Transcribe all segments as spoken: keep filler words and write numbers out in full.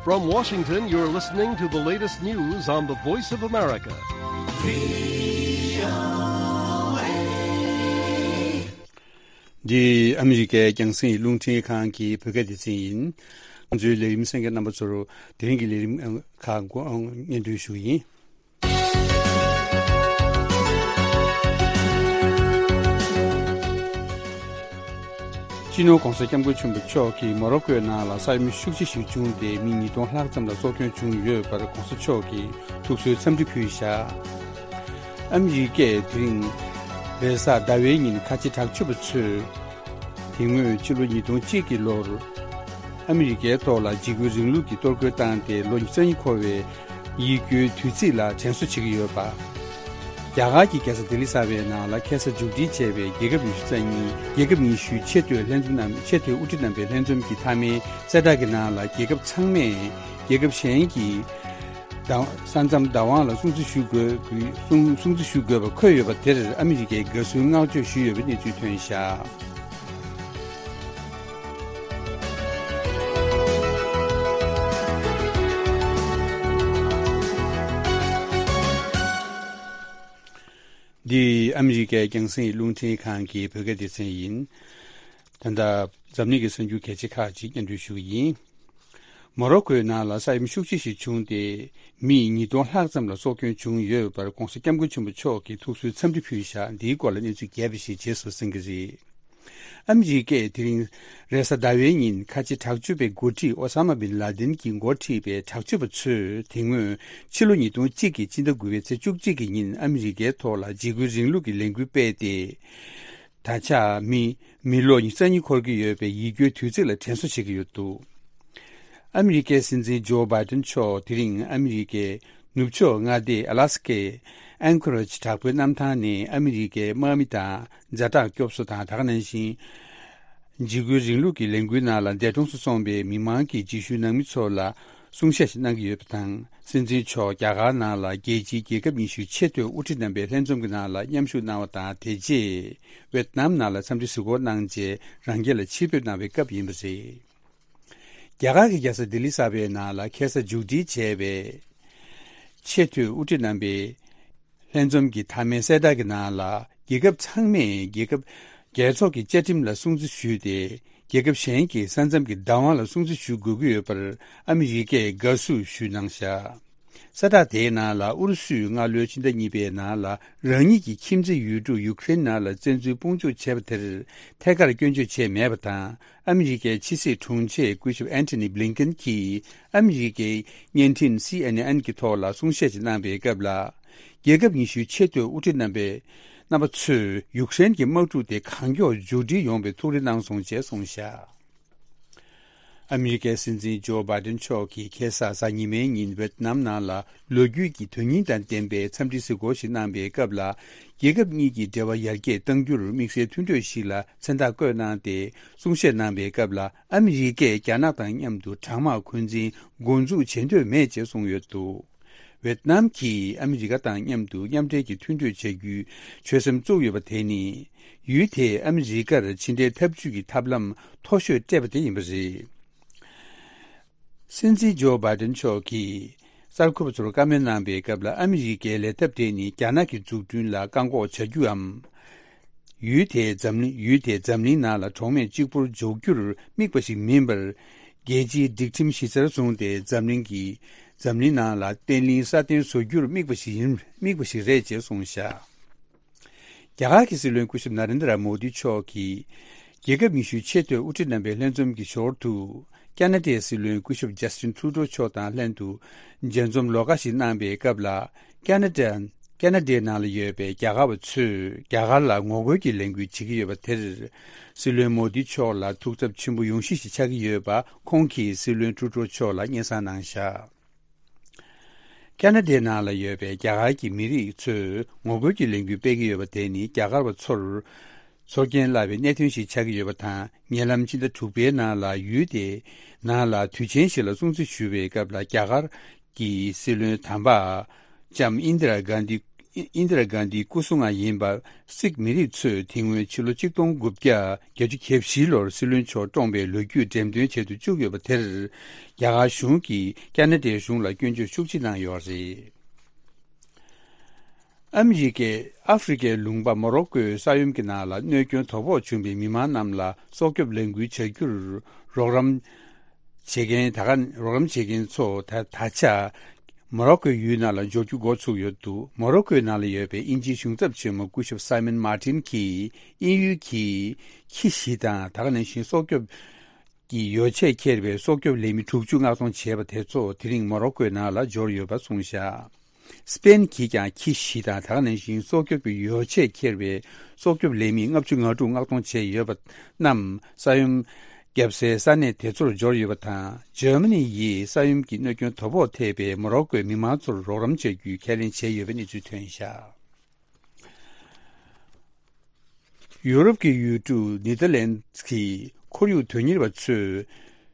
From Washington, you're listening to the latest news on the Voice of America. འདི་ཨ་མི་རི་ཀའི་རྒྱང་སྲིང་རླུང་འཕྲིན་ཁང་གི་བོད་སྐད་སྡེ་ཚན་ཡིན། ང་ཚོའི་ལས་རིམ་གསན་མཁན་རྣམ་པ་ཚོར་དེ་རིང་གི་ལས་རིམ་ཁག་སྙན་སྒྲོན་ཞུ་གི་ཡིན། སྤྱི་ནོར་༧གོང་ས་༧སྐྱབས་མགོན་ཆེན་པོ་མཆོག་གིས་མོ་རོ་ཀོའི་ནང་ལ་ས་ཡོམ་ཤུགས་ཆེ་ཞིག་བྱུང་སྟེ་མི་ཉིས་སྟོང་ལྷག་ཙམ་ལ་སྲོག་སྐྱོན་བྱུང་ཡོད་པར་༧གོང་ས་མཆོག་གིས་ཐུགས་གསོའི་འཚམས་འདྲི་ཕུལ་བཞག་ཨ་མི་རི་ཀས་དེ་རིང་རེས་གཟའ་ཟླ་བའི་ཉིན་ཁ་ཆེ་དྲག་སྤྱོད་པ་ཚོས་དེ་སྔོན་ཕྱི་ལོ་ཉིས་སྟོང་གཅིག་གི་ལོར་ཨ་མི་རི་ཀའི་ཐོག་ལ་འཇིགས་སྐུལ་རིང་ལུགས་ཀྱི་གཏོར་རྒོལ་བཏང་སྟེ་ལོ་ཉི་ཤུ་རྩ་གཉིས་འཁོར་བའི་ཡིད་སྐྱོའི་དུས་ཚིགས་ལ་དྲན་གསོ་བྱེད་ཀྱི་ཡོད་པ། རྒྱ་གར་གྱི་རྒྱལ་ས་ལྡི་ལི་གསར་པའི་ནང་ལ་ཁ་སང་མཇུག་སྒྲིལ་བྱས་པའི་རྒྱལ་ཁབ་ཉི་ཤུ་རྩ་གཉིས་རྒྱལ་ཁབ་ཉི་ཤུའི་ཆེས་མཐོའི་ལྷན་འཛོམས་རྣམས་ཆེས་མཐོའི་དབུ་ཁྲིད་རྣམ་པའི་ལྷན་འཛོམས་ཀྱི་མཐའ་མའི་གསལ་བསྒྲགས་ཀྱི་ནང་ལ་རྒྱལ་ཁབ་ཚང་མས་རྒྱལ་ཁབ་གཞན་གྱི་བདག་ས་མཚམས་བདག་དབང་ལ་སྲུང་བརྩི་ཞུ་དགོས་དགོས་སྲུང་སྲུང་བརྩི་ཞུ་དགོས་པ་འཁོད་ཡོད་པ་དེར་ཨ་མི་རི་ཀས་དགའ་བསུའི་བསྔགས་བརྗོད་ཞུས་ཡོད་པའི་གནས་ཚུལ་ཐོན་བཞག་འདི་ཨ་མི་རི་ཀའི་རྒྱང་སྲིང་རླུང་འཕྲིན་ཁང་གི་བོད་སྐད་སྡེ་ཚན་ཡིན། ད་ལྟ་འཛམ་གླིང་གི་གསར་འགྱུར་གལ་ཆེ་ཁག་ཅིག་སྙན་སྒྲོན་ཞུ་གི་ཡིན། མོ་རོ་ཀོའི་ནང་ལ་ས་ཡོམ་ཤུགས་ཆེ་ཞིག་བྱུང་སྟེ་མི་ཉིས་སྟོང་ལྷག་ཙམ་ལ་སྲོག་སྐྱོན་བྱུང་ཡོད་པར་༧གོང་ས་༧སྐྱབས་མགོན་ཆེན་པོ་མཆོག་གིས་ཐུགས་གསོའི་འཚམས་འདྲི་ཕུལ་བཞག་འདིའི་སྐོར་ལ་གནས་ཚུལ་རྒྱས་པ་ཞིག་རྗེས་སུ་གསན་གྱི་རེད། ཨ་མི་རི་ཀས་དེ་རིང་རེས་གཟའ་ཟླ་བའི་ཉིན་ཁ་ཆེ་དྲག་སྤྱོད་པའི་འགོ་ཁྲིད་ཨོ་ས་མ་བིན་ལ་དིན་གྱིས་འགོ་ཁྲིད་པའི་དྲག་སྤྱོད་པ་ཚོས་དེ་སྔོན་ཕྱི་ལོ་ཉིས་སྟོང་གཅིག་གི་སྤྱི་ཟླ་དགུ་པའི་ཚེས་བཅུ་གཅིག་གི་ཉིན་ཨ་མི་རི་ཀའི་ཐོག་ལ་འཇིགས་སྐུལ་རིང་ལུགས་ཀྱི་ལས་འགུལ་སྤེལ་ཏེ། ད་ཆ་མི་མི་ལོ་ཉི་ཤུ་རྩ་གཉིས་འཁོར་གྱི་ཡོད་པའི་ཡིད་སྐྱོའི་དུས་ཚིགས་ལ་དྲན་གསོ་བྱེད་ཀྱི་ཡོད་འདུག་ཨ་མི་རི་ཀའི་སྲིད་འཛིན་ཇོ་བྷའི་ཏིན་མཆོག་དེ་རིང་ཨ་མི་རི་ཀའི་ནུབ་ཕྱོགས་མངའ་སྡེ་ཨ་ལ་སི་ཀའི་ཨན་ཁོ་རེཇ་དྲག་པོའི་གནམ་ཐང་ནས་ཨ་མི་རི་ཀའི་དམག་མི་དང་ཛ་དྲག་སྐྱོབ་གསོ་དང་དེ་ག་ནང་བཞིན་འཇིགས་སྐུལ་རིང་ལུགས་ཀྱི་ལས་འགུལ་ནང་ལ་འདས་གྲོངས་སུ་སོང་པའི་མི་མང་གི་རྗེས་ཤུལ་ནང་མི་ཚོ་ལ་གསུང་བཤད་ཞིག་གནང་གི་ཡོད་པ་དང་། སྲིད་འཛིན་མཆོག་རྒྱ་གར་ནང་ལ་རྒྱལ་སྤྱིའི་རྒྱལ་ཁབ་ཉི་ཤུའི་ཆེས་མཐོའི་དབུ་ཁྲིད་རྣམ་པའི་ལྷན་འཛོམས་ཀྱི་ནང་ལ་མཉམ་ཞུགས་གནང་བ་དང་། དེ་རྗེས་ཝེད་ནམ་ནང་ལ་འཚམས་འདྲི་གཟིགས་སྐོར་གནང་རྗེས་རང་རྒྱལ་ལ་ཕྱིར་འབུད་གནང་བའི་སྐབས་ཡིན་པ་རེད། རྒྱ་གར་གྱི་རྒྱལ་ས་ལྡི་ལི་གསར་པའི་ནང་ལ་ཁ་སང་མཇུག་སྒྲིལ་བྱས་པའི་ཆེས་མཐོའི་དབུ་ཁྲིད་རྣམ་པའི་ལྷན་འཛོམས་ཀྱི་མཐའ་མའི་གསལ་བསྒྲགས་ཀྱི་ནང་ལ་རྒྱལ་ཁབ་ཚང་མས་རྒྱལ་ཁབ་རྒྱལ་ཚོགས་ཀྱི་བཅའ་ཁྲིམས་ལ་སྲུང་བརྩི་ཞུས་ཏེ། རྒྱལ་ཁབ་གཞན་གྱི་ས་མཚམས་ཀྱི་བདག་དབང་ལ་སྲུང་བརྩི་ཞུ་དགོས་ཀྱི་ཡོད་པར་ཨ་མི་རི་ཀས་དགའ་བསུ་ཞུས་གནང་བཞག་གསལ་བསྒྲགས་དེའི་ནང་ལ་ཨུ་རུ་སུས་སྔ་ལོའི་ཕྱི་ཟླ་གཉིས་པའི་ནང་ལ་རང་ཉིད་ཀྱི་ཁྱིམ་མཚེས་ཡུལ་གྲུ་ཡུ་ཁུ་རེན་ནང་ལ་བཙན་འཛུལ་དཔུང་འཇུག་བྱས་པ་དེར་ཐད་ཀར་སྐྱོན་བརྗོད་བྱས་མེད་པ་དང་། ཨ་མི་རི་ཀའི་ཕྱི་སྲིད་དྲུང་ཆེ་སྐུ་ཞབས་ཨན་ཐོ་ནི་བྷི་ལིན་ཀེན་གྱིས་ཨ་མི་རི་ཀའི་བརྙན་འཕྲིན་སི་ཨེན་ཨེན་གྱི་ཐོག་ལ་གསུང་བཤད་ཅིག་གནང་པའི་སྐབས་ལ། རྒྱལ་ཁབ་ཉི་ཤུའི་ཆེས་མཐོའི་དབུ་ཁྲིད་རྣམ་པས་རྣམ་པ་ཚོས་ཡུཀ་རེན་གྱི་དམག་འཁྲུག་དེ་གང་མགྱོགས་མཇུག་སྒྲིལ་ཡོང་བའི་ཐུགས་རེ་གནང་སོང་ཅེས་གསུངས་བཞག་ཨ་མི་རི་ཀའི་སྲིད་འཛིན་ཇོ་བྷའི་ཏིན་མཆོག་གིས་ཁ་སང་གཟའ་ཉི་མའི་ཉིན་ཝེད་ནམ་ནང་ལ་ལོ་རྒྱུས་ཀྱི་དོན་སྙིང་དང་ལྡན་པའི་འཚམས་འདྲིའི་གཟིགས་སྐོར་ཞིག་གནང་པའི་སྐབས་ལ། རྒྱལ་ཁབ་གཉིས་ཀྱི་འབྲེལ་བ་ཡར་རྒྱས་གཏང་རྒྱུར་དམིགས་བསལ་མཐུན་གྲོས་ཤིག་ལ་མཚན་རྟགས་བཀོད་གནང་སྟེ། གསུང་བཤད་གནང་པའི་སྐབས་ལ་ཨ་མི་རི་ཀས་རྒྱ་ནག་དང་མཉམ་དུ་དྲག་དམག་འཁོན་འཛིན་འགོ་འཛུགས་བྱེད་འདོད་མེད་ཅེས་གསུངས་ཡོད་འདུག་ཝེད་ནམ་གྱིས་ཨ་མི་རི་ཀ་དང་མཉམ་དུ་མཉམ་འབྲེལ་གྱི་མཐུན་གྲོས་བྱ་རྒྱུའི་ཆོད་སེམས་བཙུགས་ཡོད་པ་དེ་ནི། ཡུལ་དེས་ཨ་མི་རི་ཀར་ཕྱི་འབྲེལ་འཐབ་ཇུས་ཀྱི་ཐབས་ལམ་མཐོ་ཤོས་སྤྲད་པ་དེ་ཡིན་པ་རེད། སྲིད་འཛིན་ཇོ་བྷའི་ཏིན་མཆོག་གིས་གསར་འགོད་པ་ཚོར་བཀའ་མོལ་གནང་པའི་སྐབས་ལ། ཨ་མི་རི་ཀའི་ལས་ཐབས་དེ་ནི་རྒྱ་ནག་གི་འཛུགས་སྐྲུན་ལ་བཀག་འགོག་བྱ་རྒྱུའམ། ཡུལ་དེའི་འཛམ་གླིང་ཡུལ་དེའི་འཛམ་གླིང་ནང་ལ་གྲོགས་མེད་གཅིག་པུར་འཇོག་རྒྱུར་དམིགས་པ་ཞིག་མིན་པར། རྒྱལ་སྤྱིའི་སྒྲིག་ཁྲིམས་གཞི་རྩར་བཟུང་སྟེ་འཛམ་གླིང་གི་འཛམ་གླིང་ནང་ལ་བརྟན་ལྷིང་སྲ་བརྟན་བཟོ་རྒྱུར་དམིགས་པ་ཞིག་ཡིན་དམིགས་པ་ཞིག་རེད་ཅེས་གསུངས་བཞག་རྒྱ་གར་གྱི་སྲིད་བློན་སྐུ་ཞབས་ན་རེན་དྲ་མོ་དི་མཆོག་གིས། རྒྱལ་ཁབ་ཉི་ཤུའི་ཆེས་མཐོའི་དབུ་ཁྲིད་རྣམ་པའི་ལྷན་འཛོམས་ཀྱི་ཞོར་དུ། ཁ་ན་ཌའི་སྲིད་བློན་སྐུ་ཞབས་ཇ་སི་ཊིན་ཁྲུ་ཌོ་མཆོག་དང་ལྷན་དུ་མཇལ་འཛོམས་ལོགས་ཀ་ཞིག་གནང་པའི་སྐབས་ལ། ཁ་ན་ཌ་ཁ་ན་ཌའི་ནང་ལ་ཡོད་པའི་རྒྱ་གར་བ་ཚོས་རྒྱ་གར་ལ་ངོ་རྒོལ་གྱི་ལས་འགུལ་བྱེད་ཀྱི་ཡོད་པ་དེར། སྲིད་བློན་མོ་དི་མཆོག་ལ་ཐུགས་འཚབ་ཆེན་པོ་ཡོང་གཞི་ཞིག་ཆགས་ཀྱི་ཡོད་པ་ཁོང་གིས་སྲིད་བློན་ཁྲུ་ཌོ་མཆོག་ལ་སྙན་སེང་གནང་བཞག་ཁ་ན་ཌའི་ནང་ལ་ཡོད་པའི་རྒྱ་གར་གྱི་མི་རིགས་ཚོས་ངོ་རྒོལ་གྱི་ལས་འགུལ་སྤེལ་གྱི་ཡོད་པ་དེ་ནི་རྒྱ་གར་བ་ཚོར་ཚོར་སྐྱེན་བརླག་པའི་གནད་དོན་ཞིག་ཆགས་ཀྱི་ཡོད་པ་དང་། ཉེ་ལམ་ཕྱི་ཟླ་དྲུག་པའི་ནང་ལ་ཡུལ་དེའི་ནང་ལ་དུས་ཆེན་ཞིག་ལ་སྲུང་བརྩི་ཞུ་བའི་སྐབས་ལ། རྒྱ་གར་གྱི་སྲིད་བློན་དམ་པ་ལྕམ་ཨིན་དི་ར་གྷན་དྷི་ ཨིན་ཨིན་དི་ར་གྷན་དྷིའི་སྐུ་སྲུང་བ་ཡིན་པ་སིག་མི་རིགས་ཚོས་དེ་སྔོན་ཕྱི་ལོ་ཆིག་སྟོང་དགུ་བརྒྱ་བརྒྱད་ཅུ་གྱ་བཞི་ལོར་སྲིད་བློན་མཆོག་བཀྲོངས་པའི་ལོ་རྒྱུས་འགྲེམས་སྟོན་བྱེད་དུ་བཅུག་ཡོད་པ་དེར། རྒྱ་གར་གཞུང་གིས་ཀ་ན་ཌའི་གཞུང་ལ་སྐྱོན་བརྗོད་ཤུགས་ཆེ་གནང་ཡོད་རེད། ཨ་མི་རི་ཀས་ཨ་ཧྥེ་རི་ཀའི་ལུང་པ་མོ་རོ་ཀོའི་ས་ཡོམ་གྱི་ནང་ལ་གནོད་སྐྱོན་དོ་ཕོག་བྱུང་བའི་མི་མང་རྣམས་ལ་སྲོག་སྐྱོབ་ལས་འགུལ་བྱ་རྒྱུར་རོགས་རམ་བྱེད་མཁན་ད་ག་རོགས་རམ་བྱེད་མཁན་ཚོ་ད་ད་ཆ་མོ་རོ་ཀོའི་ཡུལ་ནང་ལ་འབྱོར་རྒྱུ་འགོ་ཚུགས་ཡོད་འདུག་མོ་རོ་ཀོའི་ནང་ལ་ཡོད་པའི་དབྱིན་ཇིའི་གཞུང་ཚབ་ཆེན་མོ་སྐུ་ཞབས་སའི་མོན་མར་ཏིན་གྱིས་དབྱིན་ཡུལ་གྱི་ཁྱི་བཞི་དང་ད་ག་ནང་བཞིན་སྲོག་སྐྱོབ་ཀྱི་ཡོ་ཆས་འཁྱེར་བའི་སྲོག་སྐྱོབ་ལས་མི་དྲུག་ཅུ་མངགས་གཏོང་བྱས་པ་དེ་ཚོ་དེ་རིང་མོ་རོ་ཀོའི་ནང་ལ་འབྱོར་ཡོད་པ་གསུངས་བཞག་སྤེན་གྱིས་ཀྱང་ཁྱི་བཞི་དང་ད་ག་ནང་བཞིན་སྲོག་སྐྱོབ་ཀྱི་ཡོ་ཆས་འཁྱེར་བའི་སྲོག་སྐྱོབ་ལས་མི་ལྔ་བཅུ་ང་དྲུག་མངགས་གཏོང་བྱས་ཡོད་པ་རྣམས་ས་ཡོམ་བརྒྱབ་སའི་ས་གནས་དེ་ཚོར་འབྱོར་ཡོད་པ་དང་། འཇར་མ་ནི་ཡིས་ས་ཡོམ་གྱི་གནོད་སྐྱོན་དོ་ཕོག་ཐེབས་པའི་མོ་རོ་ཀོའི་མི་མང་ཚོར་རོགས་རམ་བྱ་རྒྱུའི་ཁས་ལེན་བྱས་ཡོད་པའི་གནས་ཚུལ་ཐོན་བཞག་ཡུ་རོབ་ཀྱི་ཡུལ་གྲུ་ནེ་དར་ལན་གྱི་ཁོར་ཡུག་དོན་གཉེར་བ་ཚོས་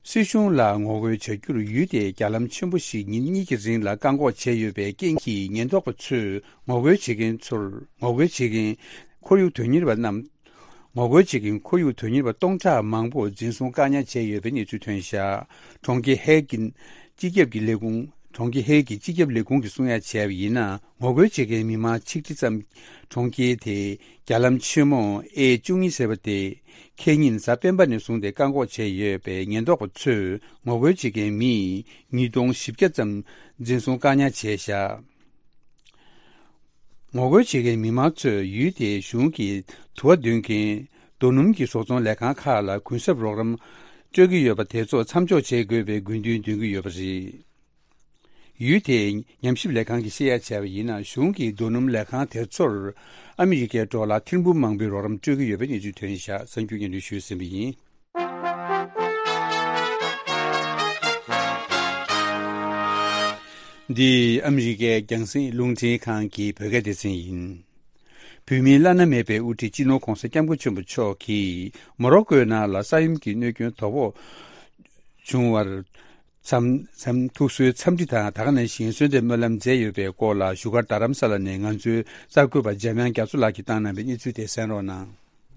སྲིད་གཞུང་ལ་ངོ་རྒོལ་བྱ་རྒྱུར་ཡུལ་དེའི་རྒྱ་ལམ་ཆེན་པོ་ཞིག་ཉིན་གཉིས་ཀྱི་རིང་ལ་བཀག་འགོག་བྱས་ཡོད་པའི་རྐྱེན་གྱིས། ཉེན་རྟོག་པ་ཚོས་ངོ་རྒོལ་བྱེད་མཁན་ཚོར་ངོ་རྒོལ་བྱེད་མཁན་ཁོར་ཡུག་དོན་གཉེར་བ་རྣམས་ངོ་རྒོལ་བྱེད་མཁན་ཁོར་ཡུག་དོན་གཉེར་བ་སྟོང་ཕྲག་མང་པོ་འཛིན་བཟུང་བཀག་ཉར་བྱས་ཡོད་པའི་གནས་ཚུལ་ཐོན་བཞག་གྲོང་ཁྱེར་ཧེག་གི་སྤྱི་ཁྱབ་ཀྱི་ལས་ཁུངས། གྲོང་ཁྱེར་ཧེག་གི་སྤྱི་ཁྱབ་ལས་ཁུངས་ཀྱིས་གསུང་ཡ་བྱས་པ་ཡིན་ན། ངོ་རྒོལ་བྱེད་མཁན་མི་མང་ཆིག་ཁྲི་ཙམ་གྲོང་ཁྱེར་དེའི་རྒྱ་ལམ་ཆེན་མོ་ཨེ་བཅུ་གཉིས་ཟེར་བ་དེ་ཁེ་ཉིན་གཟའ་སྤེན་པ་ནས་བཟུང་སྟེ་བཀག་འགོག་བྱས་ཡོད་པས། ཉེན་རྟོག་པ་ཚོས་ངོ་རྒོལ་བྱེད་མཁན་མི་ཉིས་སྟོང་བཞི་བརྒྱ་ཙམ་འཛིན་བཟུང་བཀག་ཉར་བྱས་བཞག་ངོ་རྒོལ་བྱེད་མཁན་མི་མང་ཚོས་ཡུལ་དེའི་གཞུང་གིས་དུ་བ་འདོན་མཁན་རྡོ་སྣུམ་གྱི་བཟོ་ཚོང་ལས་ཁང་ཁག་ལ་གུན་གསབ་རོགས་རམ་སྤྲོད་ཀྱི་ཡོད་པ་དེ་ཚོ་མཚམས་འཇོག་བྱེད་དགོས་པའི་དགོས་འདུན་འདོན་གྱི་ཡོད་པ་རེད། ཡུལ་དེའི་ཉམས་ཞིབ་ལས་ཁང་གིས་བཤད་ཡ་བྱས་པ་ཡིན་ན། གཞུང་གིས་རྡོ་སྣུམ་ལས་ཁང་དེ་ཚོར་ཨ་མི་རི་ཀའི་ཌོ་ལར་ཐེར་འབུམ་མང་པོའི་རོགས་རམ་སྤྲོད་ཀྱི་ཡོད་པའི་གནས་ཚུལ་ཐོན་བཞག་གསར་འགྱུར་སྙན་སྒྲོན་ཞུས་ཟིན་པ་ཡིན། འདི་ཨ་མི་རི་ཀའི་རྒྱང་སྲིང་རླུང་འཕྲིན་ཁང་གི་བོད་སྐད་སྡེ་ཚན་ཡིན། བོད་མིའི་བླ་ན་མེད་པའི་དབུ་ཁྲིད་སྤྱི་ནོར་༧གོང་ས་༧སྐྱབས་མགོན་ཆེན་པོ་མཆོག་གིས་མོ་རོ་ཀོའི་ནང་ལ་ས་ཡོམ་གྱི་གནོད་སྐྱོན་དོ་ཕོག་བྱུང་བར་འཚམས་འཚམས་ཐུགས་གསོའི་འཚམས་འདྲི་དང་། ད་ག་ནང་བཞིན་གསོལ་འདེབས་སྨོན་ལམ་མཛད་ཡོད་པའི་སྐོར་ལ་བཞུགས་སྒར་རྡ་རམ་ས་ལ་ནས་ང་ཚོའི་གསར་འགོད་པ་འཇམ་དབྱངས་རྒྱ་མཚོ་ལགས་ཀྱིས་བཏང་གནང་བའི་གནས་ཚུལ་དེ་གསན་རོགས་གནང་།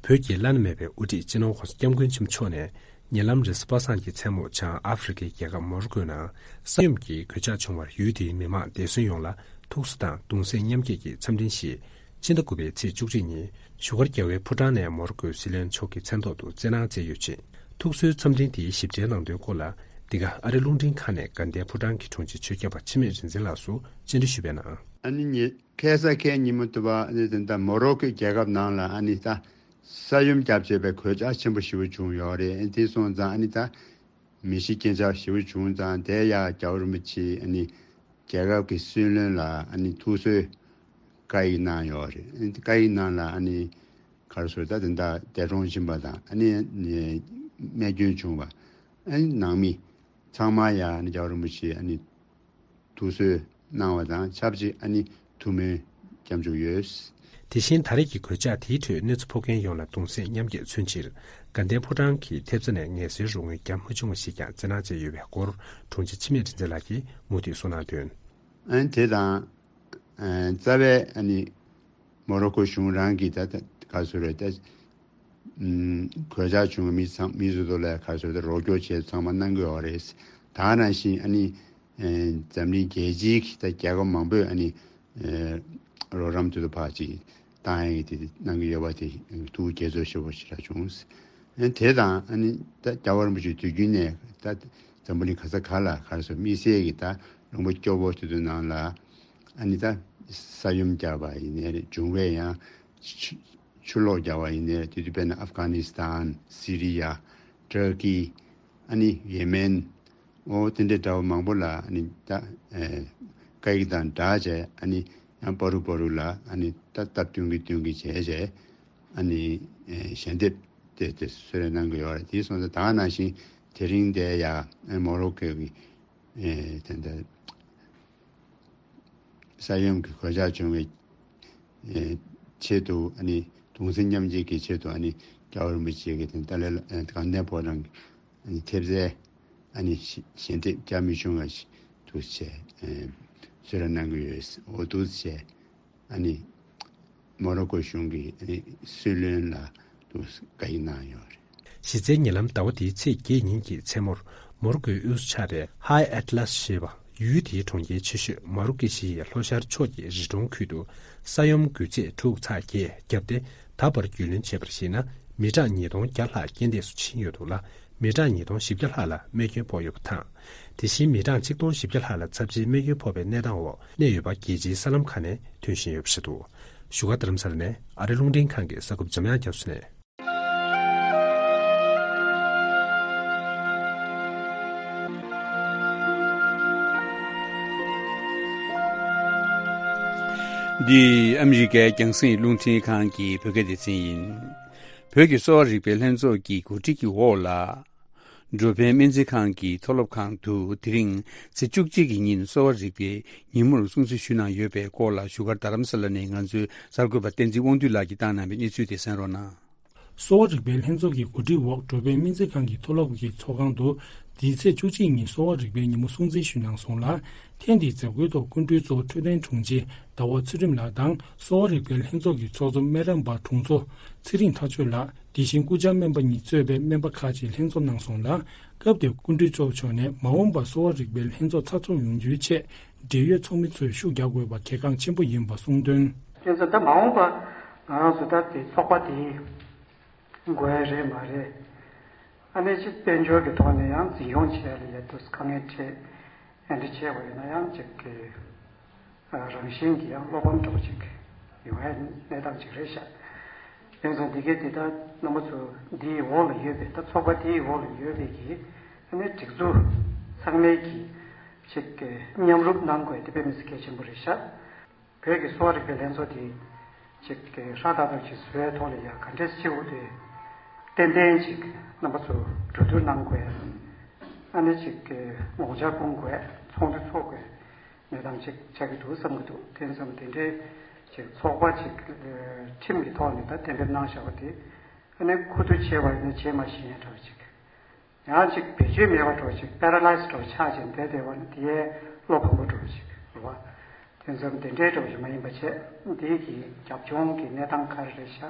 བོད་ཀྱི་བླ་ན་མེད་པའི་དབུ་ཁྲིད་སྤྱི་ནོར་༧གོང་ས་༧སྐྱབས་མགོན་ཆེན་པོ་མཆོག་ནས་ཉེ་ལམ་རེས་གཟའ་པ་སངས་ཀྱི་མཚན་མོ་བྱང་ཨ་ཧྥེ་རི་ཁའི་རྒྱལ་ཁབ་མོ་རོ་ཀོའི་ནང་ས་ཡོམ་གྱི་གོད་ཆག་བྱུང་བར་ཡུལ་དེའི་མི་མང་བདེ་སྲུང་ཡོངས་ལ་ཐུགས་གསོ་དང་གདུང་སེམས་མཉམ་སྐྱེད་ཀྱི་འཚམས་འཕྲིན་ཞིག་ཕྱི་ཟླ་དགུ་པའི་ཚེས་བཅུ་གཅིག་ཉིན་བཞུགས་སྒར་རྒྱལ་བའི་ཕོ་བྲང་ནས་མོ་རོ་ཀོའི་སྲིད་བློན་མཆོག་གི་མཚན་ཐོག་ཏུ་བསྩལ་གནང་མཛད་ཡོད་ཅིང་། ཐུགས་གསོའི་འཚམས་འཕྲིན་དེའི་ཞིབ་ཕྲའི་ནང་དོན་སྐོར་ལ་འདི་ག་ཨ་རི་རླུང་འཕྲིན་ཁང་ནས་དགའ་ལྡན་ཕོ་བྲང་གི་དྲུང་ཆེ་ཆོས་སྐྱབས་པ་འཆི་མེད་རིག་འཛིན་ལགས་སུ་བཅར་འདྲི་ཞུས་པའི་ནང་། ཨ་ནི་ཉེ་ཁ་སང་ཁ་ཉིན་མོ་དུ་བ་ཨ་ནི་ད་ལྟ་མོ་རོ་ཀོའི་རྒྱལ་ཁབ་ནང་ལ་ཨ་ནི་ད་ས་ཡོམ་བརྒྱབ་བྱས་པའི་གོད་ཆག་ཆེན་པོ་ཞེ་པོ་བྱུང་ཡོད་རེད། ཨ་ནི་དེ་སོང་ཙང་ཨ་ནི་ད་མི་ཤི་རྐྱེན་ཆག་ཞེ་པོ་བྱུང་ཙང་དེ་ཡ་རྒྱལ་བ་རིན་པོ་ཆེ་ཨ་ནི་རྒྱལ་ཁབ་ཀྱི་སྲིད་བློན་ལ་ཨ་ནི་ཐུགས་གསོའི་བཀའ་ཡིག་གནང་ཡོད་རེད། ཨ་ནི་བཀའ་ཡིག་ནང་ལ་ཨ་ནི་ག་རེ་ཟེར་ད་དེ་འདྲ་འདས་གྲོངས་ཕྱིན་པ་དང་ཨ་ནི་རྨས་སྐྱོན་བྱུང་བ་ཨ་ནི་ནང་མི་ཚང་མ་ཡ་ཨ་ནི་རྒྱལ་བ་རིན་པོ་ཆེ་ཨ་ནི་ཐུགས་གསོ་གནང་བ་དང་ཆབས་ཅིག་ཨ་ནི་ཐུགས་སྨོན་སྐྱབས་འཇུག་ཡོད། དེ་བཞིན་ད་རེས་ཀྱི་གོད་ཆག་དེའི་ཁྲོད་གནོད་འཚེ་ཕོག་མཁན་ཡོངས་ལ་གདུང་སེམས་མཉམ་སྐྱེད་མཚོན་ཕྱིར་དགའ་ལྡན་ཕོ་བྲང་གི་ཐེབས་རྩ་ནས་ངལ་སེལ་རོགས་དངུལ་བརྒྱ་མ་ཆུང་བ་ཞིག་ཀྱང་བསྩལ་གནང་མཛད་ཡོད་པའི་སྐོར་དྲུང་ཆེ་འཆི་མེད་རིག་འཛིན་ལགས་ཀྱིས་མུ་མཐུད་གསུངས་གནང་དོན། ཨ་ནི་དེ་དང་། ཨ་རྩ་བའི་ཨ་ནི་མོ་རོ་ཀོ་གཞུང་རང་གིས་ད་ལྟ་ག་ཚོད་རེད་ད། ཨུམ་གོད་ཆག་བྱུང་བའི་མི་ཚང་མི་སོ་སོ་ལ་ག་ཚོད་ད་རོགས་སྐྱོར་བྱས་ཚང་མ་གནང་གི་ཡོད་རེད། ད་ག་ནང་བཞིན་ཨ་ནི་ཨ་འཛམ་གླིང་རྒྱལ་སྤྱིའི་གི་ད་རྒྱལ་ཁབ་མང་པོས་ཨ་ནི་ཨ་རོགས་རམ་དུས་ཚོད་ཕར་ཅིག་བཏང་ཡག་གི་དེ་གནང་གི་ཡོད་པ་དེ་ཐུགས་དགྱེས་ཚོར་ཞེ་པོ་ཞེ་དྲག་བྱུང་། ཨ་ནི་དེ་དང་ཨ་ནི་ད་རྒྱལ་བ་རིན་པོ་ཆེ་དུས་རྒྱུན་ནས་ད་འཛམ་བུ་གླིང་ག་ས་ག་ལ་ག་རེ་ཟེར་དམིགས་བསལ་གྱི་ད་ལུང་པ་སྐྱོ་པོ་དེ་ཚོའི་ནང་ལ་ཨ་ནི་ད་ས་ཡོམ་བརྒྱབ་པ་ཡིན་ནའི་རེད། འབྱུང་བའི་ཡང་ཆུ་ཆུ་ལོག་བརྒྱབ་པ་ཡིན་ནའི་རེད། དེ་དུས་དཔེར་ན་ཨབ་གྷ་ནི་སི་ཐན། སི་རི་ཡ། ཏུར་ཀི། ཨ་ནི་ཡེ་མེན། ཨོ་དེ་འདྲའི་འདྲ་བ་མང་པོ་ལ་ཨ་ནི་ད་ཨེ་བཀའ་ཡིག་དང་སྦྲགས་བྱས་ཨ་ནི་ཡང་པ་རུ་པ་རུ་ལ་ཨ་ནི་ད་སྟབས་བསྟུན་གྱི་བསྟུན་གྱི་བྱས་བྱས་ཨ་ནི་ཨེ་ཞལ་འདེབས་དེ་དེ་གསོལ་རས་གནང་གི་ཡོད་རེད། དེ་སོང་ཙང་ད་ག་ནང་བཞིན་དེ་རིང་དེ་ཡ་ཨེ་མོ་རོ་ཀོ་གི་ཨེ་དེ་འདྲ་ས་ཡོམ་གྱི་གོད་ཆག་བྱུང་བའི་ཨེ་ཆེད་དུ་ཨ་ནི་གདུང་སེམས་མཉམ་སྐྱེད་ཀྱི་ཆེད་དུ་ཨ་ནི་རྒྱལ་བ་རིན་པོ་ཆེ་གི་དེ་ཏཱ་ལའི་ལ་ཨེ་དགའ་ལྡན་ཕོ་བྲང་གི་ཨ་ནི་ཐེབས་རྩའི་ཨ་ནི་ཞལ་ཞལ་འདེབས་བརྒྱ་མི་ཆུང་བ་ཞིག་འདུག་བྱས་ཨེ་གསོལ་རས་གནང་གི་ཡོད། འོ་འདུག་བྱས། ཨ་ནི་མོ་རོ་ཀོ་གཞུང་གི་ཨ་ནི་སྲིད་བློན་ལ་དུ་བཀའ་ཡིག་གནང་ཡོད་རེད། གཞི་རྩའི་ཉེ་ལམ་ཟླ་བ་འདིའི་ཚེས་བརྒྱད་ཉིན་གྱི་མཚན་མོར་མོ་རོ་ཀོའི་དབུས་སུ་ཆགས་པའི་ཧའི་ཨེ་ཏི་ལ་སི་ཞེས་པ་ཡུལ་དེའི་གྲོང་ཁྱེར་ཆེ་ཤོས་མ་རུ་ཀེ་ཤི་ཡི་ལྷོ་ཤར་ཕྱོགས་ཀྱི་རི་གྲོང་ཁུལ་དུ་ས་ཡོམ་འགུལ་ཚད་དྲུག་ཚེག་བརྒྱད་བརྒྱབ་སྟེ། ད་བར་རྒྱུས་ལོན་བྱས་པར་གཞིགས་ན་མི་གྲངས་ཉིས་སྟོང་བརྒྱ་ལྷག་རྐྱེན་འདས་སུ་ཕྱིན་ཡོད་འདུག་ལ། མི་གྲངས་ཉིས་སྟོང་བཞི་བརྒྱ་ལྷག་ལ་རྨས་སྐྱོན་ཕོག་ཡོད་པ་དང་། དེ་བཞིན་མི་གྲངས་ཆིག་སྟོང་བཞི་བརྒྱ་ལྷག་ལ་ཚབས་ཆེའི་རྨས་སྐྱོན་ཕོག་པའི་གནས་སྟངས་འོག་གནས་ཡོད་པ་རྒྱལ་སྤྱིའི་གསར་ལམ་ཁག་ནས་ཐོན་བཞིན་ཡོད་པ་རེད་འདུག་བཞུགས་སྒར་རྡ་རམ་ས་ལ་ནས་ཨ་རི་རླུང་འཕྲིན་ཁང་གི་གསར་འགོད་འཇམ་དབྱངས་རྒྱ་མཚོ་ནས། འདི་ཨ་མི་རི་ཀའི་རྒྱང་སྲིང་རླུང་འཕྲིན་ཁང་གི་བོད་སྐད་སྡེ་ཚན་ཡིན། བོད་ཀྱི་གསོ་བ་རིག་པའི་ལྷན་ཚོགས་ཀྱི་གོ་སྒྲིག་གི་འོག་ལ། འགྲོ་ཕན་སྨན་རྩིས་ཁང་གི་མཐོ་སློབ་ཁང་དུ་དེ་རིང་ཚེས་བཅུ་གཅིག་གི་ཉིན་གསོ་བ་རིག་པའི་ཉིན་མོར་སྲུང་བརྩི་ཞུས་གནང་ཡོད་པའི་སྐོར་ལ་བཞུགས་སྒར་རྡ་རམ་ས་ལ་ནས་ང་ཚོའི་གསར་འགོད་པ་བསྟན་འཛིན་དབང་འདུས་ལགས་ཀྱིས་བཏང་གནང་བའི་གནས་ཚུལ་དེ་གསན་རོགས་གནང་། གསོ་བ་རིག་པའི་ལྷན་ཚོགས་ཀྱི་གོ་སྒྲིག་འོག་འགྲོ་ཕན་སྨན་རྩིས་ཁང་གི་མཐོ་སློབ་ཀྱི་ཚོགས་ཁང་དུ་འདིའི་ཚེས་བཅུ་གཅིག་ཉིན་གསོ་བ་རིག་པའི་ཉིན་མོ་སྲུང་བརྩི་ཞུས་གནང་སོང་ལ། ཐེངས་འདིའི་མཛད་སྒོའི་ཐོག་སྐུ་མགྲོན་གཙོ་བོ་འཕྲོད་བསྟེན་དྲུང་ཆེ་ཟླ་བ་ཚུལ་ཁྲིམས་ལགས་དང་གསོ་བ་རིག་པའི་ལྷན་ཚོགས་ཀྱི་ཚོགས་གཙོ་སྨན་རམས་པ་དྲུང་འཚོ་ཚེ་རིང་ཐག་ཆོད་ལགས། དེ་བཞིན་སྐུ་བཅར་སྨན་པ་གཉིས་གཙོས་པའི་སྨན་པ་ཁག་ཅིག་ལྷན་འཛོམས་གནང་སོང་ལ། སྐབས་དེར་སྐུ་མགྲོན་གཙོ་བོ་མཆོག་ནས་མ་འོངས་པར་གསོ་བ་རིག་པའི་ལྷན་ཚོགས་ཚགས་ཚུད་ཡོང་རྒྱུའི་ཆེད་འབྲེལ་ཡོད་ཚོགས་མི་ཚོས་ཤུགས་རྒྱག་དགོས་པ་གལ་འགངས་ཆེན་པོ་ཡིན་པ་གསུངས་དོན། དེ་ཚོ་ད་མ་འོངས་པ་ང་རང་ཚོ་ད་དེ་ཚོགས་པ་དེའི་དགོས་རེད་མ་རེད། ཨ་ནི་ཅིག་དཔལ་འབྱོར་གྱི་ཐོག་ནས་ཡང་འཛིན་སྐྱོང་བྱེད་ཡ་ལ་ཡ་དུས་དཀའ་ངལ་འཕྲད། ཨ་འདྲ་བྱས་པ་ཡིན་ན་ཡང་ཅིག་གི་རང་བཞིན་གྱི་ཡང་བློ་ཕམ་འདྲ་བོ་ཅིག་ཡོང་ཡ་གནས་སྟངས་ཅིག་རེད་ཤག་དེ་ཚོ་འདི་གའི་འདི་ལྟར་རྣམ་པ་ཚོ་འདིའི་འོག་ལ་ཡོད་པའི་ད་ཚོགས་པ་དེའི་འོག་ལ་ཡོད་པའི་གི་ཨ་ནི་སྒྲིག་འཛུགས་ཚང་མའི་གི་ཅིག་གི་མཉམ་རུབ་གནང་དགོས་དེ་དཔེ་མི་སྲིད་གལ་ཆེན་པོ་རེད་ཤག་བོད་ཀྱི་གསོ་བ་རིག་པའི་ལྷན་ཚོགས་དེ་ཅིག་གི་ཧྲག་ཏག་ཏག་ཅིག་བཟོ་བའི་ཐོག་ལ་ཡ་ག་འདྲས་བྱེད་དགོས་དེ་ཏན་ཏན་ཅིག་རྣམ་པ་ཚོ་གྲོས་བསྡུར་གནང་དགོས། ཨ་ནི་ཅིག་གི་ངོ་བཅར་སྐོང་དགོས། ཚོགས་འདུ་འཚོགས་དགོས་གནས་སྟངས་ཅིག་ཆགས་ཀྱི་འདུག་བསམ་གྱི་འདུག་དེ་ཙམ་དེ་འདྲའི་ཅིག་ཚོགས་པ་ཅིག་ཁྲིམས་ཀྱི་ཐོག་ནས་ད་གཏན་འབེབས་གནང་བཞག་པ་དེ་ཨ་ནི་མཁོ་བསྡུ་བྱས་པ་ཡིན་ན་བྱས་མ་ཤེས་ཡ་འདྲ་བ་ཅིག་ཡང་ཅིག་བེད་སྤྱོད་མེད་པ་འདྲ་བོ་ཅིག་པེ་ར་ལའི་སི་འདྲ་བོ་ཆགས་ཅིང་བསྡད་བསྡད་པ་ནི་དེ་ཡས་བློ་ཕམ་པོ་འདྲ་བོ་ཅིག་རེད་བ། དེ་ཙམ་དེ་འདྲའི་འདྲ་བོ་ཞིག་མ་ཡིན་པ་བྱས་འདི་གི་རྒྱབ་ལྗོངས་ཀྱི་གནས་སྟངས་ག་རེ་རེད་ཤག་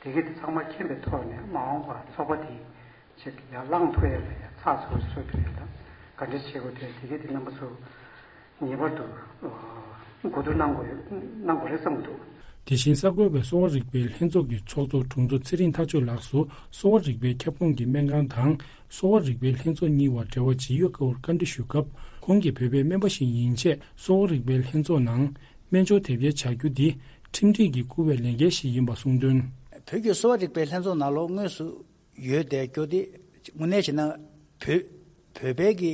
དེ་གི་དེ་ཚང་མ་མཁྱེན་པའི་ཐོག་ནས་མ་འོངས་པར་ཚོགས་པ་དེ་ཅིག་ཡར་ལངས་ཐུབ་ཡས་ལ་ཡ་ཚགས་ཚུད་པོ་བཟོ་ཐུབ་ཡས་ལ་ག་འདྲ་བྱེད་དགོས་དེ་དེ་གི་དེ་རྣམ་པ་ཚོ་ངེས་པར་དུ་གོ་བསྡུར་གནང་དགོས་གནང་དགོས་རེད་བསམ་གྱི་འདུག་དེ་བཞིན་གསར་འགོད་པས་གསོ་བ་རིག་པའི་ལྷན་ཚོགས་ཀྱི་ཚོགས་གཙོ་དྲུང་འཚོ་ཚེ་རིང་ཐག་ཆོད་ལགས་སུ་གསོ་བ་རིག་པའི་ཁྱབ་ཁོངས་ཀྱི་སྨན་ཁང་དང་གསོ་བ་རིག་པའི་ལྷན་ཚོགས་གཉིས་བར་འབྲེལ་བ་ཇི་ཡོད་སྐོར་བཀའ་འདྲི་ཞུས་སྐབས། ཁོང་གིས་བོད་པའི་སྨན་པ་ཞིག་ཡིན་ཆེད་གསོ་བ་རིག་པའི་ལྷན་ཚོགས་ནང་སྨན་སྦྱོར་དེབ་སྐྱེལ་བྱ་རྒྱུ་འདི་ཁྲིམས་སྒྲིག་གིས་བསྐུར་བའི་ལས་འགན་ཞིག་ཡིན་པ་གསུངས་དོན། བོད་ཀྱི་གསོ་བ་རིག་པའི་ལྷན་ཚོགས་ནང་ལོགས་དངོས་སུ་ཡོད་བསྡད་རྒྱུ་དེ་དངོས་གནས་བྱས་ན་བོད་བོད་པའི་གི་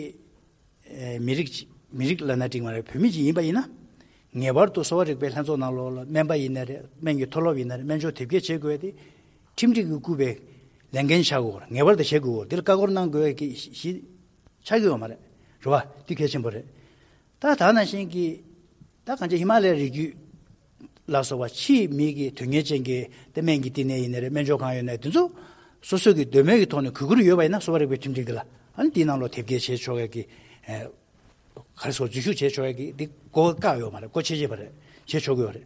ཨེ་མི་རིགས་ཅིག་མི་རིགས་ལབ་ན་འགྲིག་མ་རེད། བོད་མི་ཅིག་ཡིན་པ་ཡིན་ན། ངེས་པར་དུ་གསོ་བ་རིག་པའི་ལྷན་ཚོགས་ནང་ལོགས་ལ་སྨན་པ་ཡིན་ན་རེད། སྨན་གྱི་མཐོ་སློབ་ཡིན་ན་རེད། སྨན་སྦྱོར་དེབ་སྐྱེལ་བྱེད་དགོས་ཏེ། ཁྲིམས་སྒྲིག་གིས་བསྐུར་བའི་ལས་འགན་ཆགས་དགོས། ངེས་པར་དུ་བྱེད་དགོས། འདིར་བཀའ་འཁོར་གནང་དགོས་ཀྱི་གཞི་ཆགས་ཀྱི་ཡོད་མ་རེད། རེད་བ། འདི་གལ་ཆེན་པོ་རེད། ད་ད་ནང་བཞིན་གྱི་ད་གང་ཅི་ཧི་མ་ལའི་རི་རྒྱུད་ལ་སོགས་པ་ཕྱིའི་མི་གི་དོན་གཉེར་ཅན་གྱི་ཏེ་སྨན་གྱི་བསྟི་གནས་ཡིན་ན་རེད། སྨན་སྦྱོར་ཁང་ཡོད་ན་དེ་ཚོ་སོ་སོ་གི་འདོད་མོས་ཀྱི་ཐོག་ནས་གུས་བཀུར་ཡོད་པ་ཡིན་ན་གསོ་བ་རིག་པའི་ཁྲིམས་སྒྲིག་འདི་ལ་ཨ་ནི་དེའི་ནང་ལོགས་དེབ་སྐྱེལ་བྱེད་ཆོག་ཡ་གི་ཨེ་ག་རེ་ཟེར་འཛུལ་ཞུགས་བྱེད་ཆོག་ཡ་གི་འདི་གོ་བཀག་ཡོད་མ་རེད། གོ་ཆེ་ཆེ་བ་རེད། བྱེད་ཆོག་གི་ཡོད་རེད།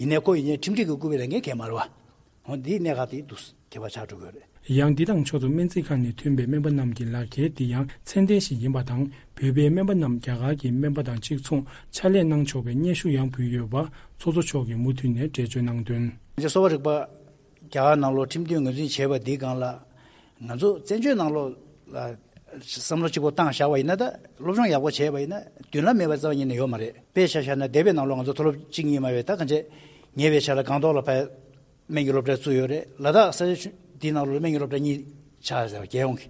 ཡིན་ནའི་ཁོ་ཡིན་ནའི་ཁྲིམས་སྒྲིག་གིས་བསྐུར་བའི་ལས་འགན་གལ་མ་རེད་བ། འོ་འདིའི་གནད་འགག་དེ་འདུག་ཁྱད་པར་ཆགས་འགྲོ་གི་ཡོད་རེད། ཡང་འདི་དང་ཕྱོགས་མཚུངས་སྨན་རྩིས་ཁང་ནས་ཐོན་པའི་སྨན་པ་རྣམས་ཀྱི་ལག་འཁྱེར་འདི་ཡང་ཚད་ལྡན་ཞིག་ཡིན་པ་དང་། བོད་པའི་སྨན་པ་རྣམས་རྒྱ་གར་གྱི་སྨན་པ་དང་གཅིག་མཚུངས་ཕྱག་ལས་གནང་ཆོག་པའི་སྙན་ཞུ་ཡང་ཕུལ་ཡོད་པ་ཚོགས་གཙོ་མཆོག་གིས་མུ་མཐུད་ནས་འགྲེལ་བརྗོད་གནང་དོན། གསོ་བ་རིག་པ་རྒྱ་གར་ནང་ལོགས་ཁྲིམས་མཐུན་ངོས་འཛིན་བྱས་པ་འདིའི་སྒང་ལ་ང་ཚོ་བཙན་བྱོལ་ནང་ལོགས་ལ་བསམ་བློ་གཅིག་པོ་བཏང་བཞག་པ་ཡིན་ན། ད་སློབ་སྦྱོང་ཡག་པོ་བྱས་པ་ཡིན་ན་མདུན་ལམ་མེད་པ་རྩ་བ་ཉིད་ནས་ཡོད་མ་རེད། དཔེ་ཆ་བཞག་ན་འདས་པའི་ནང་ལོགས་ང་ཚོ་མཐོ་སློབ་གཅིག་གཉིས་མ་བས་ད་གང་བྱས་ཉེ་བའི་ཆར་ལ་སྒང་ཏོག་ལ་ཕར་སྨན་གྱི་སློབ་གྲྭ་བཙུགས་ཡོད་རེད། ལ་དྭགས་ས་ཆ་འདིའི་ནང་ལོགས་ལ་སྨན་གྱི་སློབ་གྲྭ་གཉིས་ཆགས་ཡོད་རེད་རྒྱལ་ཡོངས་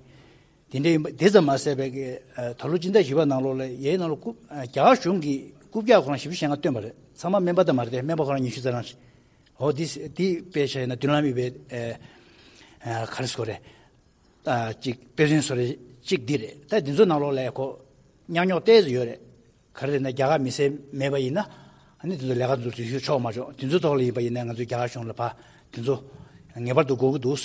ཀྱི། དེ་འདྲ་ཡིན་པ་དེ་ཙམ་མ་ཟད་པའི་གི་ཨ་ད་ལོ་སྤྱི་ཟླ་བཞི་པ་ནང་ལོགས་ལ་ཡའི་ནང་ལོགས་རྐུབ་ཨ་རྒྱ་གར་གཞུང་གིས་རྐུབ་བཀྱག་ཁོ་རང་བཞི་བཅུ་ཞེ་ལྔ་བཏོན་པ་རེད། ཚང་མ་སྨན་པ་དང་མ་རེད་དེ་སྨན་པ་ཁོ་རང་ཉི་ཤུ་རྩ་གྲངས་ཤིག་འོ་འདི་འདི་དཔེ་བཞག་ན་མདུན་ལམ་ཡོད་པའི་ཨ་ཨ་ག་རེ་ཟེར་དགོས་རེད། ཨ་ཅིག་དཔེ་མཚོན་བཟོ་རེ་ཅིག་འདི་རེད། ད་འདི་ཚོ་ནང་ལོགས་ལ་ཁོ་ཉག་ཉོག་ཏོག་ཙམ་ཡོད་རེད། ག་རེ་རེད་ན་རྒྱ་གར་མི་སེར་མེད་པ་ཡིན་ན་ཨ་ནི་དེ་ཚོ་ལས་ཀ་འཛུགས་ཞུ་ཆོག་མ་ཆོག་དེ་ཚོ་ཐོག་ལ་ཡིན་པ་ཡིན་ན་ང་ཚོས་རྒྱ་གར་གཞུང་ལ་ཕར་དེ་ཚོ་ ངེས་པར་དུ་དགོས་ཀྱི་འདུག་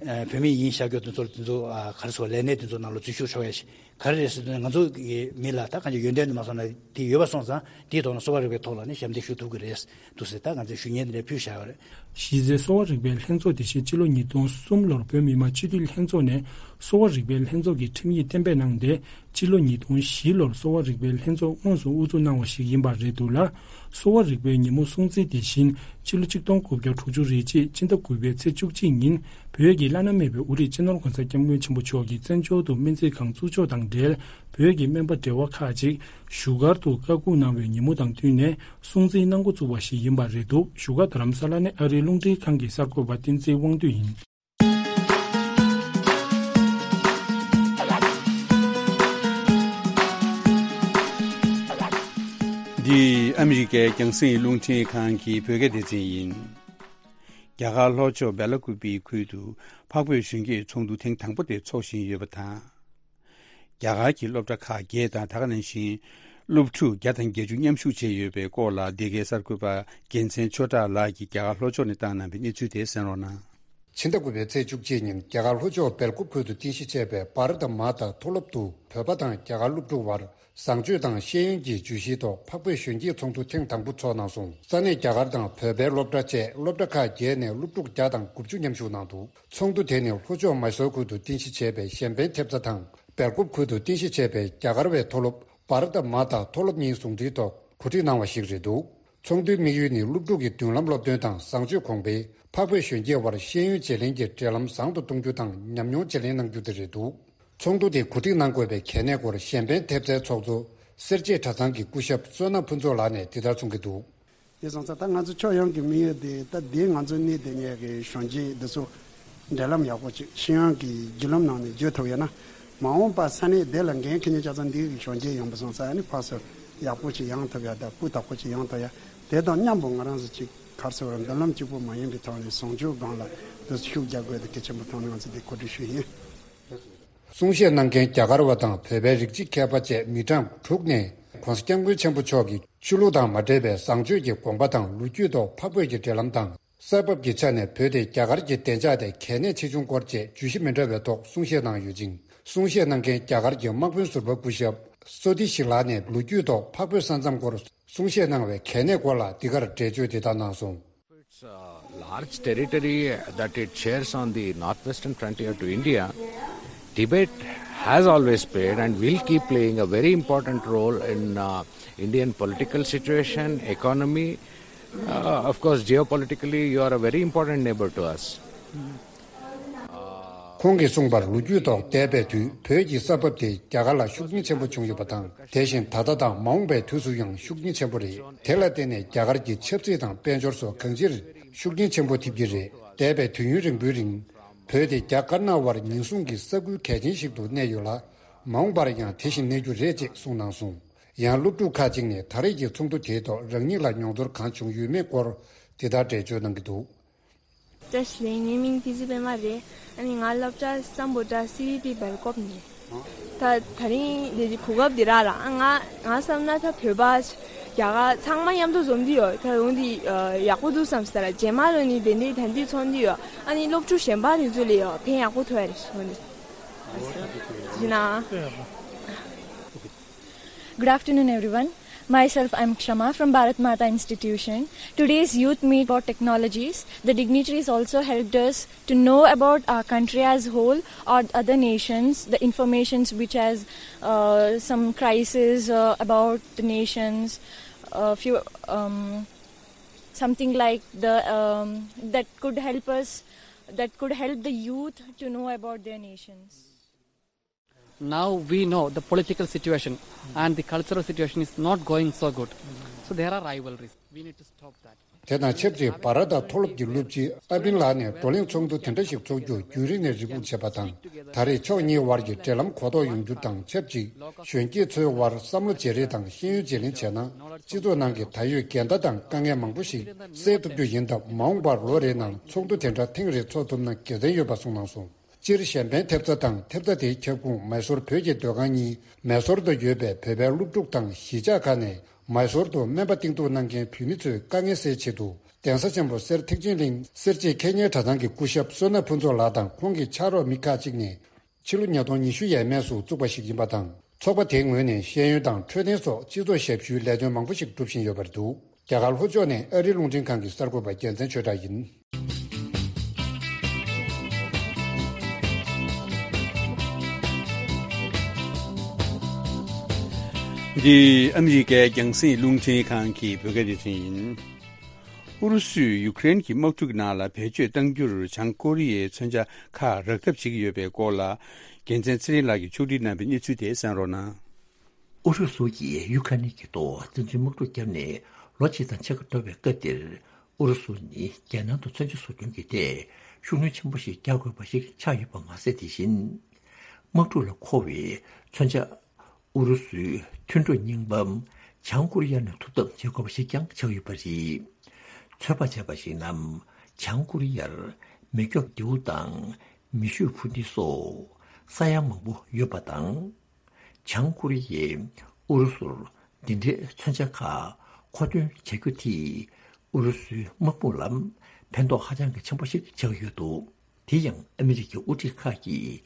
ཨ། བོད་མི་ཡིན་ཤག་རྒྱུ་དེ་ཚོར་དེ་ཚོ་ཨ་ག་རེ་ཟེར་བ། ལས་གནས་དེ་ཚོ་ནང་ལ་འཛུལ་ཞུགས་ཆོག་ཡ་ཞིག་ག་རེ་རེད་ཟེར་དུས། ང་ཚོ་གི་མི་ལ་ད་གང་ཅི་ཡོན་ཏན་དུ་མ་སོང་ན་དེ་ཡོད་པ་སོང་ཙང་དེའི་ཐོག་ལ་གསོ་བ་རིག་པའི་ཐོག་ལ་ནི་ཞབས་འདེགས་ཞུ་ཐུབ་ཀྱི་རེད་འདུག་ཟེར། ད་ང་ཚོས་ཞུ་སྙན་དེ་འདྲ་ཕུལ་བཞག་ཡོད་རེད། གཞི་རྩའི་གསོ་བ་རིག་པའི་ལྷན་ཚོགས་དེ་བཞིན་སྤྱི་ལོ་ཉིས་སྟོང་གསུམ་ལོར་བོད་མི་མང་སྤྱི་འཐུས་ལྷན་ཚོགས་ནས་གསོ་བ་རིག་པའི་ལྷན་ཚོགས་ཀྱི་ཁྲིམས་ཡིག་གཏན་འབེབས་གནང་སྟེ། སྤྱི་ལོ་ཉིས་སྟོང་བཞི་ལོར་གསོ་བ་རིག་པའི་ལྷན་ཚོགས་དངོས་སུ་དབུ་འཛུགས་གནང་བ་ཞིག་ཡིན་པ་རེད་འདུག་ལ། གསོ་བ་རིག་པའི་ཉིན་མོ་སྲུང་བརྩི་དེ་བཞིན་སྤྱི་ལོ་གཅིག་སྟོང་དགུ་བརྒྱ་དྲུག་ཅུ་རེ་གཅིག་ཕྱི་ཟླ་དགུ་པའི་ཚེས་བཅུ་གཅིག་ཉིན། བོད་ཀྱི་བླ་ན་མེད་པའི་དབུ་ཁྲིད་སྤྱི་ནོར་༸གོང་ས་༸སྐྱབས་མགོན་ཆེན་པོ་མཆོག་གིས་བཙན་བྱོལ་དུ་སྨན་རྩིས་ཁང་བཙུགས་ཕྱོགས་དང་འབྲེལ། བོད་ཀྱི་སྨན་པ་བགྲེས་པ་ཁག་ཅིག་བཞུགས་སྒར་དུ་བཀའ་འགུག་གནང་བའི་ཉིན་མོ་དང་བསྟུན་ནས་སྲུང་བརྩི་གནང་འགོ་བཙུགས་པ་ཞིག་ཡིན་པ་རེད་འདུག་བཞུགས་སྒར་རྡ་རམ་ས་ལ་ནས་ཨ་རིའི་རླུང་འཕྲིན་ཁང་གི་གསར་འགོད་པ་བསྟན་འཛིན་དབང་འདུས་ཡིན། འདི་ཨ་མི་རི་ཀའི་རྒྱང་སྲིང་རླུང་འཕྲིན་ཁང་གི་བོད་སྐད་སྡེ་ཚན་ཡིན། རྒྱ་གར་ལྷོ་ཕྱོགས་སྦེ་ལ་ཀུ་པི་ཁུལ་དུ་འཕགས་བོད་གཞོན་སྐྱེས་ཚོགས་འདུ་ཐེངས་དང་པོ་དེ་འཚོགས་བཞིན་ཡོད་པ་དང་། རྒྱ་གར་གྱི་སློབ་གྲྭ་ཁག་བརྒྱད་དང་། ད་ག་ནང་བཞིན་སློབ་ཕྲུག་བརྒྱ་དང་བརྒྱད་ཅུ་མཉམ་ཞུགས་བྱས་ཡོད་པའི་སྐོར་ལ། འདི་གའི་གསར་འགོད་པ་རྒྱལ་མཚན་ཆོས་གྲགས་ལགས་ཀྱིས་རྒྱ་གར་ལྷོ་ཕྱོགས་ནས་བཏང་གནང་བའི་གནས་ཚུལ་དེ་གསན་རོགས་གནང་། ཕྱི་ཟླ་དགུ་པའི་ཚེས་བཅུ་གཅིག་ཉིན་རྒྱ་གར་ལྷོ་ཕྱོགས་སྦེལ་ཀོབ་ཁུལ་དུ་རྟེན་གཞི་བྱས་པའི་བྷ་ར་ཐ་མ་ཐ་མཐོ་སློབ་ཏུ་བོད་པ་དང་རྒྱ་གར་སློབ་ཕྲུག་དབར་བཟང་སྤྱོད་དང་ཤེས་ཡོན་གྱི་བརྗོད་གཞིའི་ཐོག་འཕགས་བོད་གཞོན་སྐྱེས་ཚོགས་འདུ་ཐེངས་དང་པོ་འཚོགས་གནང་སོང་། ས་གནས་རྒྱ་གར་དང་བོད་པའི་སློབ་གྲྭ་བཅས་སློབ་གྲྭ་ཁག་བརྒྱད་ནས་སློབ་ཕྲུག་བརྒྱ་དང་དགུ་བཅུ་མཉམ་ཞུགས་གནང་འདུག་ཚོགས་འདུ་དེ་ནི་ལྷོ་ཕྱོགས་མཱི་སོར་ཁུལ་དུ་རྟེན་གཞི་བྱས་པའི་གཞན་ཕན་ཐེབས་རྩ་དང་། སྦེལ་ཀོབ་ཁུལ་དུ་རྟེན་གཞི་བྱས་པའི་རྒྱ་གར་བའི་མཐོ་སློབ་བྷ་ར་ཐ་མ་ཐ་མཐོ་སློབ་གཉིས་ཟུང་འབྲེལ་ཐོག་གོ་སྒྲིག་གནང་བ་ཞིག་རེད་འདུག་ཚོགས་འདུའི་དམིགས་ཡུལ་ནི་སློབ་ཕྲུག་གི་མདུན་ལམ་སློབ་སྟོན་དང་བཟང་སྤྱོད་གོང་འཕེལ། འཕགས་བོད་གཞོན་སྐྱེས་དབར་ཤེས་ཡོན་བརྗེ་ལེན་གྱི་འབྲེལ་ལམ་བཟང་དུ་གཏོང་རྒྱུ་དང་ཉམས་མྱོང་བརྗེ་ལེན་གནང་རྒྱུ་དེ་རེད་འདུག་ཚོགས་འདུ་དེ་གོ་སྒྲིག་གནང་དགོས་པའི་གལ་གནད་སྐོར་གཞན་ཕན་ཐེབས་རྩའི་ཚོགས་གཙོ་སེར་བྱེས་གྲྭ་ཚང་གི་སྐུ་ཞབས་བསོད་ནམས་ཕུན་ཚོགས་ལགས་ནས་འདི་ལྟར་གསུང་གི་འདུག་དེ་སོང་ཙང་ད་ང་ཚོ་ཕྱོགས་ཡོངས་ཀྱི་དམིགས་ཡུལ་དེ། ད་འདི་ང་ཚོ་གནས་དེ་ཉིད་ཀྱི་གཞོན་སྐྱེས་འདི་ཚོ་འབྲེལ་ལམ་ཡག་པོ་ཅིག་ཤེས་ཡོན་གྱི་བརྒྱུད་ལམ་ནང་ནས་བརྗོད་ཐུབ་ཡོད་ན། མ་འོངས་པ་ས་གནས་དེ་ལ་འགན་འཁྱེར་མཁན་ཆ་ཚང་འདི་གི་གཞོན་སྐྱེས་ཡིན་པ་སོང་ཙང་། ཨ་ནི་ཕར་ཚུར་ཡག་པོ་ཅིག་ཡོང་ཐུབ་ཡ་དང་། སྤུས་དག་པོ་ཅིག་ཡོང་ཐུབ་ཡ། དེ་དང་མཉམ་པོ་ང་རང་ཚོ་ཅིག་ག་རེ་ཟེར་བ། མདུན་ལམ་གཅིག་པོ་མ་ཡིན་པའི་ཐོག་ནས་བཟང་སྤྱོད་སྒང་ལ་འདི་ཤུགས་རྒྱག་དགོས་དེ་གལ་ཆེན་པོ་མཐོང་ནས་ང་ཚོ་འདི་གོ་སྒྲིག་ཞུས་ཡིན། གསུང་བཤད་གནང་མཁན་རྒྱ་གར་བ་དང་བོད་པའི་རིགས་གཅིག་མཁས་པ་བཅས་མི་གྲངས་དྲུག་ནས། ྋགོང་ས་ྋསྐྱབས་མགོན་ཆེན་པོ་མཆོག་གི་ཆོས་ལུགས་དང་མ་འབྲེལ་བའི་བཟང་སྤྱོད་ཀྱི་དགོངས་པ་དང་། ལོ་རྒྱུས་ཐོག་འཕགས་བོད་ཀྱི་འབྲེལ་ལམ་དང་། ས་བབ་ཀྱི་ཆ་ནས་བོད་དེ་རྒྱ་གར་གྱི་བདེ་འཇགས་ཐད་གལ་གནད་ཆེ་ཆུང་སྐོར་བཅས་བརྗོད་གཞི་མི་འདྲ་བའི་ཐོག་གསུང་བཤད་གནང་ཡོད་ཅིང་། གསུང་བཤད་གནང་མཁན་རྒྱ་གར་གྱི་དམག་དཔོན་ཟུར་པ་སྐུ་ཞབས་སོ་ཏི་ཤི་ལགས་ནས་ལོ་རྒྱུས་ཐོག་འཕགས་བོད་ས་མཚམས་སྐོར་གསུང་བཤད་གནང་བའི་གལ་གནད་སྐོར་ལ་འདི་གར་འགྲེལ་བརྗོད་འདི་ལྟར་གནང་སོང་། Its uh, large territory that it shares on the northwestern frontier to India, Tibet has always played and will keep playing a very important role in uh, Indian political situation, economy. Uh, of course, geopolitically, you are a very important neighbor to us. ཁོང་གིས་གསུངས་པར། ལོ་རྒྱུས་ཐོག་འདས་པའི་དུས་བོད་ཀྱི་ས་བབ་དེ་རྒྱ་གར་ལ་ཤུགས་རྐྱེན་ཆེན་པོ་བྱུང་ཡོད་པ་དང་། དེ་བཞིན་ད་ལྟ་དང་མ་འོངས་པའི་དུས་སུ་ཡང་ཤུགས་རྐྱེན་ཆེན་པོ་རེད། དེ་ལ་བརྟེན་ནས་རྒྱ་གར་གྱི་ཆབ་སྲིད་དང་དཔལ་འབྱོར་སོགས་གང་ཅིར་ཤུགས་རྐྱེན་ཆེན་པོ་ཐེབས་ཀྱི་རེད། འདས་པའི་དུས་ཡུན་རིང་པོའི་རིང་། བོད་དེ་རྒྱ་དཀར་ནག་དབར་ཉེན་སྲུང་གི་ས་ཁུལ་གལ་ཆེན་ཞིག་ཏུ་གནས་ཡོད་ལ། མ་འོངས་པར་ཡང་དེ་བཞིན་གནས་རྒྱུ་རེད་ཅེས་གསུངས་གནང་སོང་། ཡང་སློབ་ཕྲུག་ཁག་ཅིག་ནས་ད་རེས་ཀྱི་ཚོགས་འདུ་དེའི་ཐོག་རང་ཉིད་ལ་མྱོང་ཚོར་གང་བྱུང་ཡོད་མེད་སྐོར་འདི་ལྟར་འགྲེལ་བརྗོད་གནང་གི་འདུག་བཀྲ་ཤིས་བདེ་ལེགས། ངའི་མིང་བསྟན་འཛིན་པད་མ་རེད། ཨ་ནི་ང་སློབ་གྲྭ་སམ་བྷོ་ཊ་སི་ཝི་ཊི་སྦེལ་ཀོབ་ནས། ད་ད་རིང་འདི་གོ་སྐབས་འདི་རག་ལ། ཨ་ང་ང་བསམ་ན་ད་བོད་པ་རྒྱ་གར་ཚང་མ་མཉམ་དུ་འཛོམས་འདི་ཡོད། ད་འོང་འདི་ཡག་པོ་འདུག་བསམ་ས་ར། རྗེས་མ་ལོ་ནི་དེ་འདྲའི་ད་འདི་ཚོགས་འདི་ཡོད། ཨ་ནི་སློབ་ཕྲུག་གཞན་པ་དེ་ཚོ་ལས་ཡོད་ཕན་ཡག་པོ་ཐོགས་ཡ་རེད་འོང་འདི། ཡིན་ན། Good afternoon, everyone. Myself, I'm Kshama from Bharat Mata Institution. Today's youth meet about technologies. The dignitaries also helped us to know about our country as whole or other nations, the informations which has uh, some crisis uh, about the nations, uh, few um, something like the um, that could help us, that could help the youth to know about their nations. Now we know the political situation and the cultural situation is not going so good. So there are rivalries. We need to stop that. དེ་དང་ཆབས་ཅིག་བྷ་ར་ཐ་མཐོ་སློབ་ཀྱི་སློབ་སྤྱི་ཨ་པིན་ལགས་ནས་བགྲོ་གླེང་ཚོགས་འདུ་དེ་འདྲ་ཞིག་འཚོགས་རྒྱུ་རྒྱུན་རིང་ནས་རེ་སྒུག་བྱས་པ་དང་། ད་རེས་ཕྱོགས་གཉིས་དབར་གྱི་འབྲེལ་ལམ་གོ་རྟོགས་ཡོང་རྒྱུ་དང་ཆབས་ཅིག་གཞོན་སྐྱེས་ཚོའི་དབར་བསམ་བློ་བརྗེ་རེས་དང་ཤེས་ཡོན་བརྗེ་ལེན་བྱས་ན། སྤྱི་ཚོགས་ནང་གི་ད་ཡོད་འགལ་ཟླ་དང་དཀའ་ངལ་མང་པོ་ཞིག་སེལ་ཐུབ་རྒྱུ་ཡིན་སྟབས། མ་འོངས་པར་ལོ་རེའི་ནང་ཚོགས་འདུ་དེ་འདྲ་ཐེངས་རེ་འཚོགས་ཐུབ་ན་དགེ་མཚན་ཡོད་པ་གསུངས་གནང་སོང་། སྤྱིར་གཞན་ཕན་ཐེབས་རྩ་དང་ཐེབས་རྩ་དེའི་ཁྱབ་ཁོངས་མའི་སོར་བོད་ཀྱི་སྡོད་ཁང་གཉིས་མའི་སོར་དུ་ཡོད་པའི་བོད་པའི་སློབ་ཕྲུག་དང་གཞིས་ཆགས་ཁག་ནས་མའི་སོར་དུ་སྨན་པ་བསྟེན་གཏུག་གནང་མཁན་བོད་མི་ཚོའི་དཀའ་ངལ་སེལ་ཆེད་དུ་ གདན་ས་ཆེན་པོ་གསེར་ཐེག་ཆེན་གླིང་གསེར་བྱེས་མཁས་སྙན་གྲྭ་ཚང་གི་སྐུ་ཞབས་བསོད་ནམས་ཕུན་ཚོགས་ལགས་དང་ཁོང་གི་ཕྱག་རོགས་མི་ཁག་ཅིག་ནས། ཕྱི་ལོ་ཉིས་སྟོང་ཉི་ཤུ་ཡས་མས་སུ་བཙུགས་པ་ཞིག་ཡིན་པ་དང་། ཚོགས་པ་དེའི་ངོས་ནས་ཤེས་ཡོན་དང་འཕྲོད་བསྟེན་སོགས་སྤྱི་ཚོགས་ཞབས་ཞུའི་ལས་དོན་མང་པོ་ཞིག་སྒྲུབ་བཞིན་ཡོད་པ་རེད་འདུག་རྒྱ་གར་ལྷོ་ཕྱོགས་ནས་ཨ་རིའི་རླུང་འཕྲིན་ཁང་གི་གསར་འགོད་པ་རྒྱལ་མཚན་ཆོས་གྲགས་ཡིན། འདི་ཨ་མི་རི་ཀའི་རྒྱང་སྲིང་རླུང་འཕྲིན་ཁང་གི་བོད་སྐད་སྡེ་ཚན་ཡིན། ཨུ་རུ་སུས་ཡུ་ཀེ་རེན་གྱི་དམག་འཁྲུག་ནང་ལ་བེད་སྤྱོད་གཏང་རྒྱུར་བྱང་ཀོ་རི་ཡའི་མཚོན་ཆ་ཁག་རག་ཐབས་བྱེད་ཀྱི་ཡོད་པའི་སྐོར་ལ། རྒྱལ་མཚན་ཚེ་རིང་ལགས་ཀྱིས་ཕྱོགས་སྒྲིག་གནང་བའི་གནས་ཚུལ་དེ་གསན་རོགས་གནང་། ཨུ་རུ་སུ་ཡིས་ཡུ་ཁ་ནི་གི་ཐོག་བཙན་འཛུལ་དམག་འཁྲུག་བརྒྱབ་ནས་ལོ་གཅིག་དང་ཕྱེད་ཀ་འགྲོ་བའི་སྐབས་འདིར། ཨུ་རུ་སུ་ནི་རྒྱལ་ནང་དུ་མཚོན་ཆ་བཟོ་སྐྲུན་གྱི་ཐད་ཤུགས་སྣོན་ཆེན་པོ་ཞིག་རྒྱག་དགོས་པ་ཞིག་ཆགས་ཡོད་པ་མ་ཟད། དེ་བཞིན་དམག་འཁྲུག་ལ་མཁོ་བའི་མཚོན་ཆ། ཨུ་རུ་སུའི་མཐུན་གྲོགས་རྙིང་པ་བྱང་ཀོ་རི་ཡ་ནས་ཐུབ་ཐབས་བྱེད་དགོས་པ་ཞིག་ཀྱང་ཆགས་ཡོད་པ་རེད། ཚོད་དཔག་བྱས་པ་ཞིག་ན། བྱང་ཀོ་རི་ཡར་མེ་སྒྱོགས་མདེའུ་དང་མེ་ཤུགས་འཕུར་མདེའུ་སོགས་ས་ཡ་མང་པོ་ཡོད་པ་དང་། བྱང་ཀོ་རི་ཡས་ཨུ་རུ་སུར་འདི་འདྲའི་མཚོན་ཆ་ཁག་མཁོ་འདོན་བྱ་རྒྱུ་དེས་ཨུ་རུ་སུའི་དམག་དཔུང་ལ་ཕན་ཐོགས་ཧ་ཅང་གི་ཆེན་པོ་ཞིག་ཆགས་ཡོད་འདུག་དེ་ཡང་ཨ་མི་རི་ཀའི་དབུ་ཁྲིད་ཁག་གིས་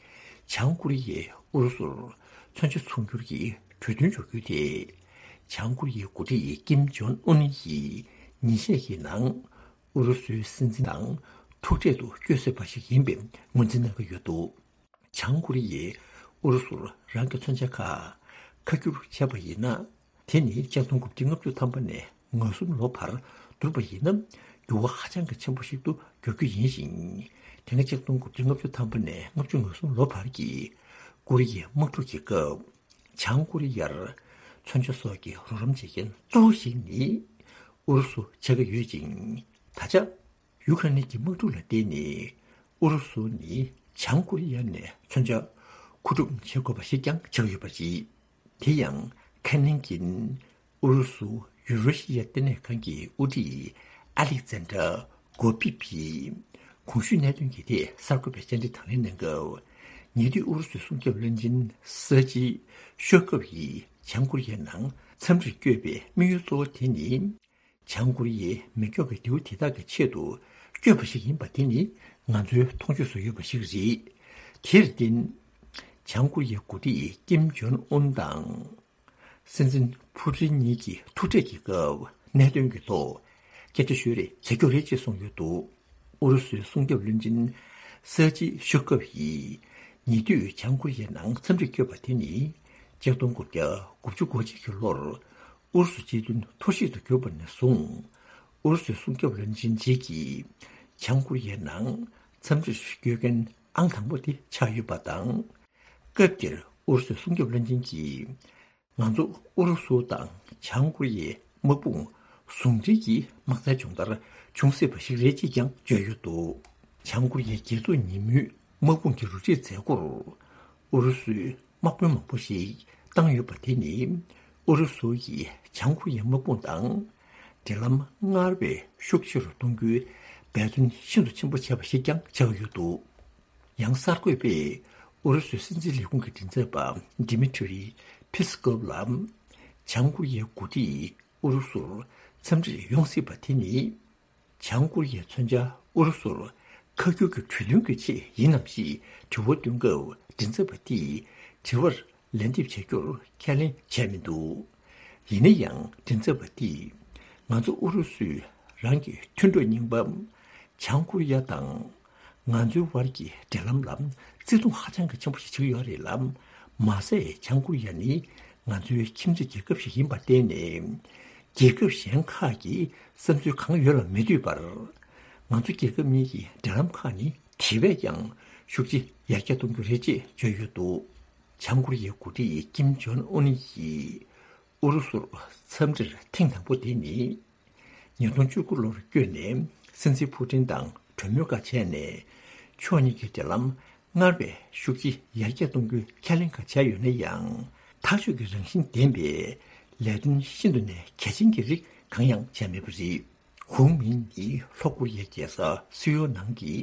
བྱང་ཀོ་རི་ཡས་ཨུ་རུ་སུར་མཚོན་ཆ་ཚོང་སྒྱུར་གྱི་གྲོས་མཐུན་འཇོག་རྒྱུ་དེ། བྱང་ཀོ་རི་ཡའི་འགོ་ཁྲིད་ཀིམ་ཇོན་ཨུན་ཡིས་ཉིན་ཤས་ཀྱི་ནང་ཨུ་རུ་སུའི་སྲིད་འཛིན་དང་ཐུག་འཕྲད་དུ་བསྐྱོད་སྲིད་པ་ཞིག་ཡིན་པའི་ངོས་འཛིན་གནང་གི་ཡོད་འདུག་བྱང་ཀོ་རི་ཡས་ཨུ་རུ་སུར་རང་གི་མཚོན་ཆ་ཁག་ཁ་བསྒྱུར་བྱས་པ་ཡིན་ན། དེ་ནི་ཆིག་སྟོང་དགུ་བརྒྱ་ལྔ་བཅུ་ཐམ་པ་ནས་ང་གསུམ་ལོ་བར་བསྡུར་བ་ཡིན་ན། འགྱུར་བ་ཧ་ཅང་གི་ཆེན་པོ་ཞིག་ཏུ་འགྱུར་རྒྱུ་ཡིན་ཞིང་། དེ་སྔ་ཆིག་སྟོང་དགུ་བརྒྱ་ལྔ་བཅུ་ཐམ་པ་ནས་ལྔ་བཅུ་ང་གསུམ་ལོ་བར་གྱི་ཀོ་རི་ཡའི་དམག་འཁྲུག་གི་སྐབས། བྱང་ཀོ་རི་ཡར་མཚོན་ཆ་སོགས་ཀྱི་རོགས་རམ་བྱེད་མཁན་གཙོ་བོ་ཞིག་ནི་ཨུ་རུ་སུ་ཆགས་ཀྱི་ཡོད་ཅིང་། ད་ཆ། ཡུ་ཁ་ནི་གི་དམག་འཁྲུག་ལ་བརྟེན་ནས་ཨུ་རུ་སུ་ནི་བྱང་ཀོ་རི་ཡ་ནས་མཚོན་ཆ་མཁོ་སྒྲུབ་བྱེད་དགོས་པ་ཞིག་ཀྱང་ཆགས་ཡོད་པ་རེད། དེ་ཡང་ཁ་ནིང་གིན་ཨུ་རུ་སུ་ཡུ་རེ་ཤི་ཡ་ལྟེ་གནས་ཁང་གི་དབུ་ཁྲིད་ཨ་ལེག་ཛན་ཏྲ་གོ་པི་བིས་གོང་ཞུས་གནད་དོན་གྱི་ཐད་གསར་འགོད་པའི་བཅར་འདྲི་དང་ལེན་གནང་སྐབས། ཉེ་དུས་ཨུ་རུ་སུའི་སྲུང་སྐྱོབ་བློན་ཆེན་སར་ཇི་ཤོར་ཀོབ་ཡིས་བྱང་ཀོ་རི་ཡའི་ནང་འཚམས་འདྲིར་བསྐྱོད་པའི་དམིགས་ཡུལ་གཙོ་བོ་དེ་ནི། བྱང་ཀོ་རི་ཡའི་མེ་སྒྱོགས་ཀྱི་མདེའུ་དེ་དག་གི་ཆེད་དུ་བསྐྱོད་པ་ཞིག་ཡིན་པ་དེ་ནི་ང་ཚོའི་མཐོང་ཆོས་སུ་ཡོད་པ་ཞིག་རེད། དེར་བརྟེན། བྱང་ཀོ་རི་ཡའི་འགོ་ཁྲིད་ཀིམ་ཇོན་ཨུན་དང་། སྲིད་འཛིན་ཕུ་ཀྲིན་གཉིས་ཀྱི་ཐུག་འཕྲད་ཀྱི་སྐབས་གནད་དོན་གྱི་ཐོག་སྐད་ཆ་ཤོད་རེས་བྱ་རྒྱུ་རེད་ཅེས་གསུངས་ཡོད་འདུག་ཨུ་རུ་སུའི་སྲུང་སྐྱོབ་བློན་ཆེན་སར་ཇི་ཤོར་ཀོབ་ཡིས་ཉེ་དུས་བྱང་ཀོ་རི་ཡའི་ནང་འཚམས་འདྲིར་བསྐྱོད་པ་དེ་ནི་ཆིག་སྟོང་དགུ་བརྒྱ་དགུ་བཅུ་གོ་གཅིག་གི་ལོར། ཨུ་རུ་སུ་སྤྱི་མཐུན་འཐོར་བཤིག་ཏུ་གྱུར་པ་ནས་བཟུང་། ཨུ་རུ་སུའི་སྲུང་སྐྱོབ་བློན་ཆེན་གཅིག་གིས་བྱང་ཀོ་རི་ཡའི་ནང་འཚམས་འདྲིར་བསྐྱོད་མཁན་ཨང་དང་པོ་དེ་ཆགས་ཡོད་པ་དང་། སྐབས་དེར་ཨུ་རུ་སུའི་སྲུང་སྐྱོབ་བློན་ཆེན་གྱིས། ང་ཚོ་ཨུ་རུ་སུ་དང་བྱང་ཀོ་རི་ཡའི་དམག་དཔུང་ཟུང་འབྲེལ་གྱིས་དམག་རྩལ་སྦྱོང་བརྡར་འབྱུང་སྲིད་པ་ཞིག་རེད་ཅེས་ཀྱང་བརྗོད་ཡོད་འདུག་བྱང་ཀོ་རི་ཡའི་རྒྱལ་ཚོགས་ཉིན་མོའི་དམག་དཔུང་གི་རུ་ཁྲིད་མཛད་སྒོར་ཨུ་རུ་སུའི་དམག་དཔོན་མང་པོ་ཞིག་བཏང་ཡོད་པ་དེ་ནི། ཨུ་རུ་སུ་ཡིས་བྱང་ཀོ་རི་ཡའི་དམག་དཔུང་དང་འབྲེལ་ལམ་སྔར་བས་ཤུགས་ཆེ་རུ་གཏོང་རྒྱུའི་འབད་བརྩོན་ཤིན་ཏུ་ཆེན་པོ་བྱས་པ་ཞིག་ཀྱང་ཆགས་ཡོད་འདུག་ཡང་གསར་འགོད་པས་ཨུ་རུ་སུའི་སྲིད་འཛིན་ལས་ཁུངས་ཀྱི་མགྲིན་ཚབ་པ་ཌི་མི་ཊི་རི་ཕི་སི་ཀོབ་ལ། བྱང་ཀོ་རི་ཡའི་འགོ་ཁྲིད་ཨུ་རུ་སུར་འཚམས་འདྲིར་ཡོང་སྲིད་པ་དེ་ནི། བྱང་ཀོ་རི་ཡའི་མཚོན་ཆ་ཨུ་རུ་སུར་ཁ་བསྒྱུར་གྱི་གྲོས་མཐུན་གྱི་ཆེད་ཡིན་ནམ་ཞེས་དྲི་བ་བཏོན་སྐབས། མགྲིན་ཚབ་པ་དེས་དྲི་བར་ལན་འདེབས་བྱ་རྒྱུར་ཁས་ལེན་བྱས་མི་འདུག་ཡིན་ན་ཡང་མགྲིན་ཚབ་པ་དེས། ང་ཚོ་ཨུ་རུ་སུས་རང་གི་མཐུན་གྲོགས་རྙིང་པ་བྱང་ཀོ་རི་ཡ་དང་། ང་ཚོའི་བར་གྱི་འབྲེལ་ལམ་ལ་བརྩི་མཐོང་ཧ་ཅང་གི་ཆེན་པོ་ཞིག་བྱེད་ཀྱི་ཡོད་རེད་ལ། མ་ཟད་བྱང་ཀོ་རི་ཡ་ནི་ང་ཚོའི་ཁྱིམ་མཚེས་རྒྱལ་ཁབ་ཞིག་ཡིན་པར་བརྟེན་ནས། རྒྱལ་ཁབ་གཞན་ཁག་གི་བསམ་ཚུལ་གང་ཡོད་ལ་མི་ལྟོས་པར། ང་ཚོ་རྒྱལ་ཁབ་གཉིས་ཀྱི་འབྲེལ་ལམ་ཁག་ནི་དེ་བས་ཀྱང་ཤུགས་ཆེ་ཡར་རྒྱས་གཏོང་རྒྱུ་རེད་ཅེས་བརྗོད་ཡོད་འདུག་བྱང་ཀོ་རི་ཡའི་འགོ་ཁྲིད་ཀིམ་ཇོན་ཨུན་ཡིས་ཨུ་རུ་སུར་འཚམས་འདྲིར་ཐེངས་དང་པོ་དེ་ནི། ཉིས་སྟོང་བཅུ་དགུ་ལོར་བསྐྱོད་ནས་སྲིད་འཛིན་ཕུ་ཏིན་དང་གྲོས་མོལ་ཁག་བྱས་ནས། ཕྱོགས་གཉིས་ཀྱི་འབྲེལ་ལམ་སྔར་བས་ཤུགས་ཆེ་ཡར་རྒྱས་གཏོང་རྒྱུའི་ཁས་ལེན་ཁག་བྱས་ཡོད་ན་ཡང་། ཐག་གཅོད་ཀྱི་རང་བཞིན་ལྡན་པའི་ལས་དོན་ཤིན་ཏུ་ནས་གལ་ཆེན་གྱི་རིགས་གང་ཡང་བྱས་མེད་པ་རེད། ཧུང་མིན་ནི་ལྷོ་ཀོ་རི་ཡའི་རྒྱལ་ས་སིའོལ་ནང་གི་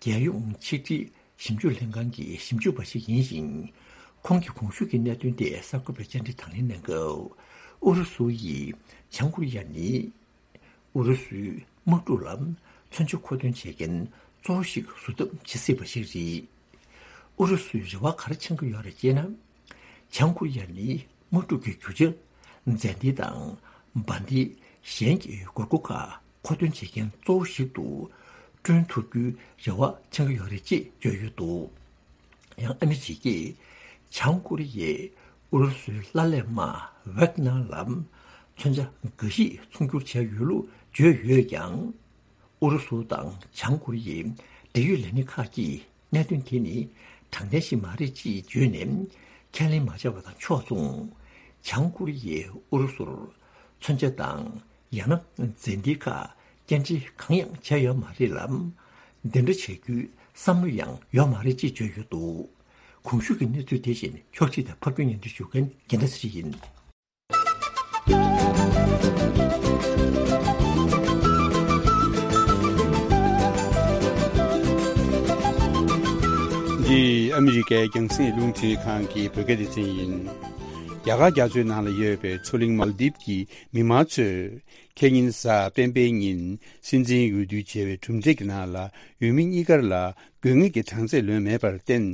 རྒྱལ་ཡོངས་ཆིག་སྒྲིལ་ཞིབ་འཇུག་ལྷན་ཁང་གི་ཞིབ་འཇུག་པ་ཞིག་ཡིན་ཞིང་། ཁོང་གིས་གོང་ཞུས་ཀྱི་གནད་དོན་དེ་གསར་འགོད་པའི་བཅར་འདྲི་དང་ལེན་གནང་སྐབས། ཨུ་རུ་སུ་ཡིས་བྱང་ཀོ་རི་ཡ་ནི་ཨུ་རུ་སུའི་ དམག་འཁྲུག་ལ་མཚོན་ཆ་མཁོ་འདོན་བྱེད་མཁན་གཙོ་བོ་ཞིག་བཟོ་ཐབས་བྱེད་སྲིད་པ་ཞིག་རེད། ཨུ་རུ་སུའི་རེ་བ་ག་རེ་འཆང་གི་ཡོད་རེད་ཅེ་ན། བྱང་ཀོ་རི་ཡ་ནི་དམག་འཁྲུག་གི་རྒྱུ་ཆ། མཛའ་འབྲེལ་དང་འབར་མདེལ་གཞན་གྱི་དགོས་མཁོ་ཁག་མཁོ་འདོན་བྱེད་མཁན་གཙོ་བོ་ཞིག་ཏུ་བསྐྲུན་ཐུབ་རྒྱུའི་རེ་བ་འཆང་གི་ཡོད་རེད་ཅེས་བརྗོད་ཡོད་འདུག་ཡང་ཨ་མི་རི་ཀས་བྱང་ཀོ་རི་ཡས་ཨུ་རུ་སུའི་ལྷ་ལས་དམག་ཝེག་ནར་ལ་མཚོན་ཆ་འགའ་ཞིག་ཚོང་སྒྱུར་བྱས་ཡོད་ལུགས་བརྗོད་ཡོད་ཀྱང་། ཨུ་རུ་སུ་དང་བྱང་ཀོ་རི་ཡའི་འབྲེལ་ཡོད་ལས་སྣེ་ཁག་གིས་གནད་དོན་དེ་ནི་དྲང་བདེན་ཞིག་མ་རེད་ཅེས་བརྗོད་ནས་ཁས་ལེན་མ་བྱས་པ་དང་ཕྱོགས་མཚུངས། བྱང་ཀོ་རི་ཡས་ཨུ་རུ་སུར་མཚོན་ཆ་དང་ཡང་ན་མཛའ་འབྲེལ་ཁག་སྐྱེལ་འདྲེན་གང་ཡང་བྱས་ཡོད་མ་རེད་ལ། འདི་འདྲ་བྱ་རྒྱུའི་བསམ་བློ་ཡང་ཡོད་མ་རེད་ཅེས་བརྗོད་ཡོད་འདུག་གོང་ཞུས་ཀྱི་གནས་ཚུལ་དེ་བཞིན་ཕྱོགས་སྒྲིག་དང་ཕབ་སྒྱུར་སྙན་སྒྲོན་ཞུ་མཁན་རྒྱལ་མཚན་ཚེ་རིང་ཡིན། འདི་ཨ་མི་རི་ཀའི་རྒྱང་སྲིང་རླུང་འཕྲིན་ཁང་གི་བོད་སྐད་སྡེ་ཚན་ཡིན། རྒྱ་གར་རྒྱ་མཚོའི་ནང་ལ་ཡོད་པའི་མཚོ་གླིང་མཱལ་དིབ་ཀྱི་མི་མང་ཚོས་ཁེ་ཉིན་གཟའ་སྤེན་པའི་ཉིན་སྲིད་འཛིན་འོས་བསྡུ་བྱས་པའི་གྲུབ་འབྲས་ཀྱི་ནང་ལ་འོས་མི་གཉིས་ཀར་ལ་དགོས་ངེས་ཀྱི་གྲངས་ཚད་ལོན་མེད་པར་བརྟེན།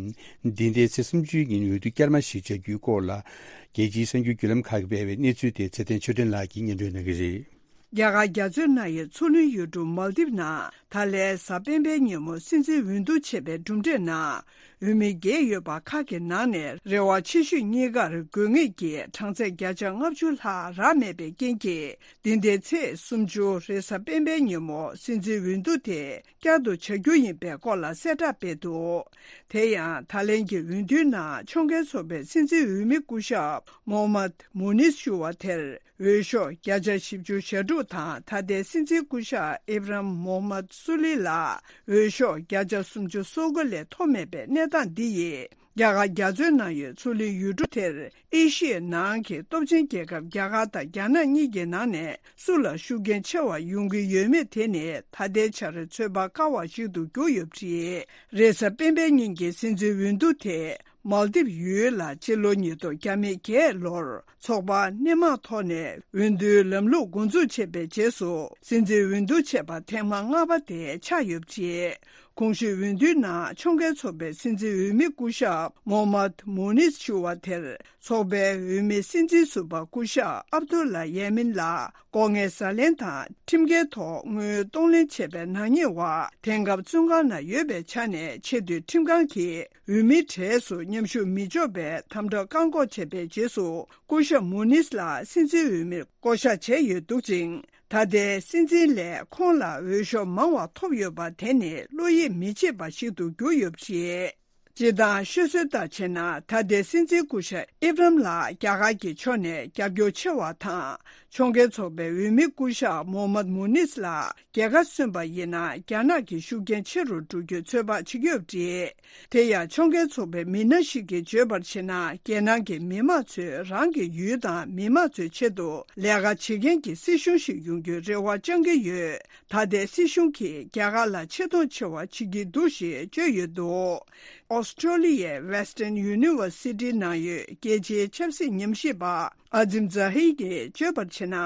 འདི་ཟླའི་ཚེས་སུམ་ཅུའི་ཉིན་འོས་བསྡུ་བསྐྱར་མ་ཞིག་བྱ་རྒྱུའི་སྐོར་ལ། རྒྱལ་སྤྱིའི་གསར་འགྱུར་བརྒྱུད་ལམ་ཁག་གིས་སྤེལ་བའི་གནས་ཚུལ་དེ་ཚེ་བརྟན་ཆོས་སྒྲོན་ལགས་ཀྱིས་སྙན་སྒྲོན་གནང་གི་རེད། རྒྱ་གར་རྒྱ་མཚོའི་ནང་གི་མཚོ་གླིང་ཡུལ་གྲུ་མཱལ་དིབ་ནང་ད་ལན་གཟའ་སྤེན་པའི་ཉིན་མོ་སྲིད་འཛིན་འོས་བསྡུ་བྱས་པའི་གྲུབ་འབྲས་ནང་། འོས་མི་བརྒྱད་ཡོད་པ་ཁག་གི་ནང་ནས་རེ་བ་ཆེ་ཤོས་གཉིས་ཀར་དགོས་ངེས་ཀྱི་གྲངས་ཚད་བརྒྱ་ཆ་ལྔ་བཅུ་ལྷག་རག་མེད་པའི་རྐྱེན་གྱིས། འདི་ཟླའི་ཚེས་སུམ་ཅུ་རེས་གཟའ་སྤེན་པའི་ཉིན་མོ་སྲིད་འཛིན་འོས་བསྡུ་དེ་བསྐྱར་དུ་བྱ་རྒྱུ་ཡིན་པའི་སྐོར་ལ་གསལ་བསྒྲགས་སྤེལ་འདུག་དེ་ཡང་ད་ལན་གྱི་འོས་བསྡུའི་ནང་ཕྱོགས་འགལ་ཚོགས་པའི་སྲིད་འཛིན་འོས་མི་སྐུ་ཞབས་མོ་ཧམ་མད་མུ་ནིས་ཞུ་བ་དེར་འོས་ཤོག་བརྒྱ་ཆ་བཞི་བཅུ་ཞེ་དྲུག་དང་ད་ལྟའི་སྲིད་འཛིན་སྐུ་ཞབས་ཨི་བྷ་རམ་མོ་ཧམ་མད་སུ་ལི་ལ་འོས་ཤོག་བརྒྱ་ཆ་སུམ་ཅུ་སོ་དགུ་ལས་མཐོ་མེད་པའི་གནས་སྟངས་འདི་ཡིས། རྒྱ་གར་རྒྱ་མཚོའི་ནང་ཡོད་མཚོ་གླིང་ཡུལ་གྲུ་དེར་ཨེ་ཤི་ཡའི་ནང་གི་སྟོབས་ཆེན་རྒྱལ་ཁབ་རྒྱ་གར་དང་རྒྱ་ནག་གཉིས་ཀྱི་ནང་ནས་སུ་ལ་ཤུགས་རྐྱེན་ཆེ་བ་ཡོང་གི་ཡོད་མེད་དེ་ནི་ད་ལྟའི་ཆར་ཚོད་དཔག་དཀའ་བ་ཞིག་ཏུ་གྱུར་ཡོད་པ་རེད། རེས་གཟའ་སྤེན་པའི་ཉིན་གྱི་སྲིད་འཛིན་འོས་བསྡུ་དེ་མཱལ་དིབ་ཡུལ་ལ་སྤྱི་ལོ་ཉིས་སྟོང་བརྒྱ་མེད་བརྒྱད་ལོར་ཚོགས་པ་སྣེ་མང་ཐོག་ནས་འོས་བསྡུའི་ལམ་ལུགས་འགོ་འཛུགས་བྱས་པའི་རྗེས་སུ་སྲིད་འཛིན་འོས་བསྡུ་བྱས་པ་ཐེངས་མ་ལྔ་པ་དེ་ཆགས་ཡོད་པ་རེད། གོང་ཞུས་འོས་བསྡུའི་ནང་ཕྱོགས་འགལ་ཚོགས་པའི་སྲིད་འཛིན་འོས་མི་སྐུ་ཞབས་མོ་ཧམ་མད་མུ་ནིས་ཞུ་བ་དེར་ཚོགས་པའི་འོས་མི་སྲིད་འཛིན་ཟུར་པ་སྐུ་ཞབས་ཨབ་དུ་ལ་ཡེ་མིན་ལ་ལྐོག་རྔན་ཟ་ལེན་དང་ཁྲིམས་འགལ་ཐོག་དངུལ་གཏོང་ལེན་བྱས་པའི་ནག་ཉེས་འོག་དེང་སྐབས་བཙོན་ཁང་ནང་ཡོད་པའི་ཆ་ནས་ཆེས་མཐོའི་ཁྲིམས་ཁང་གིས་འོས་མིའི་གྲས་སུ་མཉམ་ཞུགས་མི་ཆོག་པའི་དམ་དྲག་བཀག་འགོག་བྱས་པའི་རྗེས་སུ་སྐུ་ཞབས་མུ་ནིས་ལ་སྲིད་འཛིན་འོས་མིར་བསྐོ་གཞག་བྱས་ཡོད་འདུག་ཅིང་། ད་ལྟའི་སྲིད་འཛིན་ལས་ཁོང་ལ་འོས་ཤོག་མང་བ་ཐོབ་ཡོད་པ་དེ་ནི་བློ་ཡིད་མི་ཆེས་པ་ཞིག་ཏུ་གྱུར་ཡོད་པ་རེད། སྤྱིར་བཏང་ཤོད་སྲོལ་ལྟར་བྱས་ན་ད་ལྟའི་སྲིད་འཛིན་སྐུ་ཞབས་ཨི་བྷ་རམ་ལགས་རྒྱ་གར་གྱི་ཕྱོགས་ནས་རྒྱབ་སྐྱོར་ཆེ་བ་དང་ཕྱོགས་འགལ་ཚོགས་པའི་འོས་མི་སྐུ་ཞབས་མོ་ཧམ་མད་མུ་ནིས་ལ་རྒྱལ་ཁ་སོན་པ་ཡིན་ན་རྒྱ་ནག་གི་ཤུགས་རྐྱེན་ཆེ་རུ་འགྲོ་རྒྱུའི་ཚོད་དཔག་བྱེད་ཀྱི་ཡོད་པ་རེད། དེ་ཡང་ཕྱོགས་འགལ་ཚོགས་པའི་མི་སྣ་ཞིག་གིས་བརྗོད་པར་བྱས་ན། རྒྱལ་ནང་གི་མི་མང་ཚོས་རང་གི་ཡུལ་དང་མི་མང་ཚོའི་ཆེད་དུ་ལས་ཀ་བྱེད་མཁན་གྱི་སྲིད་གཞུང་ཞིག་ཡོང་རྒྱུའི་རེ་བ་བཅང་གི་ཡོད། ད་ལྟའི་སྲིད་གཞུང་གིས་རྒྱ་གར་ལ་ཆེ་མཐོང་ཆེ་བ་བྱེད་ཀྱི་འདུག་ཞེས་བརྗོད་ཡོད་འདུག་ཨོ་སི་ཀྲོ་ལི་ཡའི་Western University་ནང་ཡོད་རྒྱལ་སྤྱིའི་ཆབ་སྲིད་ཉམས་ཞིབ་པ་ཨ་ཛིམ་ཛ་ཧིར་གྱིས་བརྗོད་པར་བྱས་ན།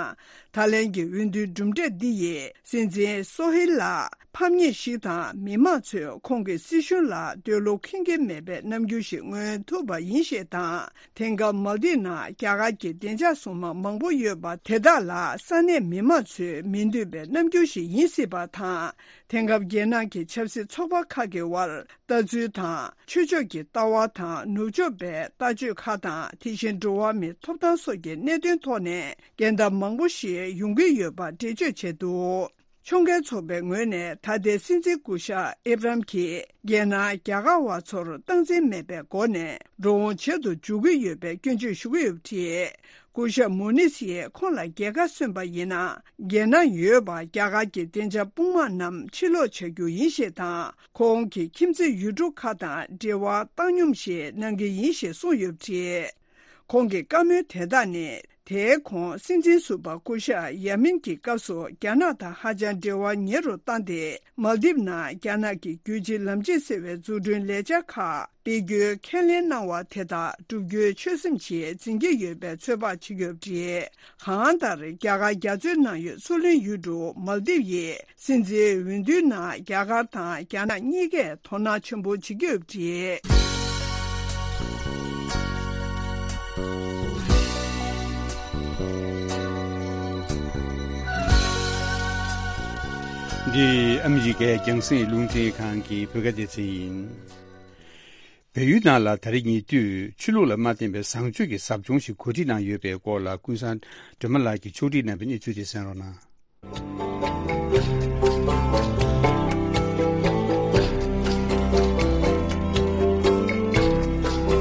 ད་ལན་གྱི་འོས་བསྡུའི་གྲུབ་འབྲས་འདི་ཡིས་སྲིད་འཛིན་སོ་ཧིལ་ལ་ཕམ་ཉེས་ཤིག་དང་མི་མང་ཚོས་ཁོང་གི་སྲིད་གཞུང་ལ་འདོད་བློ་ཁེངས་ཀྱི་མེད་པའི་རྣམ་འགྱུར་ཞིག་མངོན་ཐུབ་པ་ཡིན་ཞེས་དང་། དེང་སྐབས་མལ་དིབ་ནང་རྒྱ་གར་གྱི་བདེ་འཇགས་སྲུང་དམག་མང་པོ་ཡོད་པ་དེ་དག་ལ་ས་གནས་མི་མང་ཚོས་མི་འདོད་པའི་རྣམ་འགྱུར་ཞིག་ཡིན་སྲིད་པ་དང་། དེང་སྐབས་རྒྱལ་ནང་གི་ཆབ་སྲིད་ཚོགས་པ་ཁག་གི་དབར་ལྟ་ཚུལ་དང་། ཆོས་ཕྱོགས་ཀྱི་ལྟ་བ་དང་ནུབ་ཕྱོགས་པའི་ལྟ་སྤྱོད་ཁག་དང་། དེ་བཞིན་འགྲོ་བ་མིའི་ཐོབ་ཐང་སོགས་ཀྱི་གནད་དོན་ཐོག་ནས་འགལ་ཟླ་མང་པོ་ཞིག་ཡོང་གི་ཡོད་པ་འགྲེལ་བརྗོད་བྱས་འདུག་ཕྱོགས་འགལ་ཚོགས་པའི་ངོས་ནས་ད་ལྟའི་སྲིད་འཛིན་སྐུ་ཞབས་ཨེབ་རམ་གྱིས་རྒྱལ་ནང་རྒྱ་གར་བ་ཚོར་སྟངས་འཛིན་མེད་པའི་སྒོ་ནས་འགྲོ་འོང་བྱེད་དུ་འཇུག་གི་ཡོད་པའི་སྐྱོན་བརྗོད་ཞུ་གི་ཡོད་པ་རེད། སྐུ་ཞབས་མུ་ནིས་ཡིས་ཁོང་ལ་རྒྱལ་ཁ་སོན་པ་ཡིན་ན། རྒྱལ་ནང་ཡོད་པ་རྒྱ་གར་གྱི་བདེ་འཇགས་དཔུང་དམག་རྣམས་ཕྱིར་ལོག་བྱ་རྒྱུ་ཡིན་ཞེས་དང་། ཁོང་གི་ཁྱིམ་མཚེས་ཡུལ་གྲུ་ཁག་དང་འབྲེལ་བ་བཏང་སྙོམས་ཤིག་གནང་གི་ཡིན་ཞེས་གསུངས་ཡོད་པ་རེད། ཁོང་གི་བཀའ་མོལ་དེ་དག་ནི། དེའི་གོང་སྲིད་འཛིན་ཟུར་པ་སྐུ་ཞབས་ཡ་མིན་གྱི་སྐབས་སུ་རྒྱ་ནག་དང་ཧ་ཅང་འབྲེལ་བ་ཉེ་རུ་བཏང་སྟེ། མལ་དིབ་ནང་རྒྱ་ནག་གི་རྒྱུད་གཅིག་ལམ་གཅིག་ཟེར་བའི་འཛུགས་སྐྲུན་ལས་འཆར་ཁག་སྤེལ་རྒྱུའི་ཁས་ལེན་གནང་བ་དེ་དག་བསྒྲུབ་རྒྱུའི་ཆོད་སེམས་ཀྱིས་འཛིན་གྱི་ཡོད་པའི་ཚོད་དཔག་བྱེད་ཀྱི་ཡོད་པ་རེད། གང་ལྟར་རྒྱ་གར་རྒྱ་མཚོའི་ནང་ཡོད་མཚོ་གླིང་ཡུལ་གྲུ་མལ་དིབ་ཡི་སྲིད་འཛིན་འོས་བསྡུའི་ནང་རྒྱ་གར་དང་རྒྱ་ནག་གཉིས་ཀས་དོ་སྣང་ཆེན་པོ་བྱེད་ཀྱི་ཡོད་པ་རེད། འདི་ཨ་མི་རི་ཀའི་རྒྱང་སྲིང་རླུང་འཕྲིན་ཁང་གི་བོད་སྐད་སྡེ་ཚན་ཡིན། བལ་ཡུལ་ནང་ལ་ད་རེས་ཉེ་དུས་ཆོས་ལུགས་ལ་མ་བརྟེན་པའི་བཟང་སྤྱོད་ཀྱི་ཟབ་སྦྱོང་ཞིག་གོ་སྒྲིག་གནང་ཡོད་པའི་སྐོར་ལ་ཀུན་བཟང་སྒྲོལ་མ་ལགས་ཀྱིས་ཕྱོགས་སྒྲིག་གནང་བའི་གནས་ཚུལ་དེ་གསན་རོགས་གནང་།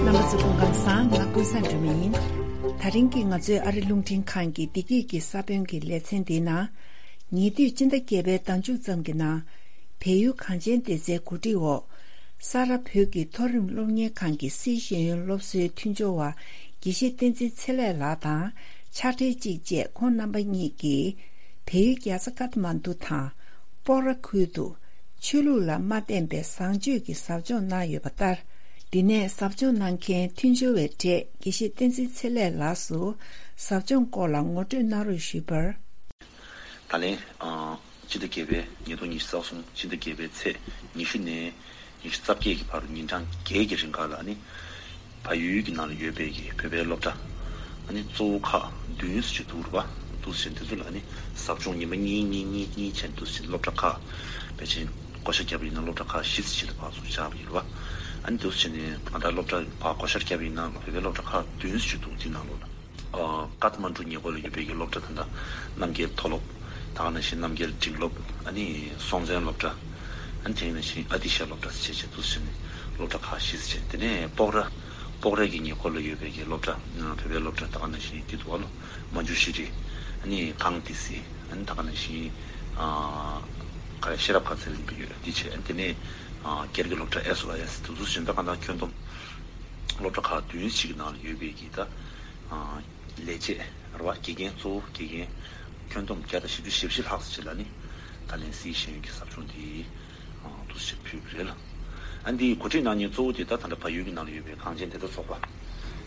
རྣམ་པ་ཚོ་སྐུ་ཁམས་བཟང་། ང་ཀུན་བཟང་སྒྲོལ་མ་ཡིན། ད་རིང་གི་ང་ཚོའི་ཨ་རི་རླུང་འཕྲིན་ཁང་གི་བདེ་སྐྱིད་ཀྱི་ས་བོན་གྱི་ལེ་ཚན་འདིའི་ནང་། ཉེ་དུས་སྤྱི་ཟླ་བརྒྱད་པའི་ཟླ་མཇུག་ཙམ་གྱི་ནང་། བལ་ཡུལ་གངས་ཅན་བདེ་རྩའི་གོ་སྒྲིག་འོག་ས་རཱ་བོད་ཀྱི་མཐོ་རིམ་སློབ་གཉེར་ཁང་གི་སིའི་ཤེས་ཡོན་སློབ་གསོའི་མཐུན་སྦྱོར་བ་དགེ་བཤེས་བསྟན་འཛིན་ཚེ་ལེགས་ལགས་དང་ཕྱག་སྦྲེལ་གཅིག་བཅས་ཁོང་རྣམ་པ་གཉིས་ཀྱིས་བལ་ཡུལ་རྒྱལ་ས་ཀཏ་མན་ཌུ་དང་སྤོག་ར་ཁུལ་དུ་ཆོས་ལུགས་ལ་མ་བརྟེན་པའི་བཟང་སྤྱོད་ཀྱི་ཟབ་སྦྱོང་གནང་ཡོད་པ་ལྟར། འདི་ནས་ཟབ་སྦྱོང་གནང་མཁན་མཐུན་སྦྱོར་བའི་གྲས་དགེ་བཤེས་བསྟན་འཛིན་ཚེ་ལེགས་ལགས་སུ་ཟབ་སྦྱོང་སྐོར་ལ་ངོ་སྤྲོད་གནང་རོགས་ཞུས་པར། ད་ལན། ཨ། སྤྱི་ཟླ་བརྒྱད་པའི་ཉིས་སྟོང་ཉི་ཤུ་རྩ་གསུམ་སྤྱི་ཟླ་བརྒྱད་པའི་ཚེས་ཉི་ཤུ་ནས་ཉི་ཤུ་རྩ་བརྒྱད་ཀྱི་བར་དུ་ཉིན་གྲངས་བརྒྱད་ཀྱི་རིང་ག་ལ་ནི། བལ་ཡུལ་གྱི་ནང་ལ་ཡོད་པའི་གི་བོད་པའི་སློབ་གྲྭ། ཨ་ནི་གཙོ་བོ་ཁག་བདུན་ཙམ་ཅིག་འདུག་རེད་པ། འདུག་ཟེར་དེ་ཚོ་ལ་ནི་ཟབ་སྦྱོང་ཉི་མ་གཉིས་གཉིས་གཉིས་གཉིས་བྱས་འདུག་ཟེར་སློབ་གྲྭ་ཁག་ཕལ་ཆེར་བགོ་བཤའ་བརྒྱབ་པ་ཡིན་ན་སློབ་གྲྭ་ཁག་བཞི་ཙམ་ཅིག་ལ་ཕར་ཚུར་བཅར་བ་ཡིན་རེད་པ། ཨ་ནི་འདུག་ཟེར་ནས་ད་ལྟ་སློབ་གྲྭ་ཕར་བགོ་བཤའ་བརྒྱབ་པ་ཡིན་ན་བོད་པའི་སློབ་གྲྭ་ཁག་བདུན་ཙམ་ཅིག་འདུག་དེའི་ནང་ལོགས་ལ། ཨ། ཀཏ་མན་ཌུ་ཉེ་འཁོར་ལ་ཡོད་པའི་གི་སློབ་གྲྭ་ད་ལྟ་རྣམ་རྒྱལ་མཐོ་སློབ། ད་ག་ནང་བཞིན་རྣམ་རྒྱལ་འབྲིང་སློབ། ཨ་ནི་སྲོང་བཙན་སློབ་གྲྭ། ཨ་ནི་དེ་ནང་བཞིན་ཨ་ཏི་ཤ་སློབ་གྲྭ་ཟེར་བྱས་འདུག་ཟེར་ནས་སློབ་གྲྭ་ཁག་བཞི་ཟེར་བྱས། དེ་ནས་སྤོག་ར། སྤོག་ར་གི་ཉེ་འཁོར་ལ་ཡོད་པའི་གི་སློབ་གྲྭ། ཨ། བོད་པའི་སློབ་གྲྭ་ད་ག་ནང་བཞིན་དེ་འདུག་བ་ལོ། མ་ཇུ་ཤྲི། ཨ་ནི་གངས་ཏི་སེ། ཨ་ནི་ད་ག་ནང་བཞིན། ཨ། ག་རེ་ཤེས་རབ་མཁར་ཚེ་རིང་པ་ཡོད་དེ་བྱས། ཨ་ནི་དེ་ནས། ཨ། སྒེར་གྱི་སློབ་གྲྭ་ཨེས་ཨོ་ཨེས་དེ་ཚོ་བཞིན་ད་ག་ད་ཁྱོན་བསྡོམས་སློབ་གྲྭ་ཁག་བདུན་ཞིག་གི་ནང་ལ་ཡོད་པའི་གི་ད། ཨ། ལས་བྱེད་རེད་བ། དགེ་རྒན། གཙོ་བོ་དགེ་རྒན་ཁྱོན་བསྡོམས་བརྒྱ་དང་བཞི་བཅུ་ཞེ་བཞི་ལྷག་ཙམ་ཅིག་ལ་ནི་ད་ལན་སིའི་ཤེས་ཡོན་གྱི་ཟབ་སྦྱོང་དེ། ཨ། འདུག་སེ་ཕུལ་གྱི་རེད་ལ། ཨ་ནི་འདིའི་གོ་སྒྲིག་གནང་མཁན་གཙོ་བོ་དེ་ད་ད་ལྟ་བལ་ཡུལ་གྱི་ནང་ལ་ཡོད་པའི་གངས་ཅན་བདེ་རྩ་ཚོགས་པ།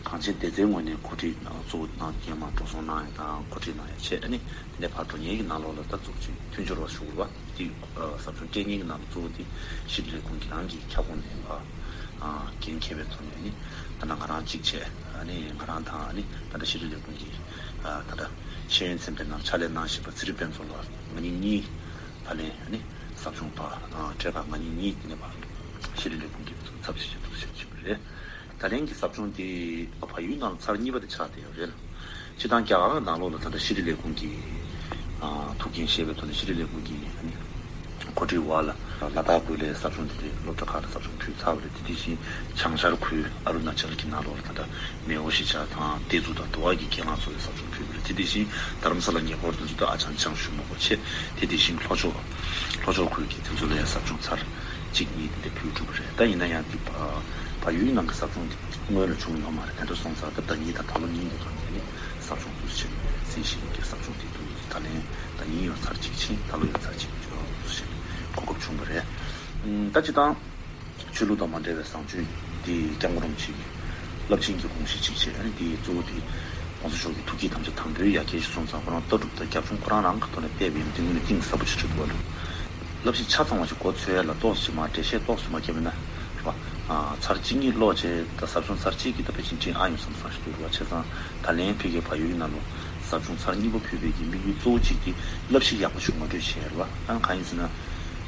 གངས་ཅན་བདེ་རྩའི་ངོས་ནས་གོ་སྒྲིག་གཙོ་བོ་གནང་མཁན་མར་འགྲོ་སོང་གནང་ཡ་དང་གོ་སྒྲིག་གནང་ཡ་བྱས། ཨ་ནི་དེ་ནས་ཕར་འགྲོ་མཁན་གྱི་ནང་ལོགས་ལ་ད་གཙོ་བོ་ཅིག་མཐུན་སྦྱོར་བ་ཞུ་དགོས་པ། དེ། ཨ། ཟབ་སྦྱོང་སྤྲད་མཁན་གྱི་ནང་ལ་གཙོ་བོ་དེ་ཤེས་རིག་ལས་ཁུངས་ཀྱི་རང་གི་ཁྱབ་ཁོངས་ནས་ཕར། ཨ། འགན་འཁྱེར་བའི་ཐོག་ནས་ནི་ད་ནང་ང་རང་གཅིག་བྱས། ཨ་ནི་ང་རང་དང་ཨ་ནི་ད་ལྟ་ཤེས་རིག་ལས་ཁུངས་ཀྱི། ཨ། ད་ལྟ་ཤེས་ཡོན་ཚན་པའི་ནང་ཕྱག་ལས་གནང་བཞིན་པ་ཚེ་རིང་དཔལ་འཛོམས་ལགས་ང་གཉིས་གཉིས་ད་ལན་ཨ་ནི་ཟབ་སྦྱོང་ཕར། ཨ། གྲས་ཁག་ང་གཉིས་གཉིས་དེ་ནས་ཕར་ཤེས་རིག་ལས་ཁུངས་ཀྱི་ཚབ་བྱས་བྱས་འདུག་སེ་བྱས་པ་རེད། ད་ལན་གྱི་ཟབ་སྦྱོང་དེ་བལ་ཡུལ་ནང་ཚར་གཉིས་པ་དེ་ཆགས་བསྡད་ཡོད་རེད། སྤྱིར་བཏང་རྒྱ་གར་ནང་ལོགས་ལ་ད་ལྟ་ཤེས་རིག་ལས་ཁུངས་ཀྱི། ཨ། ཐུགས་འགན་བཞེས་པའི་ཐོག་ནས་ཤེས་རིག་ལས་ཁུངས་ཀྱི་ཨ་ནི་གོ་སྒྲིག་འོག་ལ་ལ་དྭགས་ཁུལ་ལ་ཟབ་སྦྱོང་དེ་འདྲའི་སློབ་གྲྭ་ཁག་ལ་ཟབ་སྦྱོང་ཕུལ་ཚར་བ་རེད། དེ་དེ་བཞིན་བྱང་ཤར་ཁུལ་ཨ་རུ་ན་ཅལ་གྱི་ནང་ལོགས་ལ་ད་ལྟ་མེའོ་གཞིས་ཆགས་དང་ཏེ་ཛུ་དང་དུ་བ་གི་རྒན་ལགས་ཚོ་ལ་ཟབ་སྦྱོང་ཕུལ་བ་རེད། དེ་དེ་བཞིན་རྡ་རམ་ས་ལ་ཉེ་འཁོར་དེ་ཚོ་ད་ཨ་ཅང་ཅང་ཞུ་མ་དགོས་བྱས། དེ་དེ་བཞིན་ལྷོ་ཕྱོགས་ལྷོ་ཕྱོགས་ཁུལ་གྱི་དེ་ཚོ་ལ་ཡང་ཟབ་སྦྱོང་ཚར་གཅིག་གཉིས་དེ་འདྲ་ཕུལ་གྲུབ་པ་རེད། ད་ཡིན་ན་ཡང་དེ་བ་བལ་ཡུལ་ནང་གི་ཟབ་སྦྱོང་དེ་སྔོན་ལ་བྱུང་ཡོད་མ་རེད། དེ་འདྲ་སོང་ཙང་ད་ཟླ་གཉིས་དང་ད་ལོ་གཉིས་ཀྱི་ཐོག་ནས་ནི་ཟབ་སྦྱོང་དུ་ཕྱིན་སྲིད་ཞིང་གི་ཟབ་སྦྱོང་དེ་དུ་ད་ལན་ད་ཡིན་ཡང་ཚར་གཅིག་ཕྱིན། ད་ལོ་ཡང་ཚར་གཅིག་དུ་ཕྱིན་གོ་སྐབས་བྱུང་བ་རེད། ད་སྤྱིར་བཏང་ཆོས་ལུགས་དང་མ་འབྲེལ་བའི་བཟང་སྤྱོད་དེ་སྐྱབས་མགོན་རིན་པོ་ཆེ་གི་རླབས་ཆེན་གྱི་དགོངས་གཞི་གཅིག་བྱས། ཨ་ནི་དེའི་གཙོ་བོ་དེ་༸གོང་ས་མཆོག་གི་ཐུགས་བསྐྱེད་ཐམས་ཅད་དམ་པའི་ཡ་གྱལ་ཞིག་སོང་ཙང་ཁོ་རང་ལྟ་གྲུབ་དང་རྒྱབ་ལྗོངས་ཁོ་རང་རང་གི་ཐོག་ནས་བལྟས་པ་ཡིན་ན་དེ་དངོས་གནས་གཏིང་ཟབ་པོ་ཞིག་འགྲོ་འདུག་བ་ལ། བསླབ་གཞི་ཆ་ཚང་བ་ཞིག་མགོ་ཚོས་ཡ་ལ་ཏོག་ཙམ་མར་འགྲེལ་བཤད་ཏོག་ཙམ་མ་བརྒྱབ་ན་རེད་པ། ཚར་གཅིག་གཉིས་ཀློག་བྱས་ད་ཟབ་སྦྱོང་ཚར་གཅིག་གིས་ད་ཕལ་ཆེར་འགྲིག་ཨ་ཡོང་བསམ་བསམ་ཞིག་འདུག་རེད་པ། བྱས་ཙང་ད་ལན་ཕ་གིའི་བལ་ཡུལ་གྱི་ནང་ལོགས་ཟབ་སྦྱོང་ཚར་གཉིས་པ་ཕུལ་བའི་གི་དམིགས་ཡུལ་གཙོ་བོ་གཅིག་དེ་བསླབ་གཞི་ཡག་པོ་ཞིག་ངོ་སྤྲོད་བྱས་རེད་པ། ཨ་གང་ཡིན་ཟེར་ན།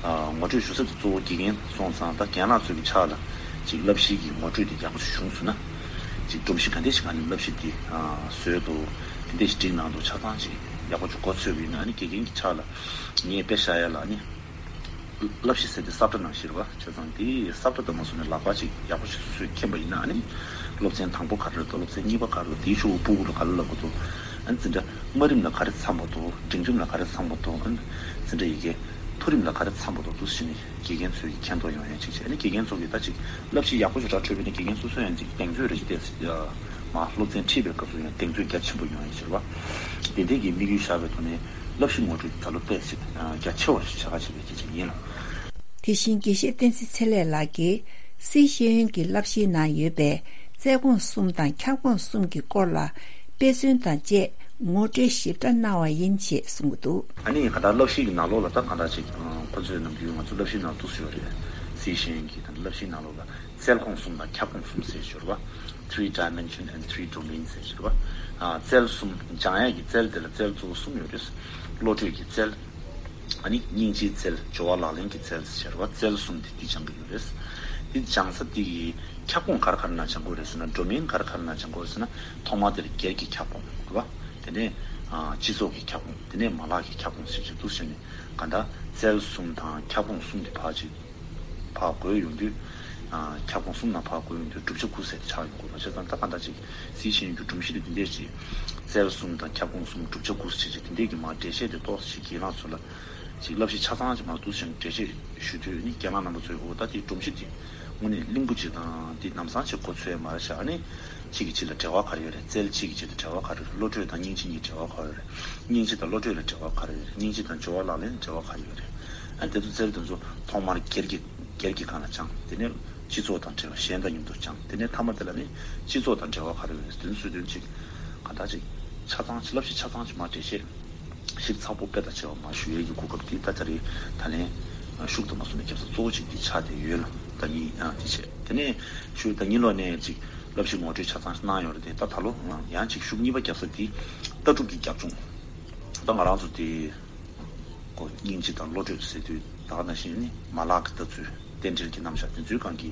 ཨ་ངོ་སྤྲོད་ཞུ་ས་དེ་གཙོ་བོ་དགེ་རྒན་སོང་ཙང་ད་རྒན་ལགས་ཚོའི་གི་ཕྱག་ལ་ཅིག་བསླབ་གཞི་གི་ངོ་སྤྲོད་དེ་ཡག་པོ་ཞིག་བྱུང་སོང་ན། ཅིག་སྒྲོམ་གཞི་ག་འདྲས་ཤིག་ག་ནས་བསླབ་གཞི་དེ་ཨ་བཟོས་འདུག་དེ་འདྲས་ཤིག་སྒྲིག་གནང་འདུག་ཆ་ཚང་ཅིག་ཡག་པོ་ཅིག་མགོ་ཚོས་པ་ཡིན་ན་ཨ་ནི་དགེ་རྒན་གྱི་ཕྱག་ལ་ངས་དཔེ་བཞག་ཡ་ལ་ཨ་ནི་བསླབ་གཞི་ཟེར་དེ་ས་བཀྲ་ནང་བཞིན་རེད་པ། བྱས་ཙང་དེ་ས་བཀྲ་དང་མ་སོང་ནས་ལག་པ་ཅིག་ཡག་པོ་ཞིག་སོ་སོས་མཁྱེན་པ་ཡིན་ན་ཨ་ནི་སློབ་ཚན་དང་པོ་ག་རེ་རེད་འདུག་སློབ་ཚན་གཉིས་པ་ག་རེ་རེད་འདུག་དེའི་ཤོག་བུ་ཕྲུ་གུ་ལ་ག་རེ་ལབ་དགོས་འདུག་ཨ་ནི་འཛིན་གྲྭ་དམའ་རིམ་ལ་ག་རེ་འཚམ་པ་འདུག་འབྲིང་རིམ་ལ་ག་རེ་འཚམ་པ་འདུག་ཨ་ནི་འཛིན་གྲྭ་ཡི་གེ་མཐོ་རིམ་ལ་ག་རེ་འཚམ་པ་འདུག་འདུག་སེ་བྱས་ནས་དགེ་རྒན་ཚོས་ཀྱི་མཁྱེན་རྟོགས་ཡོང་ཡ་ཅིག་བྱས། ཨ་ནི་དགེ་རྒན་ཚོ་གིས་ད་ཅིག་བསླབ་གཞི་ཡག་པོ་ཞིག་ར་འཕྲོད་པ་ཡིན་ན་དགེ་རྒན་སོ་སོ་ཡང་ཅིག་གདེང་ཚོད་རེ་ཞིག་བལྟས་ཡ་ མ་སློབ་ཚན་ཁྲིད་པའི་སྐབས་སུ་ཡང་གདེང་ཚོད་རྒྱ་ཆེན་པོ་ཡོང་ཡ་ཟེར་བ། དེ་འདྲའི་གི་དམིགས་ཡུལ་བཞག་པའི་ཐོག་ནས་བསླབ་གཞི་ངོ་སྤྲོད་ད་ལོ་དཔེ་ཞིག་རྒྱ་ཆེ་བ་ཞིག་བྱ་ག་བྱེད་པའི་སྐད་ཆ་ཡིན་ལ། དེ་བཞིན་དགེ་བཤེས་བསྟན་འཛིན་ཚེ་ལེགས་ལགས་ཀྱིས་སིའི་ཤེས་ཡོན་གྱི་བསླབ་གཞིའི་ནང་ཡོད་པའི་རྩལ་ཁོངས་གསུམ་དང་ཁྱབ་ཁོངས་གསུམ་གྱི་སྐོར་ལ་དཔེ་མཚོན་དང་བཅས་ངོ་སྤྲོད་ཞིབ་ཕྲ་གནང་བ་ཡིན་ཞེས་གསུངས་འདུག། ཨ་ནི་ག་ད་བསླབ་གཞི་གི་ནང་ལོགས་ལ་ད་ག་ད་ཅིག་ཁོ་ཚོས་ནམ་རྒྱུན་ང་ཚོ་བསླབ་གཞི་ནང་འདུག་ཟེར་བ་རེད། སིའི་ཤེས་ཡོན་གྱི་ད་བསླབ་གཞིའི་ནང་ལོགས་ལ། རྩལ་ཁོངས་གསུམ་དང་ཁྱབ་ཁོངས་གསུམ་ཟེར་ཞོར་བ། Three dimension and three domains ཟེར་ཞོར་བ། ཨ། རྩལ་གསུམ། སྦྱང་ཡག་གི་རྩལ་དེ་ལ་རྩལ་གཙོ་བོ་གསུམ་ཡོད་རེད། བློ་གྲོས་ཀྱི་རྩལ། ཨ་ནི་སྙིང་རྗེའི་རྩལ། སྦྱོར་བ་ལག་ལེན་གྱི་རྩལ་ཟེར་བ། རྩལ་གསུམ་དེ་འདི་སྦྱང་གི་ཡོད་རེད། འདི་སྦྱང་ས་འདི་གི་ཁྱབ་ཁོངས་ག་རེ་ག་རེ་ནང་སྦྱང་དགོས་རེད་ཟེར་ན། domain ག་རེ་ག་རེ་ནང་སྦྱང་དགོས་རེད་ཟེར་ན། ཐོག་མར་དེ་ལ་སྒེར་གྱི་ཁྱབ་ཁོངས་རེད་བ། དེ་ནས་ཨ། སྤྱི་ཚོགས་ཀྱི་ཁྱབ་ཁོངས། དེ་ནས་མ་ལག་གི་ཁྱབ་ཁོངས་ཟེར་ཞིག་འདུག་ཟེར་ནས། ག་ད་རྩལ་གསུམ་དང་ཁྱབ་ཁོངས་གསུམ་དེ་ཕར་ཅིག་ཕར་བགོས་ཡོང་དུས། ཨ། ཁྱབ་ཁོངས་གསུམ་ནང་ཕར་བགོས་ཡོང་དུས་བསྒྲུབ་བྱ་དགུ་ཟེར་ཏེ་ཆགས་ཡོང་དགོས་པ་བྱས་ཙང་། ད་གང་ལྟར་ཅིག་སིའི་ཤེས་ཡོན་གྱི་སྒྲོམ་གཞི་དེ་འདི་འདྲས་ཅིག་རྩལ་གསུམ་དང་ཁྱབ་ཁོངས་གསུམ་བསྒྲུབ་བྱ་དགུ་ཟེར་ཅིག་དེ་འདྲས་ཀྱི་མར་འགྲེལ་བཤད་དེ་ཏོག་ཙམ་ཞིག་རྒན་ལགས་ཚོ་ལ་ཅིག་བསླབ་གཞི་ཆ་ཚང་ཅིག་མར་འདུག་ཟེར་འགྲེལ་བཤད་ཞུ་དུས་ནི། རྒན་ལགས་རྣམ་པ་ཚོས་འོ་ད་དེའི་སྒྲོམ་གཞི་དེ་དངོས་གནས་བརླིང་པོ་ཅིག་དང་དེ་ལམ་སང་ཅིག་གོ་ཚོད་མ་རེད་ཤག་ཨ་ནི་གཅིག་གིས་གཅིག་ལ་འབྲེལ་བ་ག་རེ་ཡོད་རེད། རྩལ་གཅིག་གིས་གཅིག་དང་འབྲེལ་བ་ག་རེ་ཡོད་རེད། བློ་གྲོས་དང་སྙིང་རྗེ་གཉིས་འབྲེལ་བ་ག་རེ་ཡོད་རེད། སྙིང་རྗེ་དང་བློ་གྲོས་ལ་འབྲེལ་བ་ག་རེ་ཡོད་རེད། སྙིང་རྗེ་དང་སྦྱོར་བ་ལག་ལེན་ལ་འབྲེལ་བ་ག་རེ་ཡོད་རེད། ཨ་ནི་དེ་ཚོ་རྩལ་དེ་ཚོ་ཐོག་མར་སྒེར་གྱི་སྒེར་གྱི་སྒང་ལ་སྦྱང་། དེ་ནས་སྤྱི་ཚོགས་དང་འབྲེལ་བ། གཞན་དང་མཉམ་དུ་སྦྱང་། དེ་ནས་མཐའ་མ་དེ་ལ་ནི་སྤྱི་ཚོགས་དང་འབྲེལ་བ་ག་རེ་ཡོད་རེད། དེ་ཚོ་སྲོལ་རྒྱུན་ཅིག་ག་འདྲ་ཅིག་ཆ་ཚང་ཅིག་བསླབ་གཞི་ཆ་ཚང་ཅིག་མར་འགྲེལ་བཤད་ཞིབ་ཚགས་པོ་དཔེ་དང་ཕྱེ་བ་མར་ཞུ་ཡས་ཀྱི་གོ་སྐབས་འདི་ད་ལྟ་རེད། ད་ལན་ཤུགས་དུ་མ་སོང་ནས་རྒྱབ་ས་གཙོ་བོ་གཅིག་འདི་ཆགས་བསྡད་ཡོད་ལ། ད་ཉིད་ཨ་འདི་བྱས། དེ་ནས་ཤུགས་ད་གཉིས་ལོག་ནས་ཅིག་བསླབ་གཞི་ངོ་སྤྲོད་ཆ་ཚང་གནང་ཡོད་རེད་དེ། ད་ད་ལོ་ཡང་ཅིག་ཤུགས་གཉིས་པ་རྒྱབ་ས་འདི་ལྟ་གྲུབ་ཀྱི་རྒྱབ་ལྗོངས། ད་ང་རང་ཚོ་དེ་ཀོ་སྙིང་རྗེ་དང་བློ་གྲོས་ཟེར་དུས་ད་ག་ནང་བཞིན་ནི་མ་ལག་གི་ལྟ་ཚུལ། རྟེན་འབྲེལ་གྱི་རྣམ་གཞག་དེ་ཚོའི་སྒང་གི་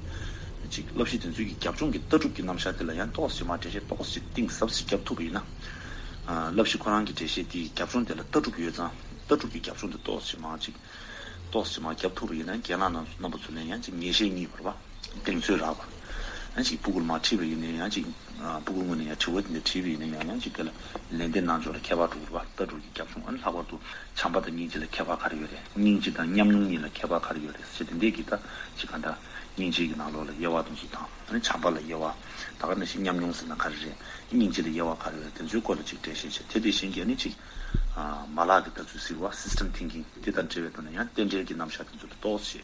ཅིག་བསླབ་གཞི་དེ་ཚོའི་གི་རྒྱབ་ལྗོངས་ཀྱི་ལྟ་གྲུབ་ཀྱི་རྣམ་གཞག་དེ་ལ་ཡང་ཏོག་ཙམ་མར་འགྲེལ་བཤད་ཏོག་ཙམ་གཏིང་ཟབ་ཙམ་བརྒྱབ་ཐུབ་པ་ཡིན་ན། ཨ། བསླབ་གཞི་ཁོ་རང་གི་འགྲེལ་བཤད་དེའི་རྒྱབ་ལྗོངས་དེ་ལ་ལྟ་གྲུབ་ཡོད་ཙང་། ལྟ་གྲུབ་ཀྱི་རྒྱབ་ལྗོངས་དེ་ཏོག་ཙམ་མར་ཅིག་ཏོག་ཙམ་མར་བརྒྱབ་ཐུབ་པ་ཡིན་ན། རྒན་ལགས་རྣམ་རྣམ་པ་ཚོ་ལ་ཡང་ཅིག་ངེས་ཤེས་རྙེད་པ་རེད་པ། གདེང་ཚོད་རག་པ། ཡང་ཅིག་སྤུ་གུར་མར་ཁྲིད་པ་ཡིན་ནའི་ཡང་ཅིག་ཨ། སྤུ་གུ་ངོས་ནས་ཡང་དྲི་བ་དེ་འདྲ་དྲིས་པ་ཡིན་ན་ཡང་། ཡང་ཅིག་དེ་ལ་ལན་འདེབས་གནང་ཕྱོགས་ལ་ཁྱད་པར་འགྲོ་གི་རེད་པ། ལྟ་གྲུབ་ཀྱི་རྒྱབ་ལྗོངས། ཨ་ནི་ལྷག་པར་དུ་བྱམས་པ་དང་སྙིང་རྗེ་ལ་ཁྱད་པར་ག་རེ་ཡོད་རེད། སྙིང་རྗེ་དང་ཉམས་མྱོང་གཉིས་ལ་ཁྱད་པར་ག་རེ་ཡོད་རེད་ཟེར་དེ་འདྲས་ཀྱི་ད་ཅིག་ག་འདྲ་སྙིང་རྗེ་གི་ནང་ལོགས་ལ་དབྱེ་བ་དེ་ཚོ་དང་། ཨ་ནི་བྱམས་པ་ལ་དབྱེ་བ། ད་ག་ནང་བཞིན་ཉམས་མྱོང་ཟེར་ན་ག་རེ་རེད། སྙིང་རྗེ་ལ་དབྱེ་བ་ག་རེ་ཡོད་རེད། དེ་ཚོའི་སྐོར་ལ་ཅིག་འགྲེལ་བཤད་བྱས། དེ་དེ་བཞིན་གྱི་ཨ་ནི་ཅིག་ཨ། མ་ལག་གི་ལྟ་ཚུལ་ཟེར་བ། System thinking དེ་དང་འབྲེལ་བའི་ཐོག་ནས་ཡང་རྟེན་འབྲེལ་གྱི་རྣམ་གཞག་དེ་ཚོ་ལ་ཏོག་ཙམ་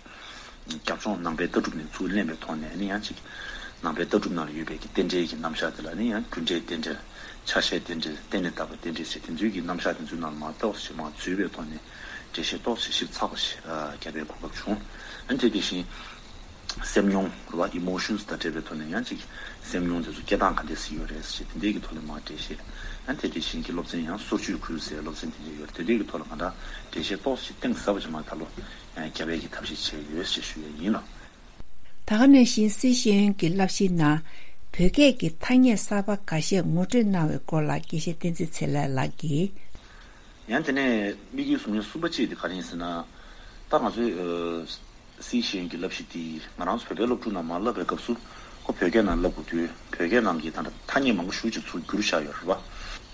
རྒྱབ་ལྗོངས་ནང་པའི་ལྟ་གྲུབ་ནས་ཚུར་ལེན་པའི་ཐོག་ནས། ཨ་ནི་ཡང་ཅིག་ནང་པའི་ལྟ་གྲུབ་ནང་ལ་ཡོད་པའི་གི་རྟེན་འབྲེལ་གྱི་རྣམ་གཞག་དེ་ལ་ནི་ཡང་རྒྱུ་འབྲས་རྟེན་འབྲེལ། ཆ་ཤས་རྟེན་འབྲེལ། རྟེན་ལས་བཏགས་པའི་རྟེན་འབྲེལ་ཟེར་དེ་ཚོའི་གི་རྣམ་གཞག་དེ་ཚོའི་ནང་ལ་མར་ཏོག་ཙམ་མར་འཛུལ་བའི་ཐོག་ནས་འགྲེལ་བཤད་ཏོག་ཙམ་ཞིབ་ཚགས་པོ་ཞིག་ཨ། བརྒྱབ་པའི་གོ་སྐབས་བྱུང་། ཨ་ནི་དེ་དེ་བཞིན་སེམས་མྱོང་རེད་པ། Emotions དང་འབྲེལ་བའི་ཐོག་ནས་ཡང་ཅིག་སེམས་མྱོང་དེ་ཚོ་སྐྱེ་སྟངས་ག་འདྲས་ཞིག་ཡོད་རེད་ཟེར་དེ་འདྲས་ཀྱི་ཐོག་ལ་མར་འགྲེལ་བཤད། ཨ་ནི་དེ་དེ་བཞིན་གྱི་སློབ་ཚན་ཡང་སོར་ཆུད་ཁུལ་ཟེར་སློབ་ཚན་དེ་འདྲས་ཡོད་རེད། དེ་འདྲས་ཀྱི་ཐོག་ལ་ག་འདྲ་འགྲེལ་བཤད་ཏོག་ཙམ་གཏིང་ཟབ་པ་ཞིག་མར་ད་ལོ་ཡང་བརྒྱབ་པའི་གི་ཐབས་ཤེས་བྱས་ཡོད་ཅེས་ཞུ་ཡས་ཡིན་ལགས། ད་ག་ནང་བཞིན་སིའི་ཤེས་ཡོན་གྱི་བསླབ་གཞིའི་ནང་བོད་སྐད་ཀྱི་ཐ་སྙད་གསར་པ་འགའ་ཤས་ངོ་སྤྲོད་གནང་བའི་སྐོར་ལ་དགེ་བཤེས་བསྟན་འཛིན་ཚེ་ལགས་ལགས་ཀྱིས། ཡང་དེ་ནས་དམིགས་ཡུལ་བཟུང་མཁན་གསུམ་པ་གཅིག་དེ་ག་རེ་ཡིན་ཟེར་ན། ད་ང་ཚོའི་ཨ། སིའི་ཤེས་ཡོན་གྱི་བསླབ་གཞི་དེ་ང་རང་ཚོ་བོད་པའི་སློབ་ཕྲུག་རྣམས་མར་བསླབ་པའི་སྐབས་སུ་ཁོ་བོད་སྐད་ནང་བསླབ་དགོས་དུས། བོད་སྐད་ནང་གི་ད་ལྟ་ཐ་སྙད་མང་པོ་ཞེ་པོ་ཅིག་ཚུར་བསྒྱུར་བཞག་ཡོད་རེད་པ།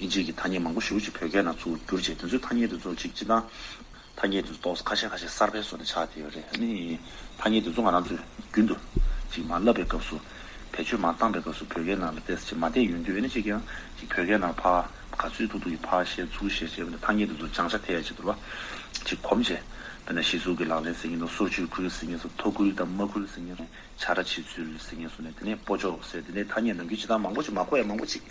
དབྱིན་ཇིའི་གི་ཐ་སྙད་མང་པོ་ཞེ་པོ་ཅིག་བོད་སྐད་ནང་ཚུར་བསྒྱུར་བྱས། དེ་ཚོའི་ཐ་སྙད་དེ་ཚོ་ཅིག་སྤྱིར་བཏང་ཐ་སྙད་དེ་ཚོ་ཏོག་ཙམ་ཁ་ཤས་ཁ་ཤས་གསར་པའི་བཟོ་ནས་ཆགས་བསྡད་ཡོད་རེད། ཨ་ནི་ཐ་སྙད་དེ་ཚོ་ང་རང་ཚོས་རྒྱུན་དུ་ཅིག་མར་བསླབ་པའི་སྐབས་སུ། བེད་སྤྱོད་མར་བཏང་པའི་སྐབས་སུ་བོད་སྐད་ནང་ལ་ཏོག་ཙམ་ཅིག་མ་བསྡད་ཡོང་དུས། ཨ་ནི་ཅིག་ཡང་ཅིག་བོད་སྐད་ནང་ཕར་ག་ཚོད་ཐུབ་ཐུབ་ཀྱིས་ཕར་བཤད་ཚུར་བཤད་བྱས་པ་ནས་ཐ་སྙད་དེ་ཚོ་བྱང་ཆ་ཐེབས་ཡ་ཆེད་དུ་རེད་པ། ཅིག་གོམས་བྱས། དཔེར་ན་གཞི་གཟུགས་ཀྱི་ལག་ལེན་ཟེར་མཁན་དང་། སོར་ཆུད་ཁུལ་ཟེར་མཁན་སོགས། ཐོ་ཁུལ་དང་མ་ཁུལ་ཟེར་མཁན་སོགས། ཆ་ར་ཕྱི་ཚུལ་ཟེར་མཁན་སོགས་ནས། དེ་ནས་སྤོ་ཆོག་ཟེར། དེ་ནས་ཐ་སྙད་ནམ་རྒྱུན་སྤྱིར་བཏང་མང་པོ་ཅིག་མ་གོ་ཡ་མང་པོ་ཅིག་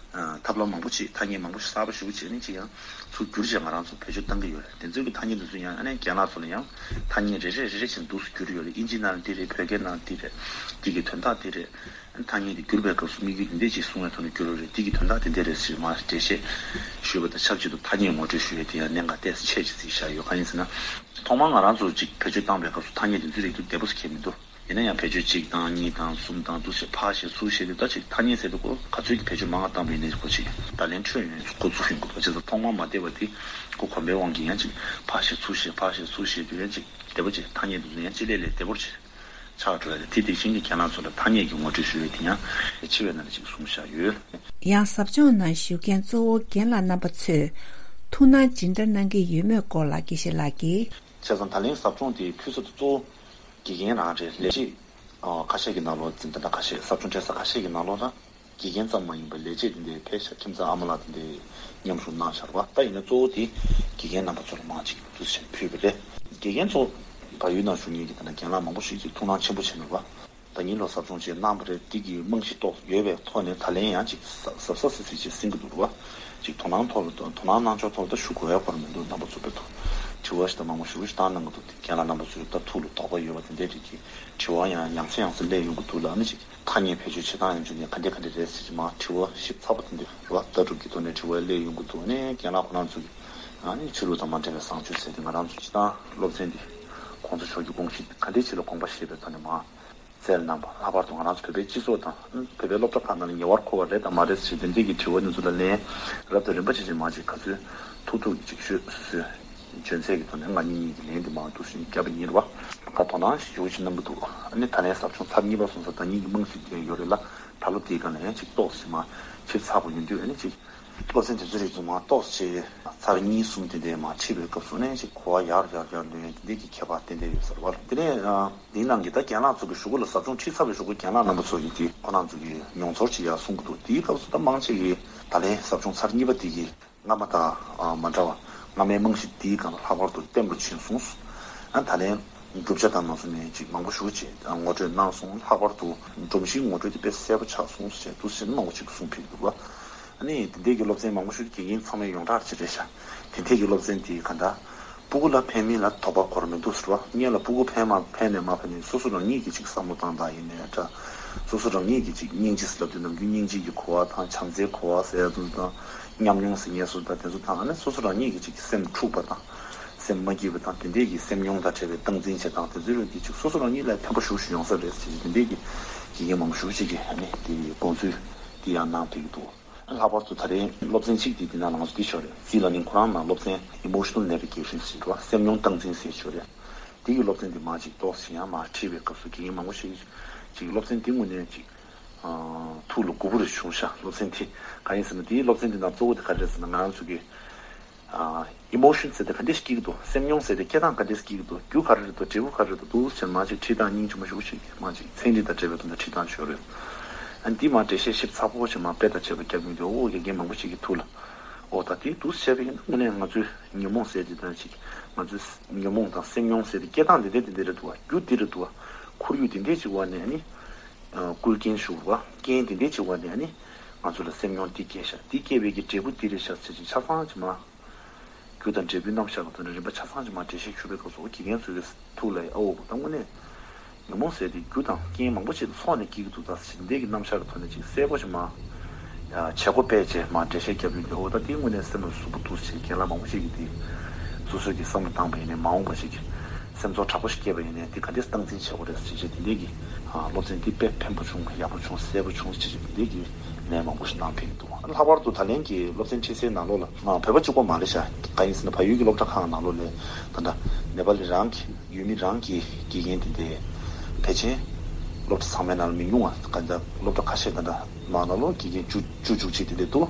ཨ། ཐབས་ལམ་མང་པོ་ཅིག་ཐ་སྙད་མང་པོ་ཞིག་གསར་པ་ཞེ་པོ་ཅིག་ནི་ཅིག་ཡང་ཚུར་བསྒྱུར་བྱས་ང་རང་ཚོ་བེད་སྤྱོད་བཏང་གི་ཡོད་རེད། དེ་ཚོའི་གི་ཐ་སྙད་དེ་ཚོ་ཡང་ཨ་ནི་རྒན་ལགས་ཚོ་ལ་ཡང་ཐ་སྙད་རེ་རེ་རེ་རེ་བཞིན་འདུག་སེ་བསྒྱུར་ཡོད་རེད། དབྱིན་ཇིའི་ནང་ལ་འདི་རེད། བོད་སྐད་ནང་འདི་རེད། འདི་གི་དོན་དག་འདི་རེད། ཨ་ནི་ཐ་སྙད་དེ་བསྒྱུར་བའི་སྐབས་སུ་དམིགས་ཡུལ་འདི་འདྲ་ཅིག་གསུང་བའི་ཐོག་ནས་བསྒྱུར་ཡོད་རེད། འདི་གི་དོན་དག་དེ་འདྲ་རེད་ཟེར་མར་འགྲེལ་བཤད་ཞུས་པ་དང་ཆབས་ཅིག་ཏུ་ཐ་སྙད་ངོ་སྤྲོད་ཞུ་ཡས་དེ་ཡང་གནད་འགག་ཏོག་ཙམ་ཆེ་ཅིག་བརྩིས་བཞག་ཡོད། གང་ཡིན་ཟེར་ན། ཐོག་མར་ང་རང་ཚོ་ཅིག་བེད་སྤྱོད་བཏང་པའི་སྐབས་སུ་ཐ་སྙད་དེ་ཚོའི་རིགས་དེ་བདེ་པོ་ཞིག་གང་མི་འདུག་ཡིན་ན་ཡང་བེད་སྤྱོད་གཅིག་དང་གཉིས་དང་གསུམ་དང་འདུག་སེ་ཕར་བཤད་ཚུར་བཤད་དུས། ད་ཅིག་ཐ་སྙད་ཟེར་དུས་ཁོ་ག་ཚོད་ཀྱི་བེད་སྤྱོད་མང་བ་བཏང་པ་ཡིན་ནའི་ཁོ་ཅིག་བརྡ་ལན་འཕྲོད་ཡོང་ཡ་འགོ་བཙུགས་ཡོང་གི་འདུག་བྱས་ཙང་ཐོག་མར་མ་བདེ་བ་དེ་ཁོ་གོམས་པའི་དབང་གིས་ཡང་ཅིག་ཕར་བཤད་ཚུར་བཤད་ཕར་བཤད་ཚུར་བཤད་དུས་ཡང་ཅིག་བདེ་པོ་ཅིག་ཐ་སྙད་དེ་ཚོ་ཡང་ཅིག་ལས་ལས་བདེ་པོ་ཅིག་ཆགས་འགྲོ་ཡ་རེད། དེ་དེ་བཞིན་གྱི་རྒན་ལགས་ཚོ་ལ་ཐ་སྙད་ཀྱི་ངོ་སྤྲོད་ཞུ་ཡས་དེ་ཡང་ཆེ་བའི་ནང་ལ་ཅིག་གསུངས་བཞག་ཡོད། ཡང་ཟབ་སྦྱོང་ནང་ཞུགས་མཁན་གཙོ་བོ་རྒན་ལགས་རྣམ་པ་ཚོས་ཐུགས་སྣང་ཇི་འདྲ་གནང་གི་ཡོད་མེད་སྐོར་ལ་དགེ་བཤེས་ལགས་ཀྱིས། བྱས་ཙང་ད་ལན་ཟབ་སྦྱོང་དེ་ཕུལ་ས་དེ་གཙོ་བོ་དགེ་རྒན་རང་རེད། ལས་བྱེད་ཁ་ཤས་ཀྱི་ནང་ལོགས། འཛིན་གྲྭ་ཁ་ཤས། ཟབ་སྦྱོང་སྤྲད་ས་ཁ་ཤས་ཀྱི་ནང་ལོགས་ལ། དགེ་རྒན་ཙམ་མ་ཡིན་པར་ལས་བྱེད་དེ་འདྲའི་ཕལ་ཆེར་ཁྱིམ་ཚང་ཨ་མ་ལགས་དེ་འདྲའི་མཉམ་ཞུགས་གནང་བཞག་པ། ད་ཡིན་ན་གཙོ་བོ་དེ་དགེ་རྒན་རྣམ་པ་ཚོ་ལ་མང་ཅིག་འདུག་སེ་ཕུལ་བ་རེད། དགེ་རྒན་ཚོ་བལ་ཡུལ་ནང་བཞུགས་མཁན་གྱི་ད་ལྟ་རྒན་ལགས་མང་པོ་ཞིག་གིས་ཐུགས་སྣང་ཆེན་པོ་བྱས་མེད་པ། ད་ཉིན་ལོ་ཟབ་སྦྱོང་ཅིག་གནང་བ་རེད། འདི་གི་རྨང་གཞི་ཏོག་ཡོད་པའི་ཐོག་ནས་ད་ལན་ཡང་ཅིག་གཟབ་གཟབ་གཟབ་གཟབ་ཅིག་ཟིན་གྱི་འདུག་ར། ཅིག་དོ་སྣང་ཐོག་ལ་དོ་སྣང་གནང་ཕྱོགས་ཐོག་ལ་ད་ཞུ་དགོས་ཡ་བར་མི་འདུག་རྣམ་པ་ཚོ་བོད་དུ་དྲི་བ་ཞིག་དང་མང་པོ་ཞུ་ཞིག་བཏང་གནང་གི་འདུག་དེ་རྒན་ལགས་རྣམ་པ་ཚོས་ད་ཐུགས་ལ་དོགས་པ་ཡོད་པ་དེ་འདྲའི་རིགས་ཀྱི་དྲི་བ་ཡང་ཡང་སེ་ཡང་སེ་སླེབས་ཡོང་གི་འདུག་ལ། ཨ་ནི་ཅིག་ཐ་སྙད་བེད་སྤྱོད་བྱེད་སྟངས་ཡང་བྱུང་ནས་ག་འདྲ་ག་འདྲ་རེད་ཟེར་གྱི་མ་དྲི་བ་ཞིབ་ཚགས་པོ་དེ་འདྲ་རེད་བ། ལྟ་གྲུབ་ཀྱི་ཐོག་ནས་དྲི་བ་སླེབས་ཡོང་གི་འདུག་ཨ་ནི་རྒན་ལགས་ཁོ་རང་ཚོ་གི་ཨ་ནི་ཆོས་ལུགས་དང་མ་འབྲེལ་བའི་བཟང་སྤྱོད་ཟེར་ཏེ་ང་རང་ཚོ་སྤྱི་བཏང་སློབ་ཚན་འདི་༸གོང་ས་མཆོག་གི་དགོངས་གཞི་ག་འདྲའི་ཆེད་ལ་དགོངས་པ་བཞེས་པའི་ཐོག་ནས་མ་བསྩལ་གནང་པ། ལྷག་པར་དུ་ང་རང་ཚོ་བོད་པའི་སྤྱི་ཚོགས་དང་བོད་པའི་སློབ་གྲྭ་ཁག་ནང་ལ་ཉེ་བར་མཁོ་བ་རེད་དང་མ་རེད་ཞེས་དེ་འདྲས་ཀྱི་དྲི་བ་འདི་ཚོ་ལ་ལན་རབ་དང་རིམ་པ་བྱས་བྱས་མ་བྱས་ག་ཚོད་ཐུབ་ཐུབ་ཀྱི་ཅིག་ཤོད་སོ་སོའི་འཇོན་ཚད་ཀྱི་ཐོག་ནས་ང་གཉིས་གཉིས་ཀྱི་ལན་འདི་མང་འདུག་ཞིག་བརྒྱབ་པ་ཡིན་རེད་བ། ད་དོ་སྣང་ཞེ་པོ་ཅིག་གནང་གི་འདུག་ཨ་ནི་ད་ལན་ཟབ་སྦྱོང་ཚར་གཉིས་པ་སོང་ཙང་ད་གཉིས་ཀྱི་རྨང་གཞི་དེ་ཡོད་རེད་ལ། ད་ལོ་དེའི་སྒང་ལ་ཡང་ཅིག་ཏོག་ཙམ་མ་ཞིབ་ཚགས་པོ་ཡིན་དུས་ཨ་ནི་ཅིག་སློབ་ཚན་དེ་ཚོ་རིགས་ཚང་མ་ཏོག་ཙམ་ཚར་གཉིས་གསུམ་དེ་འདྲའི་མ་ཁྲིད་པའི་སྐབས་སུ་ནས་ཅིག་གོ་བ་ཡར་ཡར་ཡར་ལོན་ཡ་དེ་འདྲའི་གི་ཁྱད་པར་ཏན་ཏན་ཡོད་ས་རེད་བ། དེ་ནས་འདིའི་ནང་གི་ད་རྒན་ལགས་ཚོ་གི་གཞུག་གུ་ལ་ཟབ་སྦྱོང་ཁྲིད་ཚར་བའི་གཞུག་གུ་རྒན་ལགས་རྣམ་པ་ཚོ་ཡིན་དུས་ཁོ་རང་ཚོ་གི་མྱོང་ཚོར་ཅིག་ཡར་གསུང་གི་འདུག་དེའི་སྐབས་སུ་ད་མང་ཆེ་གིས་ད་ལན་ཟབ་སྦྱོང་ཚར་གཉིས་པ་དེ་གི་སྔ་མ་དང་མ་འདྲ་བ། སྔ་མའི་རྨང་གཞི་འདིའི་སྒང་ལ་ལྷག་པར་དུ་བརྟན་པོ་ཕྱིན་སོང་། ཨ་ད་ལན་བསྒྲུབ་བྱ་དང་མ་སོང་ནས་ཅིག་མང་པོ་ཞེ་པོ་ཅིག་ངོ་སྤྲོད་གནང་སོང་། ལྷག་པར་དུ་སྒྲོམ་གཞིའི་ངོ་སྤྲོད་དེ་དཔེ་གསལ་པོ་ཆགས་སོང་ཟེར་འདུག་ཟེར་མང་པོ་ཅིག་གསུང་ཕེབས་འདུག་བ། ཨ་ནི་དེ་འདྲས་ཀྱི་སློབ་ཚན་མང་པོ་ཞིག་དགེ་རྒན་ཚང་མས་ཡོངས་གྲགས་ཅིག་རེད་ཤག་དེ་འདྲས་ཀྱི་སློབ་ཚན་དེ་ག་འདྲ། སྤུ་གུ་ལ་ཕན་མིན་ལ་དོགས་པ་འཁོར་མི་འདུག་ཟེར་བ། སྔོན་ལ་སྤུ་གུ་ཕན་མ་ཕན་ནས་མ་ཕན་ནས་སོ་སོ་རང་ཉིད་ཀྱིས་ཅིག་བསམ་བློ་བཏང་སྟངས་ཡིན་ནའི་འདྲ། སོ་སོ་རང་ཉིད་ཀྱིས་ཅིག་སྙིང་རྗེ་ཟེར་ལབ་དུས་ནམ་རྒྱུན་སྙིང་རྗེ་གི་གོ་བ་དང་བྱམས་བརྩེའི་གོ་བ་ཟེར་ཡ་དེ་ཚོ་དང་། ཉམས་མྱོང་ཟེར་མཁན་སོ་དང་དེ་ཚོ་དང་། ཨ་ནི་སོ་སོ་རང་ཉིད་ཀྱིས་ཅིག་སེམས་འཁྲུགས་པ་དང་། སེམས་མ་སྐྱིད་པ་དང་། དེ་འདྲས་ཀྱི་སེམས་མྱོང་དང་བྲལ་བའི་སྟངས་འཛིན་བྱེད་སྟངས་དེ་ཚོའི་རིགས་ཀྱིས་ཅིག་སོ་སོ་རང་ཉིད་ལ་ཕན་པ་ཞེ་པོ་ཞིག་ཡོང་ས་རེད་ཟེར་གྱི་དེ་འདྲས་ཀྱི་དགེ་རྒན་མང་པོ་ཞེ་པོ་ཅིག་གིས་ཨ་ནི་དེ་དགོངས་ཚུལ་དེ་ཡང་གནང་ཕེབས་ཀྱི་འདུག་ལྷག་པར་དུ་ད་རེས་སློབ་ཚན་གཅིག་དེ་འདི་ནང་ལ་ང་ཚོ་འདི་ཤོར་རེད། ཟི་ལ་ནིང་ཁོ་རང་ནང་སློབ་ཚན་emotional navigation ཟེར་བ། སེམས་མྱོང་སྟངས་འཛིན་ཟེར་ཤོར་རེད། འདི་གི་སློབ་ཚན་འདི་མ་ཅིག་ཏོག་ཙམ་ཡང་མ་ཁྲིད་པའི་སྐབས་སུ་དགེ་རྒན་མང་པོ་ཞིག་ཅིག་སློབ་ཚན་འདི་དངོས་གནས་ཅིག་ཨ་ཐུགས་ལ་མགུ་པོ་རེ་བྱུང་ཤག་སློབ་ཚན་འདི་གང་ཡིན་ཟེར་ན། འདིའི་སློབ་ཚན་འདི་ནང་གཙོ་བོ་དེ་ག་རེ་རེད་ཟེར་ན། ང་རང་ཚོ་གི་ཨ་emotion ཟེར་དེ་ག་འདྲས་སྐྱེ་གི་འདུག་སེམས་མྱོང་ཟེར་དེ་སྐྱེ་སྟངས་ག་འདྲས་སྐྱེ་གི་འདུག་རྒྱུ་ག་རེ་རེད་འདུག་འབྲས་བུ་ག་རེ་རེད་འདུག་འདུག་ཟེར་མ་ཅིག་ཁྲིད་སྟངས་སྙིང་རྗེ་མོ་ཞེ་པོ་ཅིག་མ་ཅིག་ཚན་རིག་དང་འབྲེལ་བའི་དོན་དུ་ཁྲིད་སྟངས་ཤོར་རེད། ཨ་འདི་མ་འགྲེལ་བཤད་ཞིབ་ཚགས་པོ་ཞིག་མ་དཔེ་དང་བཅས་པ་རྒྱབ་མི་འདུག་ཨོ་དགེ་རྒན་མང་པོ་ཞིག་གི་ཐུགས་ལ། ཨོ་ད་དེ་འདུག་བྱས་པ་ཡིན་ན་དངོས་གནས་ང་ཚོའི་ཉོན་མོངས་ཟེར་དེ་དང་ཅིག་ང་ཚོའི་ཉོན་མོངས་དང་སེམས་མྱོང་ཟེར་དེ་སྐྱེ་སྟངས་དེ་འདྲ་དེ་འདྲ་རེད་འདུག་བ། རྒྱུ་དེ་རེད་འདུག་བ། ཁོར་ཡུག་དེ་འདྲས་ཅིག་བ་ནས་ཨ་ནི། སྐུལ་རྐྱེན་ཞུགས་པ། རྐྱེན་དེ་འདྲས་ཅིག་བ་ནས་ཨ་ནི། ང་ཚོ་ལ་སེམས་མྱོང་འདི་སྐྱེས་ཤག་འདི་སྐྱེས་པའི་གི་འབྲས་བུ་འདི་རེད་ཤག་ཟེར་ཅིག་ཆ་ཚང་ཅིག་མ། རྒྱུ་དང་འབྲས་བུའི་རྣམ་གཞག་གི་ཐོག་ནས་རིམ་པ་ཆ་ཚང་ཅིག་མ་འགྲེལ་བཤད་ཞུ་བའི་སྐབས་སུ་དགེ་རྒན་ཚོའི་གི་ཐུགས་ལ་ཨ་འོ་ད་དངོས་གནས། ཉོན་མོངས་ཟེར་དེ་རྒྱུ་དང་རྐྱེན་མང་པོ་ཅིག་ལ་སོགས་ནས་སྐྱེ་གི་འདུག་ད་ཟེར་འདི་གི་རྣམ་གཞག་གི་ཐོག་ནས་ཅིག་གསལ་པོ་ཞིག་མ། ཡ་བྱེད་སྒོ་སྤེལ་བྱས་མ་འགྲེལ་བཤད་རྒྱབ་ཡོང་དུས་ཨོ་ད་དེ་དངོས་གནས་སེམས་ལ་ཟུག་པོ་འདུག་ཟེར་རྒན་ལགས་མང་པོ་ཞིག་གིས་དེ་སོ་སོའི་གི་བསམ་བློ་བཏང་པ་ཡིན་ནའི་མ་འོངས་པ་ཞིག་གི་སེམས་ཚོར་དྲག་པོ་ཞིག་སྐྱེས་པ་ཡིན་ནའི་དེ་ག་འདྲས་སྟངས་འཛིན་བྱེད་དགོས་རེད་ཟེར་བྱས་དེ་འདྲས་ཀྱི་སློབ་ཚན་འདི་དཔེ་ཕན་པོ་བྱུང་། ཡག་པོ་བྱུང་། གསལ་པོ་བྱུང་ཟེར་བྱས་དེ་འདྲས་ཀྱི་ལན་མང་པོ་ཞིག་གནང་ཕེབས་ཀྱི་འདུག་ལྷག་པར་དུ་ད་ལན་གྱི་སློབ་ཚན་ཁྲིད་སའི་ནང་ལོགས་ལ་བོད་པ་གཅིག་པོ་མ་རེད་ཤག་གང་ཡིན་ཟེར་ན་བལ་ཡུལ་གྱི་སློབ་གྲྭ་ཁག་ནང་ལོགས་ལ་ད་ལྟ་ནེ་པ་ལི་རང་གི་ཡུལ་མི་རང་གི་དགེ་རྒན་དེ་འདྲའི་ཕལ་ཆེར་སློབ་གྲྭ་ཚང་མའི་ནང་ལ་མི་ཉུང་བ། ག་འདྲ་སློབ་གྲྭ་ཁ་ཤས་ད་ལྟ་མ་ནང་ལོགས་དགེ་རྒན་བཅུ་བཅུ་བཅུ་གཅིག་དེ་འདྲ་འདུག་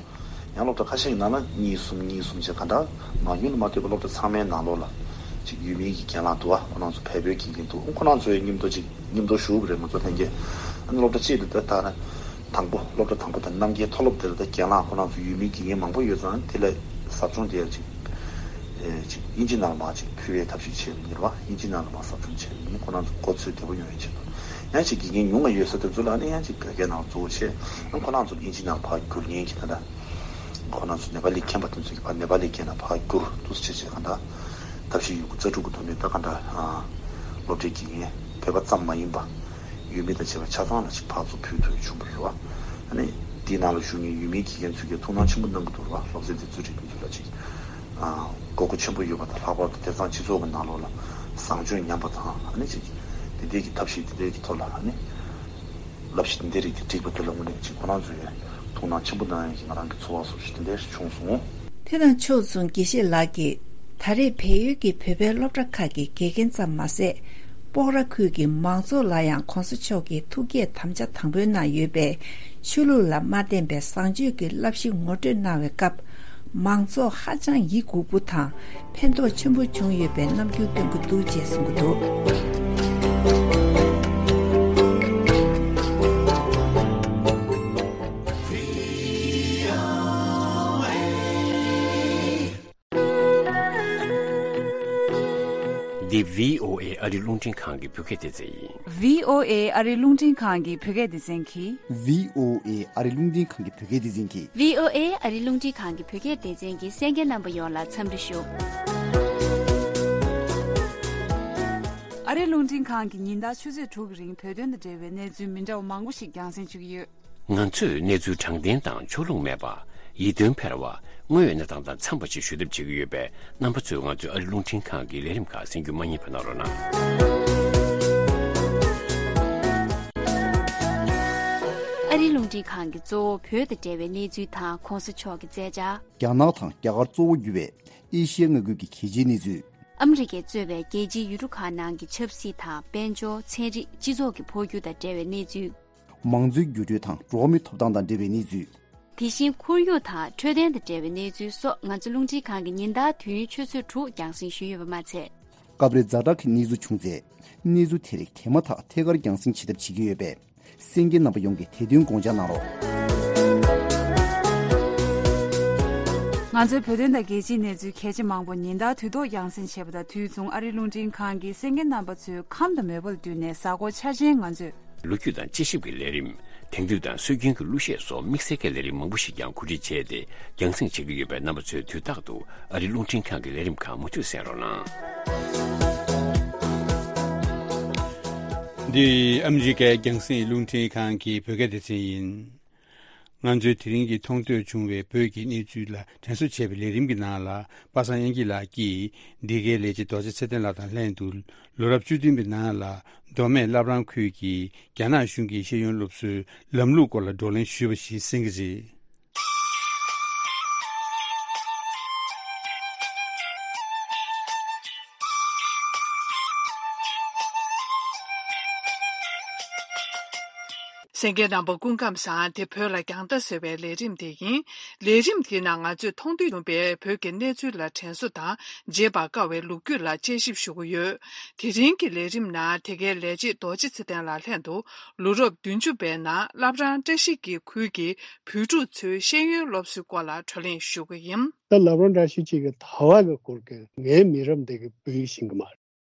ཡང་སློབ་གྲྭ་ཁ་ཤས་ཀྱི་ནང་ལ་གཉིས་གསུམ་གཉིས་གསུམ་བྱས་ག་འདྲ་མང་ཉུང་ལ་མ་ལྟོས་པར་སློབ་གྲྭ་ཚང་མའི་ནང་ལོགས་ལ་ཅིག་ཡུལ་མིའི་གི་རྒན་ལགས་འདུག་བ། ཁོ་རང་ཚོ་བལ་པོའི་དགེ་རྒན་འདུག་ཁོ་རང་ཚོའི་མཉམ་དུ་ཅིག་མཉམ་དུ་ཞུགས་པ་རེད། ང་ཚོ་ལྷན་རྒྱས་ཨ་ནི་སློབ་གྲྭ་གཅིག་ཏུ་ད་ལྟ་དང་པོ་སློབ་གྲྭ་དང་པོ་དང་རྣམ་རྒྱལ་མཐོ་སློབ་དེ་ལ་ད་རྒན་ལགས་ཁོ་རང་ཚོ་ཡུལ་མིའི་དགེ་རྒན་མང་པོ་ཡོད་ཙང་དེ་ལ་ཟབ་སྦྱོང་དེ་ཡང་ཅིག་ཨེ་ཅིག་དབྱིན་ཇི་ནང་ལ་མར་ཅིག་ཕུལ་བའི་ཐབས་ཤེས་བྱས་པ་ཡིན་རེད་བ། དབྱིན་ཇི་ནང་ལ་མར་ཟབ་སྦྱོང་བྱས་པ་ཡིན། ཁོ་རང་ཚོ་གོ་ཚོད་བདེ་པོ་ཡོང་བའི་ཆེད་དུ། ཡང་ཅིག་དགེ་རྒན་ཉུང་བ་ཡོད་ས་དེ་ཚོ་ལ་ཨ་ནི་ཡང་ཅིག་བོད་སྐད་ནང་གཙོ་བོ་བྱས། ཨ་ཁོ་རང་ཚོ་དབྱིན་ཇི་ནང་ཕར་བསྒྱུར་མཁན་གྱི་ད་ལྟ་ཁོ་རང་ཚོ་ནེ་པ་ལི་མཁྱེན་པ་དེ་ཚོ་གིས་ཕར་ནེ་པ་ལི་སྐད་ནང་ཕར་བསྒྱུར་འདུག་སེ་བྱས་བྱས་ག་འདྲ་ཐབས་ཤེས་ཡོད་རྒུ་རྩལ་སྤྲུགས་ཀྱི་ཐོག་ནས་ད་ག་འདྲ་ཨ་སློབ་གྲྭའི་དགེ་རྒན་བོད་པ་ཙམ་མ་ཡིན་པ་ཡུལ་མི་དང་བཅས་པ་ཆ་ཚང་ལ་ཅིག་ཕར་ཚུར་ཕུལ་ཐུབ་ཡ་བྱུང་བ་རེད་བ། ཨ་ནི་དེའི་ནང་ལ་བཞུགས་མཁན་ཡུལ་མིའི་དགེ་རྒན་ཚོས་ཀྱང་ཐུགས་སྣང་ཆེན་པོ་གནང་གི་འདུག་རེད་བ། སློབ་ཚན་དེ་ཚོའི་རིགས་དེ་ཚོ་ལ་ཅིག་ཨ་དགོས་མཁོ་ཆེན་པོ་ཡོད་པ་དང་། ལྷག་པར་དུ་དེང་སང་སྤྱི་ཚོགས་ཀྱི་ནང་ལོགས་ལ་བཟང་སྤྱོད་ཉམས་པ་དང་། ཨ་ནི་ཅིག་དེ་འདྲའི་གི་ཐབས་ཤེས་དེ་འདྲའི་གི་ཐོག་ལ་ཨ་ནི་བསླབ་གཞི་དེ་འདྲའི་རིགས་དེ་བསྒྲིགས་པ་དེ་ལ་དངོས་གནས་ཅིག་ཁོ་རང་ཚོས་ཐུགས་སྣང་ཆེན་པོ་གནང་ཡ་གི་ང་རང་གི་ཚོར་བ་སོགས་ཤིག་དེ་འདྲ་ཞིག་བྱུང་སོང་། དེ་དང་ཕྱོགས་མཚུངས་དགེ་བཤེས་ལགས་ཀྱིས་ད་རེས་བལ་ཡུལ་གྱི་བོད་པའི་སློབ་གྲྭ་ཁག་གི་དགེ་རྒན་ཙམ་མ་ཟད། སྤོག་ར་ཁུལ་གྱི་མང་ཚོགས་ལ་ཡང་༸གོང་ས་མཆོག་གིས་ཐུགས་བསྐྱེད་དམ་བཅའ་དང་པོའི་ནང་ཡོད་པའི་ཆོས་ལུགས་ལ་མ་བརྟེན་པའི་བཟང་སྤྱོད་ཀྱི་བསླབ་གཞི་ངོ་སྤྲོད་གནང་བའི་སྐབས། མང་ཚོགས་ཧ་ཅང་ཡིད་འགུག་པོ་དང་ཕན་ཐོགས་ཆེན་པོ་བྱུང་ཡོད་པའི་རྣམ་འགྱུར་སྟོན་གྱི་འདུག་ཅེས་གསུང་གི་འདུག་འདི་བྷི་ཨོ་ཨེ་ཨ་རི་རླུང་འཕྲིན་ཁང་གི་བོད་སྐད་སྡེ་ཚན་ཡིན། བྷི་ཨོ་ཨེ་ཨ་རི་རླུང་འཕྲིན་ཁང་གི་བོད་སྐད་སྡེ་ཚན་གྱིས། བྷི་ཨོ་ཨེ་ཨ་རི་རླུང་འཕྲིན་ཁང་གི་བོད་སྐད་སྡེ་ཚན་གྱིས། བྷི་ཨོ་ཨེ་ཨ་རི་རླུང་འཕྲིན་ཁང་གི་བོད་སྐད་སྡེ་ཚན་གྱི་གསན་མཁན་རྣམ་པ་ཡོངས་ལ་འཚམས་འདྲི་ཞུ། ཨ་རི་རླུང་འཕྲིན་ཁང་གིས་ཉིན་ལྟར་ཆུ་ཚོད་དྲུག་གི་རིང་བོད་དོན་དང་འབྲེལ་བའི་གནས་ཚུལ་མི་འདྲ་བ་མང་པོ་ཞིག་རྒྱང་སྲིང་ཞུ་གི་ཡོད། ང་ཚོས་གནས་ཚུལ་དྲང་བདེན་དང་ཕྱོགས་ལྷུང་མེད་པ། ཡིད་རྟོན་འཕེར་བ། དངོས་ཡོད་གནས་སྟངས་དང་འཚམས་པ་ཞིག་ཞུ་ཐབས་བྱེད་ཀྱི་ཡོད་པས། རྣམ་པ་ཚོས་ང་ཚོའི་ཨ་རི་རླུང་འཕྲིན་ཁང་གི་ལས་རིམ་ཁག་གསན་རྒྱུ་མ་བསྙེལ་བ་གནང་རོགས་གནང་། ཨ་རི་རླུང་འཕྲིན་ཁང་གིས་གཙོ་བོ་བོད་དང་འབྲེལ་བའི་གནས་ཚུལ་དང་གོང་ས་མཆོག་གི་མཛད་འཆར། རྒྱ་ནག་དང་རྒྱ་གར་གཙོ་བོ་གྱུར་བའི་ཨེ་ཤི་ཡའི་མངའ་ཁུལ་གྱི་གལ་ཆེའི་གནས་ཚུལ། ཨ་མི་རི་ཀས་གཙོས་པའི་རྒྱལ་སྤྱིའི་ཡུལ་གྲུ་ཁག་ནང་གི་ཆབ་སྲིད་དང་དཔལ་འབྱོར། ཚན་རིག་སྤྱི་ཚོགས་ཀྱི་འཕོ་འགྱུར་དང་འབྲེལ་བའི་གནས་ཚུལ། མང་གཙོའི་འགྱུར་འགྲོས་དང་འགྲོ་བ་མིའི་ཐོབ་ཐང་དང་འབྲེལ་བའི་གནས་ཚུལ། དེ་བཞིན་ཁོར་ཡུག་དང་འཕྲོད་བསྟེན་དང་འབྲེལ་བའི་གནས་ཚུལ་སོགས་ང་ཚོ་རླུང་འཕྲིན་ཁང་གིས་ཉིན་ལྟར་དུས་ཡུན་ཆུ་ཚོད་དྲུག་རྒྱང་སྲིང་ཞུས་ཡོད་པ་མ་ཚད། སྐབས་རེ་ཛ་དྲག་གི་གནས་ཚུལ་བྱུང་ཚེ། གནས་ཚུལ་དེ་རིགས་དེ་མ་ཐག་ཐད་ཀར་རྒྱང་སྲིང་བྱེད་ཐབས་བྱེད་ཀྱི་ཡོད་པས། གསན་མཁན་རྣམ་པ་ཡོངས་ཀྱིས་དེ་དོན་དགོངས་འཇགས་གནང་རོགས། ང་ཚོའི་བོད་དོན་དང་རྒྱལ་སྤྱིའི་གནས་ཚུལ་གལ་ཆེ་མང་པོ་ཉིན་ལྟར་དུས་ཐོག་རྒྱང་སྲིང་བྱེད་པ་དང་དུས་མཚུངས་ཨ་རིའི་རླུང་འཕྲིན་ཁང་གིས་གསན་མཁན་རྣམ་པ་ཚོའི་ཁམས་དང་མོས་པ་ལ་བསྟུན་ནས་གཟའ་འཁོར་འཆར་ཅན་ང་ཚོས། ལོ་རྒྱུས་དང་དཔྱད་ཞིབ་ཀྱི་ལས་རིམ། དེང་དུས་དང་སྲོལ་རྒྱུན་གྱི་གླུ་གཞས་སོགས་དམིགས་བསལ་གྱི་ལས་རིམ་མང་པོ་ཞིག་ཀྱང་གོ་སྒྲིག་བྱས་ཏེ་རྒྱང་སྲིང་བྱེད་ཀྱི་ཡོད་པས། རྣམ་པ་ཚོས་དུས་རྟག་ཏུ་ཨ་རིའི་རླུང་འཕྲིན་ཁང་གི་ལས་རིམ་ཁག་མུ་མཐུད་གསན་རོགས་གནང་། འདི་ཨ་མི་རི་ཀའི་རྒྱང་སྲིང་རླུང་འཕྲིན་ཁང་གི་བོད་སྐད་སྡེ་ཚན་ཡིན། ང་ཚོས་དེ་རིང་གི་མཐོང་ཐོས་བྱུང་བའི་བོད་ཀྱི་གནས་ཚུལ་ལ་དྲན་གསོ་བྱས་པའི་ལས་རིམ་གྱི་ནང་ལ། པ་སངས་དབྱངས་སྐྱིད་ལགས་ཀྱིས་འདི་གའི་ལས་བྱེད་རྡོ་རྗེ་ཚེ་བརྟན་ལགས་དང་ལྷན་དུ། ལོ་རབས་བཅུ་བདུན་པའི་ནང་ལ་མདོ་སྨད་བླ་བྲང་ཁུལ་གྱི་རྒྱ་ནག་གཞུང་གི་ཤེས་ཡོན་སློབ་གསོའི་ལམ་ལུགས་སྐོར་ལ་བགྲོ་གླེང་ཞུས་པ་ཞིག་གསན་གྱི་རེད། གསན་མཁན་རྣམ་པ་སྐུ་ཁམས་བཟང་། དེ་བོད་ལ་རྒྱང་ལྟ་ཟེར་བའི་ལས་རིམ་དེ་ཡིན། ལས་རིམ་དེའི་ནང་ང་ཚོས་མཐོང་ཐོས་བྱུང་བའི་བོད་ཀྱི་གནས་ཚུལ་ལ་དྲན་གསོ་དང་བརྗེད་པར་དཀའ་བའི་ལོ་རྒྱུས་ལ་དཔྱད་ཞིབ་ཞུ་གི་ཡོད། དེ་རིང་གི་ལས་རིམ་ནང་དེ་གའི་ལས་བྱེད་རྡོ་རྗེ་ཚེ་བརྟན་ལགས་ལྷན་དུ་ལོ་རབས་བདུན་ཅུ་པའི་ནང་བླ་བྲང་བཀྲ་ཤིས་ཀྱི་ཁུལ་གྱི་བོད་ཕྲུག་ཚོའི་ཤེས་ཡོན་སློབ་གསོའི་སྐོར་ལ་བགྲོ་གླེང་ཞུ་གི་ཡིན། ད་བླ་བྲང་བཀྲ་ཤིས་ཀྱི་ད་བ་གི་སྐོར་གྱི་ངའི་མི་རབས་འདི་གི་བོད་ཡིག་ཤེས་ཀྱི་མ་རེད།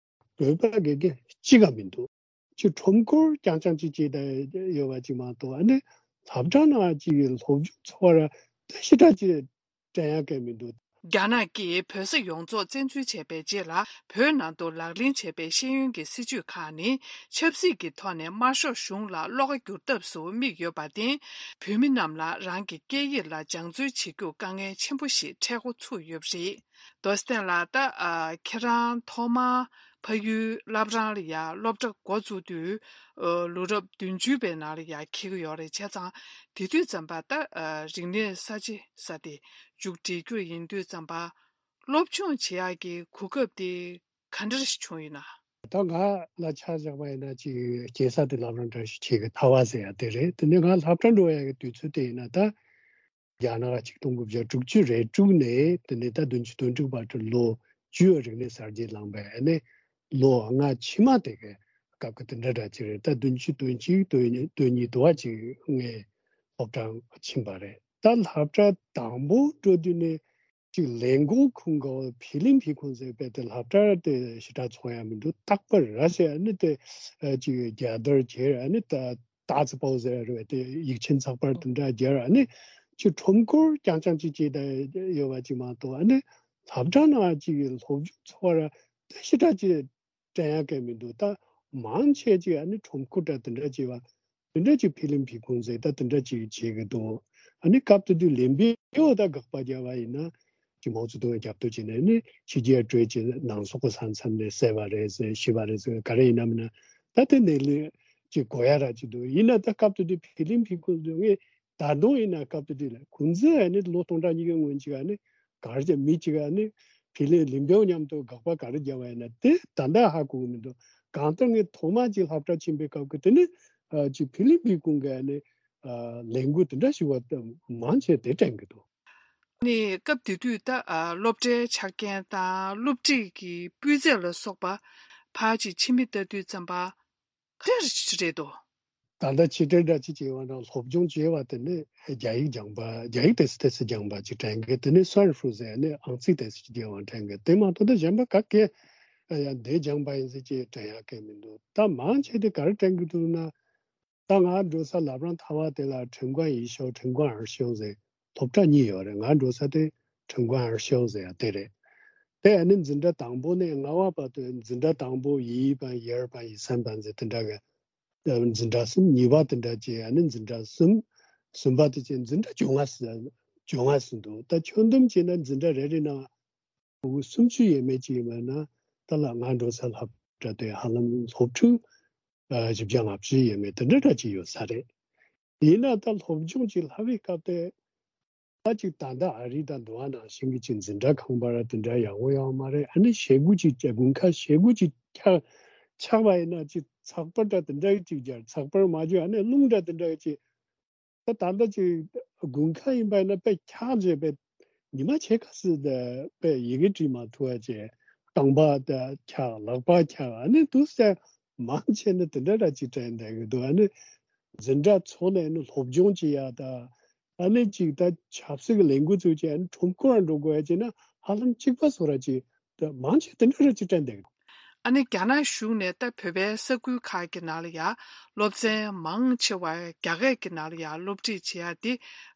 བོད་པ་གི་གི་གཅིག་ག་མི་འདུག་ཅིག་ཁྲོམ་སྐོར་རྐྱང་རྐྱང་ཅིག་བྱས་ད་ཡོད་པ་ཅིག་མ་གཏོགས། ཨ་ནི་སློབ་གྲྭ་ནང་ཅིག་གི་སློབ་སྦྱོང་འཚོགས་པ་ར་ད་ཞེ་དྲག་ཅིག་དྲན་ཡག་གི་མི་འདུག་རྒྱ་ནག་གིས་བོད་ས་ཡོངས་རྫོགས་བཙན་འཛུལ་བྱས་པའི་རྗེས་ལ། བོད་ནང་དུ་ལག་ལེན་བྱས་པའི་ཤེས་ཡོན་གྱི་སྲིད་བྱུས་ཁག་ནི། ཆབ་སྲིད་ཀྱི་ཐོག་ནས་དམར་ཤོག་གཞུང་ལ་བློ་ཁ་བསྒྱུར་ཐབས་སུ་དམིགས་ཡོད་པར་བརྟེན། བོད་མི་རྣམས་ལ་རང་གི་སྐད་ཡིག་ལ་སྦྱང་བརྩོན་བྱེད་རྒྱུར་དཀའ་ངལ་ཆེན་པོ་ཞིག་འཕྲད་འགོ་ཚུགས་ཡོད་པ་རེད། རྡོ་རྗེ་ལགས། ད་ཨ་ཁྱེད་རང་ཐོག་མར་ཕ་ཡུལ་བླ་བྲང་ལ་ཡ་སློབ་གྲྭ་འགོ་བཙུགས་དུས། ཨ་ལོ་རབས་བདུན་ཅུ་པའི་ནང་ལ་ཡ་འཁེལ་གྱི་ཡོད་རེད། བྱས་ཙང་དེ་དུས་ཙམ་པ་ད་ཨ་རིག་གནས་གསར་བརྗེ་ཟེར་དེ་མཇུག་སྒྲིལ་རྒྱུ་ཡིན་དུས་ཙམ་པ། སློབ་སྦྱོང་བྱེད་ཡག་གི་གོ་སྐབས་དེ་ག་འདྲ་ཞིག་བྱུང་ཡོད་ན། ད་ང་ལ་ཆ་བཞག་པ་ཡིན་ན་ཅིག་སྐྱེས་ས་དེ་བླ་བྲང་བཀྲ་ཤིས་འཁྱིལ་གྱི་ད་བ་ཟེར་ཡ་དེ་རེད། དེ་ནས་ང་སློབ་གྲྭ་འགྲོ་ཡ་གི་དུས་ཚོད་དེ་ཡིན་ན་ད། རྒྱ་ནག་ཆིག་སྟོང་དགུ་བརྒྱ་དྲུག་ཅུ་རེ་དྲུག་ནས་དེ་ནས་ད་བདུན་ཅུ་དོན་དྲུག་བར་དུ་ལོ་བཅུ་རིག་གནས་གསར་བརྗེ་ལངས་པའི་ཨ་ནི་ལོ་ལྔ་ཕྱི་མ་དེ་གའི་སྐབས་ཀྱི་དེ་འདྲ་འདྲ་ཅིག་རེད། ད་བདུན་ཅུ་དོན་གཅིག་དོན་གཉིས་དོན་གཉིས་དུ་བ་ཅིག་ངས་སློབ་གྲྭ་ཕྱིན་པ་རེད། ད་སློབ་གྲྭ་དང་པོ་འགྲོ་དུས་ནས་ཅིག་ལས་འགོ་ཁུངས་ག་བ་ཕི་ལིང་ཕི་ཁུང་ཟེར་བའི་དེ་སློབ་གྲྭ་དེ་ཞེ་དྲག་ཚོང་ཡ་མི་འདུག་རྟག་པར་ར་ཟེར་ཨ་ནི་དེ་ཅིག་རྒྱལ་དར་གྱེར་ཨ་ནི་ད། ཏཱ་ཙི་པའོ་ཟེར་རེད་དེ་ཡིག་ཆེན་ཚགས་པར་དེ་འདྲ་སྦྱར་ཨ་ནི་ཅིག་ཁྲོམ་སྐོར་རྐྱང་རྐྱང་ཅིག་བྱས་ད་ཡོད་པ་ཅིག་མ་གཏོགས་ཨ་ནི་སློབ་གྲྭ་ནང་ཅིག་གི་སློབ་སྦྱོང་འཚོགས་པ་ར་དེ་ཞེ་དྲག་ཅིག་དྲན་ཡག་གི་མི་འདུག་ད་མང་ཆེ་ཅིག་ཨ་ནི་ཁྲོམ་སྐོར་འདྲ་དེ་འདྲ་བྱས་པ་དེ་འདྲ་ཅིག་ཕི་ལིང་ཕི་ཁུང་ཟེར་ད་དེ་འདྲ་ཅིག་བྱེད་གི་འདུག་ཨ་ནི་སྐབས་དེ་དུས་ལན་པེའོ་ད་དགག་པ་བརྒྱབ་པ་ཡིན་ན། ཀྱི་མའོ་ཙེ་ཏུང་རྒྱབ་སྐྱོར་བྱས་ནས་ནི་ཕྱི་རྒྱལ་སྤྲོད་ཀྱི་ནང་སོག་པོ་ས་མཚམས་ནས་བསད་པ་རེད་ཟེར་ཤི་བ་རེད་ཟེར་ག་རེ་ཡིན་ན་མིན་ན་ད་དེ་ནས་ལས་ཀྱི་གོ་ཡ་ར་ཅིག་འདུག་ཡིན་ན་ད་སྐབས་དེ་དུས་ཕི་ལིང་ཕི་ཁུང་དུ་ངས་ད་དུང་ཡིན་ན་སྐབས་དེ་དུས་ལ་ཁུང་ཙི་ཨ་ནི་ལོ་སྟོང་ཕྲག་གཉིས་ཀྱི་སྔོན་ཅིག་ཨ་ནི་ག་རེ་བྱས་མི་ཅིག་ཨ་ནི་ཕི་ལིང་ལིང་པེའོ་མཉམ་དུ་དགག་པ་ག་རེ་བརྒྱབ་པ་ཡིན་ན་དེ་ད་ལྟ་ཧ་གོ་གི་མི་འདུག་གང་ལྟར་ངས་ཐོག་མ་ཅིག་སློབ་གྲྭ་ཕྱིན་པའི་སྐབས་ཀྱི་དེ་ནི་ཅིག་ཕི་ལིང་ཕི་ཁུང་གི་ཨ་ནི་ལས་འགུལ་དེ་འདྲ་ཞིག་བ་མང་ཆེ་དེ་དྲན་གི་འདུག་ནས་སྐབས་དེ་དུས་ད་ཨ་སློབ་གྲྭའི་ཆ་རྐྱེན་དང་སློབ་ཁྲིད་ཀྱི་སྤུས་ཚད་ལ་སོགས་པ་ཕར་ཅིག་ཕྱི་མིག་ལྟ་དུས་ཙམ་པ་ག་འདྲ་ཞིག་རེད་དོ། ད་ལྟ་ཕྱི་དྲིལ་འདྲ་ཅིག་བྱས་པ་ན་སློབ་སྦྱོང་བྱས་པ་དེ་ནི་རྒྱ་ཡིག་སྦྱངས་པ་རྒྱ་ཡིག་ཏོག་ཙམ་ཏོག་ཙམ་སྦྱངས་པ་ཅིག་དྲན་གི་དེ་ནི་སུའར་ཧྥུ་ཟེར་ནི་ཨང་རྩིས་ཏོག་ཙམ་ཅིག་རྒྱས་པ་དྲན་གི་དེ་མ་གཏོགས་ད་གཞན་པ་ག་གེ་ ད་ཡང་འདི་སྦྱངས་པ་ཡིན་ཟེར་ཅིག་དྲན་ཡག་གི་མི་འདུག་ད་མང་ཆེ་དེ་ག་རེ་དྲན་གི་འདུག་ན། ད་ང་འགྲོ་ས་ལབ་རང་ཐ་བ་དེ་ལ་ཁྲིན་ཀོན་ཡི་ཤོ་ཁྲིན་ཀོན་ཨར་ཤོ་ཟེར་སློབ་གྲྭ་གཉིས་ཡོད་རེད། ང་འགྲོ་ས་དེ་ཁྲིན་ཀོན་ཨར་ཤོ་ཟེར་ཡ་དེ་རེད། དེ་ཨ་ནི་འཛིན་གྲྭ་དང་པོ་ནས་ལྔ་བ་བར་དུ་འཛིན་གྲྭ་དང་པོ་ཡི་པ་ཡར་པ་ཡི་སན་པ་ཟེར་དེ་འདྲ་གི་འཛིན་གྲྭ་གསུམ། གཉིས་པ་དེ་འདྲ་བྱས་ཨ་ནི་འཛིན་གྲྭ་གསུམ། གསུམ་པ་དེ་བྱས་འཛིན་གྲྭ་བཅོ་ལྔ་ཟེར་བཅོ་ལྔ་ཟེར་འདུག་ད་ཁྱོན་བསྡོམས་བྱས་ན་འཛིན་གྲྭ་རེ་རེ་ནང་ཕྲུ་གུ་སུམ་ཅུ་ཡས་མས་ཅིག་ཡིན་པ་ན་ད་ལ་ང་འགྲོ་ས་སློབ་གྲྭ་དེ་ཧ་ལམ་སློབ་ཕྲུག་ཨ་བཞི་བརྒྱ་ལྔ་བཅུ་ཡས་མས་དེ་འདྲ་འདྲ་ཅིག་ཡོད་ས་རེད། ཡིན་ན་ད་སློབ་སྦྱོང་ཅིག་སློབ་པའི་སྐབས་དེ་ད་ཅིག་ད་ལྟ་ཨ་རི་དང་འདུག་བ་ནང་བཞིན་གྱི་ཅིག་འཛིན་གྲྭ་ཁང་པ་ར་དེ་འདྲ་ཡག་པོ་ཡོད་མ་རེད། ཨ་ནི་ཞེ་དགུ་ཅིག་དགུན་ཁ་ཞེ་དགུ་ཅིག་ཆགས་ཆགས་པ་ཡིན་ན་ཅིག་ཚགས་པར་འདྲ་དེ་འདྲ་ཅིག་སྦྱར། ཚགས་པར་མ་བརྗོད་ཨ་ནི་རླུང་འདྲ་དེ་འདྲ་ཅིག་ད་ད་ལྟ་ཅིག་དགུན་ཁ་ཡིན་པ་ཡིན་ན་དཔེ་འཁྱག་བྱས་པས་ཉི་མ་ཕྱེད་ཀ་ཙམ་དེ་དཔེ་ཡི་གེ་བྲིས་མ་ཐུབ་པ་བྱས། རྐང་པ་དེ་འཁྱག་ལག་པ་འཁྱག་ཨ་ནི་འདུག་སེ་མང་ཆེ་ནི་དེ་འདྲ་འདྲ་ཅིག་དྲན་བསྡད་ཀྱི་འདུག་ཨ་ནི་འཛིན་གྲྭ་ཚོགས་ནས་ནི་སློབ་སྦྱོང་བྱེད་ཡ་ད་ཨ་ནི་ཅིག་ད་ཆབ་སྲིད་ཀྱི་ལས་འགུལ་ཚུགས་བྱས་ཨ་ནི་ཁྲོམ་སྐོར་འགྲོ་དགོས་ཡ་བྱས་ན་ཧ་ལམ་གཅིག་པ་བཟོ་ར་ཅིག་ད་མང་ཆེ་དེ་འདྲ་ར་ཅིག་དྲན་བསྡད་ཀྱི་འདུག་ཨ་ནི་རྒྱ་ནག་གཞུང་ནས་ད་བོད་པའི་ས་ཁུལ་ཁག་གི་ནང་ལ་ཡ་སློབ་ཚན་མང་ཆེ་བ་རྒྱ་སྐད་ཀྱི་ནང་ལ་ཡ་སློབ་ཁྲིད་བྱེད་ཡ་དེ་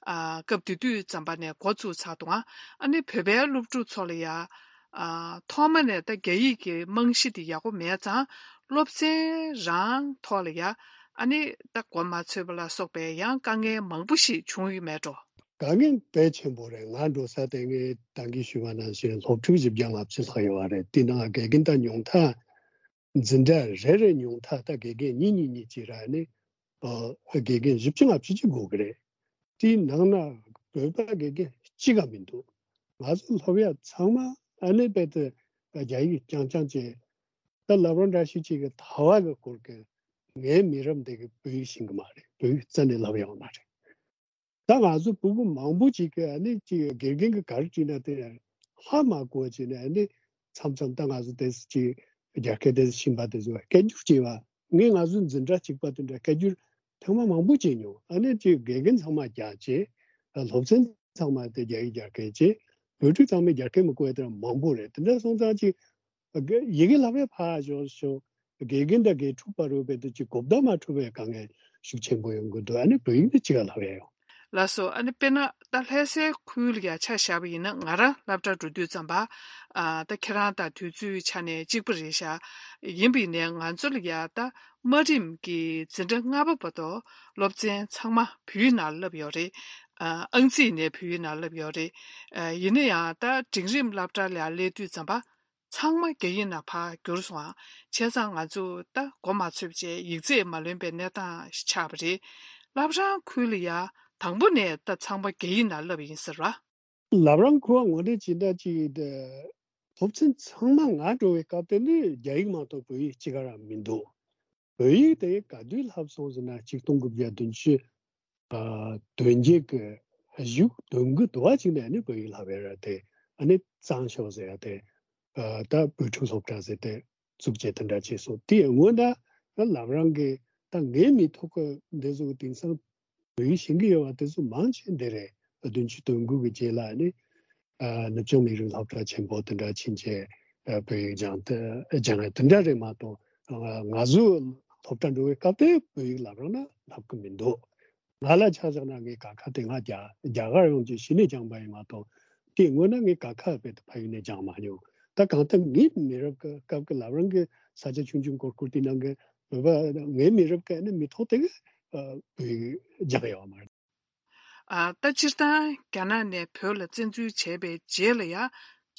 ཨ་སྐབས་དེ་དུས་ཙམ་པ་ནས་འགོ་བཙུགས་ཚར་འདུག་ཨ་ནི་བོད་པའི་སློབ་ཕྲུག་ཚོ་ལ་ཡ་ཨ་ཐོག་མ་ནས་ད་རྒྱ་ཡིག་གི་རྨང་གཞི་དེ་ཡག་པོ་མེད་ཙང་སློབ་ཚན་རང་ཐོག་ལ་ཡ་ཨ་ནི་ད་མགོ་མ་ཚོས་པ་ལ་སོགས་པའི་ཡང་དཀའ་ངལ་མང་པོ་ཞིག་བྱུང་ཡོད་མེད་འགྲོ། དཀའ་ངལ་དཔེ་ཆེན་པོ་རེད། ང་འགྲོ་ས་དེ་ངས་ད་གིན་ཞུས་པ་ནང་བཞིན་སློབ་ཕྲུག་བཞི་བརྒྱ་ལྔ་བཅུ་ལྷག་ཡོད་པ་རེད། དེ་ནང་དགེ་རྒན་ད་ཉུང་མཐའ་འཛིན་གྲྭ་རེ་རེ་ཉུང་མཐའ་ད་དགེ་རྒན་གཉིས་གཉིས་གཉིས་ཅིག་ར་ནི་ཨ་དགེ་རྒན་བཞི་བཅུ་ལྔ་བཅུ་ཅིག་དགོས་ཀྱི་རེད། དེའི་ནང་ན་བོད་པ་དགེ་རྒན་གཅིག་ག་མི་འདུག་ང་ཚོ་སློབ་ཡ་ཚང་མ་ཨ་ནི་རྦད་དེ་རྒྱ་ཡིག་རྐྱང་རྐྱང་བྱས། ད་ལབ་རང་འདྲ་ཞིག་ཅིག་གི་ཐ་བ་གི་སྐོར་གི་ངའི་མི་རབས་འདི་གི་བོད་ཡིག་ཤེས་གི་མ་རེད། བོད་ཡིག་རྩ་ནས་ལབ་ཡོང་མ་རེད། ད་ང་ཚོ་ཕྲུ་གུ་མང་པོ་ཅིག་གིས་ཨ་ནི་ཅིག་དགེ་རྒན་གྱིས་ག་རེ་བྲིས་ན་དེ་ཧ་མ་གོ་བ་བྱས་ནས་ཨ་ནི་མཚམས་མཚམས་ད་ང་ཚོ་དེ་ཅིག་རྒྱ་སྐད་དེ་ཤེས་པ་དེ་ཚོ་སྐད་སྒྱུར་བྱས་པ་ངས་ང་ཚོ་འཛིན་གྲྭ་གཅིག་པ་དེ་འདྲ་སྐད་སྒྱུར་ཐེངས་མ་མང་པོ་བྱས་མྱོང་། ཨ་ནི་ཅིག་དགེ་རྒན་ཚང་མ་རྒྱ་བྱས། སློབ་ཚན་ཚང་མ་དེ་རྒྱ་ཡིག་རྒྱ་སྐད་བྱས། བོད་ཕྲུག་ཚང་མས་རྒྱ་སྐད་མི་གོ་བ་དེ་འདྲ་མང་པོ་རེད། དེ་འདྲ་སོང་ཙང་ཅིག་ཡི་གེ་ལབ་ཡ་ཕར་ཞོག་ཞོག་དགེ་རྒན་དང་དགེ་ཕྲུག་བར་རོལ་པའི་དུ་ཅིག་གོ་བརྡ་མ་འཕྲོད་པའི་དཀའ་ངལ་ཤུགས་ཆེན་པོ་ཡོང་གི་འདུག་ཨ་ནི་བོད་ཡིག་ནི་ཅི་ག་ལབ་ཡ་ཡོང་། ལགས་སོ། ཨ་ནི་དཔེར་ན་ད་ལྷ་སའི་ཁུལ་ལ་ཡ་ཆ་བཞག་པ་ཡིན་ན་ང་རང་སློབ་གྲྭ་འགྲོ་དུས་ཙམ་པ་ཨ་ད་ཁྱེད་རང་དང་དུས་ཚོད་ཆ་ནས་གཅིག་པ་རེད་ཤག་ཡིན་པ་ཡིན་ནའི་ང་ཚོ་ལ་ཡ་ད་དམའ་རིམ་གྱི་འཛིན་གྲྭ་ལྔ་པ་བར་དུ་སློབ་ཚན་ཚང་མ་བོད་ཡིག་ནང་བསླབ་ཡོད་རེད། ཨ་ཨང་རྩིས་ནས་བོད་ཡིག་ནང་བསླབ་ཡོད་རེད། ཨ་ཡིན་ན་ཡང་ད་འབྲིང་རིམ་སློབ་གྲྭ་ལ་ཡ་སླེབས་དུས་ཙམ་པ། ཚང་མ་རྒྱ་ཡིག་ནང་ཕར་བསྒྱུར་སོང་ཨ། བྱས་ཙང་ང་ཚོ་ད་མགོ་མ་ཚོས་བྱས་ཡིག་ཚད་མ་ལོན་པའི་གནས་སྟངས་ཤིག་ཆགས་པ་རེད། བླ་བྲང་ཁུལ་ལ་ཡ་དང་པོ་ནས་ད་ཚང་མ་རྒྱ་ཡིག་ནང་བསླབས་ཡིན་ཟེར་བ། བླ་བྲང་ཁུལ་བ་ངོ་སྤྲོད་བྱེད་འདྲ་ཅིག་ད་སློབ་ཚན་ཚང་མ་ང་འགྲོ་བའི་སྐབས་དེ་ནི་རྒྱ་ཡིག་མ་གཏོགས་བོད་ཡིག་གཅིག་ག་རང་མི་འདུག་བོད་ཡིག་དེ་ག་དུས་བསླབས་སོང་ཟེར་ན་ཆིག་སྟོང་དགུ་བརྒྱ་བདུན་ཅུ། ཨ་དོན་བརྒྱད་ཀྱི་གཞུག་དོན་དགུ་དུ་བ་ཅིག་ནས་ནི་བོད་ཡིག་བསླབ་ཡ་ར་དེ་ཨ་ནི་གཙང་ཤོག་ཟེར་ཡ་དེ་ཨ་ད་བོད་ཕྲུག་སློབ་གྲྭ་ཟེར་ཏེ་བཙུགས་བྱས་དེ་འདྲ་བྱས་སོང་། དེ་སྔོན་ད་ལམ་རང་གི་ད་ངའི་མི་ཐོག་གི་འདི་ཚོ་དེང་སང་བོད་ཡིག་ཤེས་ཀྱི་ཡོད་པ་དེ་ཚོ་མང་ཆེ་འདི་རེད། བདུན་ཅུ་དོན་དགུ་གི་རྗེས་ལ་ནི་ཨ་ནུབ་བྱང་མི་རིགས་སློབ་གྲྭ་ཆེན་པོ་དེ་འདྲ་ཕྱིན་ཆད་ཨ་བོད་ཡིག་སྦྱང་སྟེ་སྦྱང་ཡ་དེ་འདྲ་རེད་མ་གཏོགས་ང་ཚོ་སློབ་གྲྭ་འགྲོ་བའི་སྐབས་དེ་བོད་ཡིག་ལབ་རོགས་ན་ལབ་གི་མི་འདུག་ང་ལ་ཆ་བཞག་ན་ངའི་ཀ་ཁ་དེ་ང་རྒྱ་རྒྱ་གར་ཡོང་རྗེས་གཞི་ནས་སྦྱངས་པ་ཡིན་མ་གཏོགས་དེའི་སྔོན་ན་ངའི་ཀ་ཁ་རྦད་དེ་ཕ་ཡུལ་ནས་སྦྱངས་མ་མྱོང་། ད་གང་ལྟར་ངའི་མི་རབས་ཀྱི་སྐབས་ཀྱི་ལབ་རང་གི་ས་ཆ་ཆུང་ཆུང་སྐོར་སྐོར་དེ་ནང་གི་བོད་པ་ངའི་མི་རབས་ཀྱི་ནི་མི་ཐོག་དེ་གི་བོད་ཡིག་སྦྱངས་ཡོད་མ་རེད། ཨ་ད་སྤྱིར་བཏང་རྒྱ་ནག་ནས་བོད་ལ་བཙན་འཛུལ་བྱས་པའི་རྗེས་ལ་ཡང་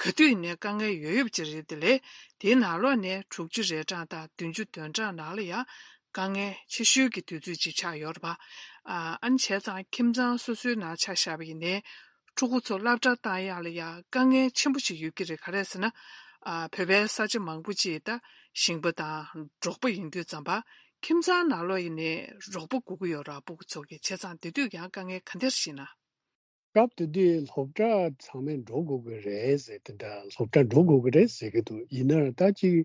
ག་དུས་ནས་དཀའ་ངལ་ཡོད་ཡོད་ཅིག་རེད། དེ་ལས་དེའི་ནང་ལོགས་ནས་དྲུག་ཅུ་རེ་གྲངས་དང་བདུན་ཅུ་དོན་གྲངས་ནང་ལ་ཡང་དཀའ་ངལ་ཆེ་ཤོས་ཀྱི་དུས་ཚོད་ཅིག་ཆགས་ཡོད་རེད་པ། ཨ་ཨ་ནི་བྱས་ཙང་ཁྱིམ་ཚང་སོ་སོའི་ནང་ཆ་བཞག་པ་ཡིན་ནའི་ཕྲུ་གུ་ཚོ་སློབ་གྲྭ་བཏང་ཡག་ལ་ཡང་དཀའ་ངལ་ཆེན་པོ་ཞིག་ཡོད་ཀྱི་རེད། ག་རེ་ཟེར་ན་ཨ་བོད་པའི་ས་ཆ་མང་པོ་ཅིག་ད་ཞིང་པ་དང་འབྲོག་པ་ཡིན་དུས་ཙམ་པ་ཁྱིམ་ཚང་ནང་ལོགས་ཡིན་ནའི་རོགས་པ་དགོས་ཀྱི་ཡོད་རེད་ཕྲུ་གུ་ཚོ་གི། བྱས་ཙང་དེ་དུས་ཡང་དཀའ་ངལ་ག་འདྲ་ཞིག་ན། སྐབས་དེ་དུས་སློབ་གྲྭ་ཚང་མས་འགྲོ་དགོས་ཀྱི་རེད་ཟེར། དེ་འདྲ་སློབ་གྲྭ་འགྲོ་དགོས་ཀྱི་རེད་ཟེར་གྱི་འདུག་ཡིན་ན་ད་ཅིག་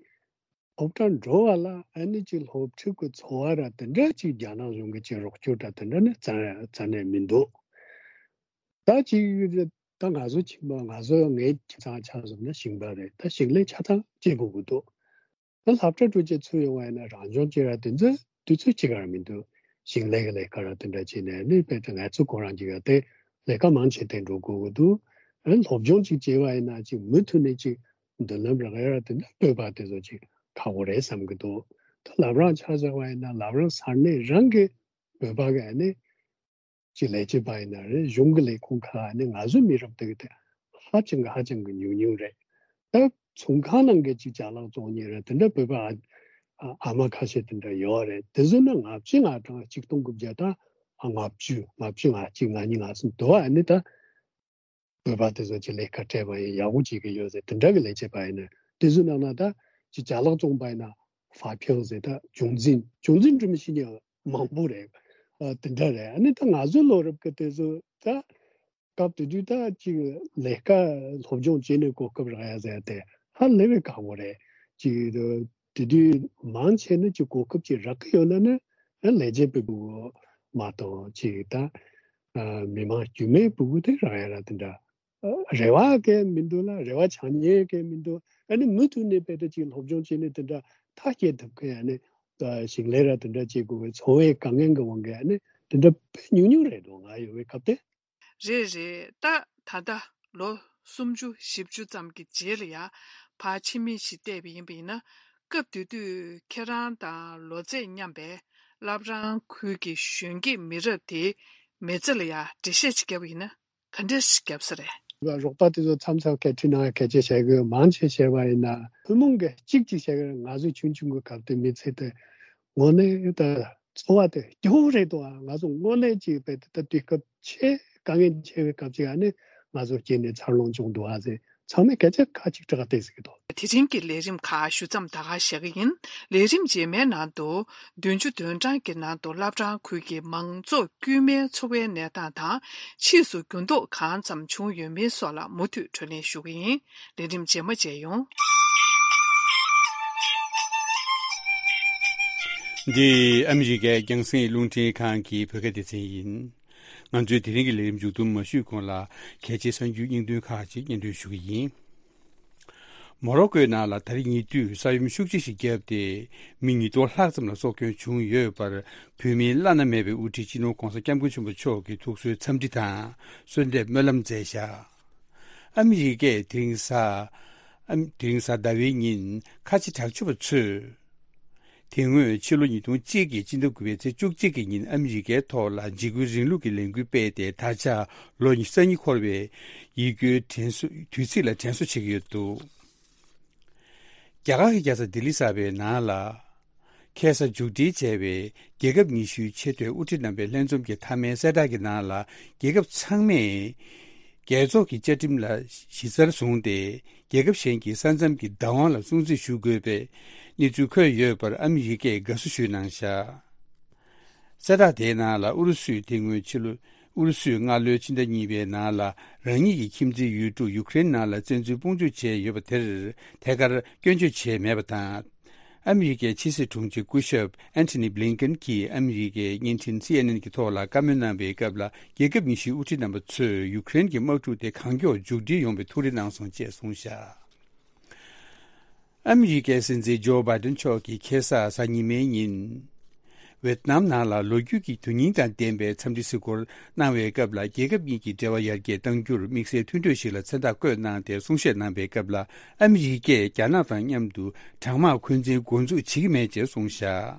སློབ་གྲྭ་འགྲོ་བ་ལ་ཨ་ནི་ཅིག་སློབ་ཕྲུག་གི་འཚོ་བ་ར་དེ་འདྲ་ཅིག་རྒྱ་ནག་གཞུང་གི་ཅིག་རོགས་སྐྱོར་དང་དེ་འདྲ་ནི་རྩ་རྩ་ནས་མི་འདུག་ད་ཅིག་ད་ང་ཚོ་ཁྱིམ་པ་ང་ཚོ་ངའི་ཁྱིམ་ཚང་ཆ་བཞག་ན་ཞིང་པ་རེད། ད་ཞིང་ལས་ཆ་ཚང་བྱེད་དགོས་ཀྱི་འདུག་ད་སློབ་གྲྭ་དྲུག་ཅུ་ཚུད་ཡོང་བ་ཡིན་ན་རང་སྦྱོང་བྱེད་ཡ་དེ་ཚོ་དུས་ཚོད་གཅིག་ག་ར་མི་འདུག་ཞིང་ལས་ཀྱི་ལས་ཀ་ར་དེ་འདྲ་བྱས་ནས་ནི་དཔེ་དེ་ང་ཚོ་ཁོ་རང་གཅིག་ག་དེ་ལས་ཀ་མང་ཆེ་དེ་འགྲོ་དགོས་ཀྱི་འདུག་ཨ་ནི་སློབ་སྦྱོང་གཅིག་བྱས་པ་ཡིན་ན་གཅིག་མུ་མཐུད་ནས་གཅིག་མདུན་ལམ་རག་ཡ་ར་དེ་འདྲ་བོད་པ་དེ་ཚོ་གཅིག་ཁག་པོ་རེད་བསམ་གྱི་འདུག་ད་བླ་བྲང་ཆ་བཞག་པ་ཡིན་ན་བླ་བྲང་ས་གནས་རང་གི་བོད་པ་གི་ཨ་ནི་ཅིག་ལས་བྱེད་པ་ཡིན་ན་རེད། གཞུང་གི་ལས་ཁུངས་ཁག་ནས་ང་ཚོའི་མི་རབས་དེ་གི་དེ་ཧ་ཅང་གི་ཧ་ཅང་གི་ཉུང་ཉུང་རེད། ད་ཚོང་ཁང་ནང་གི་ཅིག་ཅ་ལག་བཙོང་མཁན་རེད། དེ་འདྲ་བོད་པ་ཨ་ཨ་མ་ཁ་ཤས་དེ་འདྲ་ཡོད་རེད། དེ་ཚོ་ནི་ལྔ་བཅུ་ང་གྲངས་ཆིག་སྟོང་དགུ་བརྒྱ་དང་ལྔ་བཅུ་ལྔ་བཅུ་ང་གཅིག་ང་གཉིས་ང་གསུམ་དུ་ཨ་ནི་ད་བོད་པ་དེ་ཚོ་ཅིག་ལས་ཀ་སྤྲད་པ་ཡིན་ཡག་པོ་བྱེད་ཀྱི་ཡོད་ཟེར། དེ་འདྲ་གི་ལས་བྱེད་པ་ཡིན་ན་དེ་ཚོའི་ནང་ན་ད་ཅིག་ཅ་ལག་བཙོང་པ་ཡིན་ན་ཧྥ་ཕིང་ཟེར། ད་ཅུང་ཙིན་ཅུང་ཙིན་འགྲོ་མི་ཤེས་མཁན་མང་པོ་རེད། ཨ་དེ་འདྲ་རེད། ཨ་ནི་ད་ང་ཚོའི་ལོ་རབས་ཀྱི་དེ་ཚོ་ད་སྐབས་དེ་དུས་ད་ཅིག་ལས་ཀ་སློབ་སྦྱོང་བྱས་ནས་གོ་སྐབས་རག་ཡ་ཟེར་དེ་ཧ་ལས་པའི་ཁག་པོ་རེད། ཅིག་དེ་དུས་མང་ཆེ་ནི་ཅིག་གོ་སྐབས་ཅིག་རག་གི་ཡོད་ན་ནི་ལས་བྱེད་པའི་ཕྲུ་གུ་མ་གཏོགས་ཅིག་ད་མི་མང་དཀྱུས་མའི་ཕྲུ་གུ་དེ་རག་ཡ་ར་དེ་འདྲ་རེ་བ་གང་ཡང་མི་འདུག་ལ། རེ་བ་བྱེད་མཁན་གང་ཡང་མི་འདུག་ཨ་ནི་མུ་མཐུད་ནས་དཔེ་དེ་ཅིག་སློབ་སྦྱོང་བྱས་ནས་དེ་འདྲ་ཐག་བཅད་ཐུབ་མཁན་ཨ་ནི་ཞིང་ལས་ར་དེ་འདྲ་བྱེད་དགོས་པའི་འཚོ་བའི་དཀའ་ངལ་གྱི་དབང་གིས་ཨ་ནི་དེ་འདྲ་དཔེ་ཉུང་ཉུང་རེད་འདུག་ང་ཡོད་པའི་སྐབས་དེ། རེད་རེད། ད་ད་ལྟ་ལོ་སུམ་ཅུ་བཞི་བཅུ་ཙམ་གྱི་རྗེས་ལ་ཡ་ཕར་ཕྱི་མིག་ཅིག་བལྟས་པ་ཡིན་པ་ཡིན་ན། སྐབས་དེ་དུས་ཁྱེད་རང་དང་ལོ་ཚད་མཉམ་པའི་བླ་བྲང་ཁུལ་གྱི་གཞོན་སྐྱེས་མི་རབས་དེའི་མི་ཚེ་ལ་ཡ་འགྲེལ་བཤད་ཅིག་བརྒྱབ་པ་ཡིན་ན་ག་འདྲས་ཤིག་བརྒྱབ་ས་རེད། རོགས་པ་དེ་ཚོ་མཚམས་མཚམས་སྐད་འཕྲིན་ནང་སྐད་ཆ་བཤད་གི་ཡོད། མང་ཆེ་བཤད་པ་ཡིན་ན་ཐུན་མོང་གི་གཅིག་གཅིག་བཤད་གི་རེད། ང་ཚོ་ཆུང་ཆུང་གི་སྐབས་དེ་མི་ཚེ་དེ་དངོས་གནས་ད་འཚོ་བ་དེ་སྐྱིད་པོ་རེད་འདུག་ཨ། ང་ཚོ་དངོས་གནས་ཅིག་དཔེ་དེ་ད་དུས་སྐབས་ཆེས་དཀའ་ངལ་ཆེ་བའི་སྐབས་ཅིག་ཨ་ནི་ང་ཚོ་སྐྱེས་ནས་འཚར་ལོངས་བྱུང་འདུག་ཨ་ཟེར་ཚང་མས་སྐད་ཆ་ཁ་གཅིག་གྲགས་བལྟས་ཟེར་གི་འདུག་དེ་རིང་གི་ལས་རིམ་ཁག་ཞུ་མཚམས་ད་ག་བཞག་གི་ཡིན། ལས་རིམ་རྗེས་མའི་ནང་དུ་བདུན་ཅུ་དོན་གྲངས་ཀྱི་ནང་དུ་བླ་བྲང་ཁུལ་གྱི་མང་ཚོགས་དཀྱུས་མའི་འཚོ་བའི་གནས་སྟངས་དང་ཕྱིས་སུ་འགྱུར་ལྡོག་གང་ཙམ་བྱུང་ཡོད་མིན་སོགས་ལ་མུ་མཐུད་བགྲོ་གླེང་ཞུ་གི་ཡིན། ལས་རིམ་རྗེས་མ་མཇལ་ཡོང་། འདི་ཨ་མི་རི་ཀའི་རྒྱང་སྲིང་རླུང་འཕྲིན་ཁང་གི་བོད་སྐད་སྡེ་ཚན་ཡིན། ང་ཚོའི་དེ་རིང་གི་ལས་རིམ་མཇུག་བསྡོམས་མ་ཞུས་གོང་ལ་གལ་ཆེའི་གསར་འགྱུར་སྙིང་དོན་ཁག་ཅིག་སྙན་སྒྲོན་ཞུ་གི་ཡིན། མོ་རོ་ཀོའི་ནང་ལ་ད་རེས་ཉེ་དུས་ས་ཡོམ་ཤུགས་ཆེ་ཞིག་བརྒྱབ་སྟེ་མི་ཉིས་སྟོང་ལྷག་ཙམ་ལ་སྲོག་སྐྱོན་བྱུང་ཡོད་པར་བོད་མིའི་བླ་ན་མེད་པའི་དབུ་ཁྲིད་སྤྱི་ནོར་༧གོང་ས་༧སྐྱབས་མགོན་ཆེན་པོ་མཆོག་གིས་ཐུགས་གསོའི་འཚམས་འདྲི་དང་གསོལ་འདེབས་སྨོན་ལམ་མཛད་བཞག་ཨ་མི་རི་ཀས་དེ་རིང་གཟའ་ཨ་དེ་རིང་གཟའ་ཟླ་བའི་ཉིན་ཁ་ཆེ་དྲག་སྤྱོད་པ་ཚོས། དེ་སྔོན་ཕྱི་ལོ་ཉིས་སྟོང་གཅིག་གི་སྤྱི་ཟླ་དགུ་པའི་ཚེས་བཅུ་གཅིག་གི་ཉིན་ཨ་མི་རི་ཀའི་ཐོག་ལ་འཇིགས་སྐུལ་རིང་ལུགས་ཀྱི་ལས་འགུལ་སྤེལ་ཏེ་ད་ཆ་ལོ་ཉི་ཤུ་རྩ་གཉིས་འཁོར་བའི་ཡིད་སྐྱོའི་དྲན་གསོ་དུས་ཚིགས་ལ་དྲན་གསོ་བྱེད་ཀྱི་ཡོད་འདུག་རྒྱ་གར་གྱི་རྒྱལ་ས་ལྡི་ལི་གསར་པའི་ནང་ལ་ཁ་སང་མཇུག་སྒྲིལ་བྱས་པའི་རྒྱལ་ཁབ་ཉི་ཤུའི་ཆེས་མཐོའི་དབུ་ཁྲིད་རྣམ་པའི་ལྷན་འཛོམས་ཀྱི་མཐའ་མའི་གསལ་བསྒྲགས་ཀྱི་ནང་ལ་རྒྱལ་ཁབ་ཚང་མས་རྒྱལ་ཚོགས་ཀྱི་བཅའ་ཁྲིམས་ལ་གཞི་རྩར་བཟུང་སྟེ་རྒྱལ་ཁབ་གཞན་གྱི་ས་མཚམས་ཀྱི་བདག་དབང་ལ་སྲུང་བརྩི་ཞུ་དགོས་པའི་གནས་ཚུལ་འཁོད་ཡོད་པར་ཨ་མི་རི་ཀས་དགའ་བསུ་ཞུས་གནང་བཞག་གསལ་བསྒྲགས་དེའི་ནང་ལ་ཨུ་རུ་སུས་དེ་སྔོན་ཕྱི་ལོ་ཨུ་རུ་སུས་སྔ་ལོའི་ཕྱི་ཟླ་གཉིས་པའི་ནང་ལ་རང་ཉིད་ཀྱི་ཁྱིམ་མཚེས་ཡུལ་གྲུ་ཡུ་ཀེ་རེན་ནང་ལ་བཙན་འཛུལ་དཔུང་འཇུག་བྱས་ཡོད་པ་དེར་ཐད་ཀར་སྐྱོན་བརྗོད་བྱས་མེད་པ་དང་། ཨ་མི་རི་ཀའི་ཕྱི་སྲིད་དྲུང་ཆེ་སྐུ་ཞབས་ཨན་ཐོ་ནི་བྷི་ལིན་ཀེན་གྱིས་ཨ་མི་རི་ཀའི་བརྙན་འཕྲིན་སི་ཨེན་ཨེན་གྱི་ཐོག་ལ་བཀའ་མོལ་གནང་བའི་སྐབས་ལ་རྒྱལ་ཁབ་ཉི་ཤུའི་དབུ་ཁྲིད་རྣམ་པ་ཚོས་ཡུ་ཀེ་རེན་གྱི་དམག་འཁྲུག་དེ་གང་མགྱོགས་མཇུག་སྒྲིལ་ཡོང་བའི་ཐུགས་རེ་གནང་སོང་ཅེས་གསུངས་བཞག་ཨ་མི་རི་ཀའི་སྲིད་འཛིན་ཇོ་བྷའི་ཏིན་མཆོག་གིས་ཁ་སང་གཟའ་ཉི་མའི་ཉིན། ཝེ་ཏི་ནམ་ནང་ལ་ལོ་རྒྱུས་ཀྱི་དོན་སྙིང་དང་ལྡན་པའི་འཚམས་འདྲི་གཟིགས་སྐོར་གནང་བའི་སྐབས་ལ་རྒྱལ་ཁབ་གཉིས་ཀྱི་འབྲེལ་བ་ཡར་རྒྱས་གཏང་རྒྱུར་དམིགས་བསལ་མཐུན་གྲོས་ཤིག་ལ་མཚན་རྟགས་བཀོད་གནང་སྟེ་གསུང་བཤད་གནང་བའི་སྐབས་ལ་ཨ་མི་རི་ཀས་རྒྱ་ནག་དང་མཉམ་དུ་གྲང་དམག་འཁོན་འཛིན་འགོ་འཛུགས་བྱེད་ཀྱི་མེད་ཅེས་གསུངས་བཞག་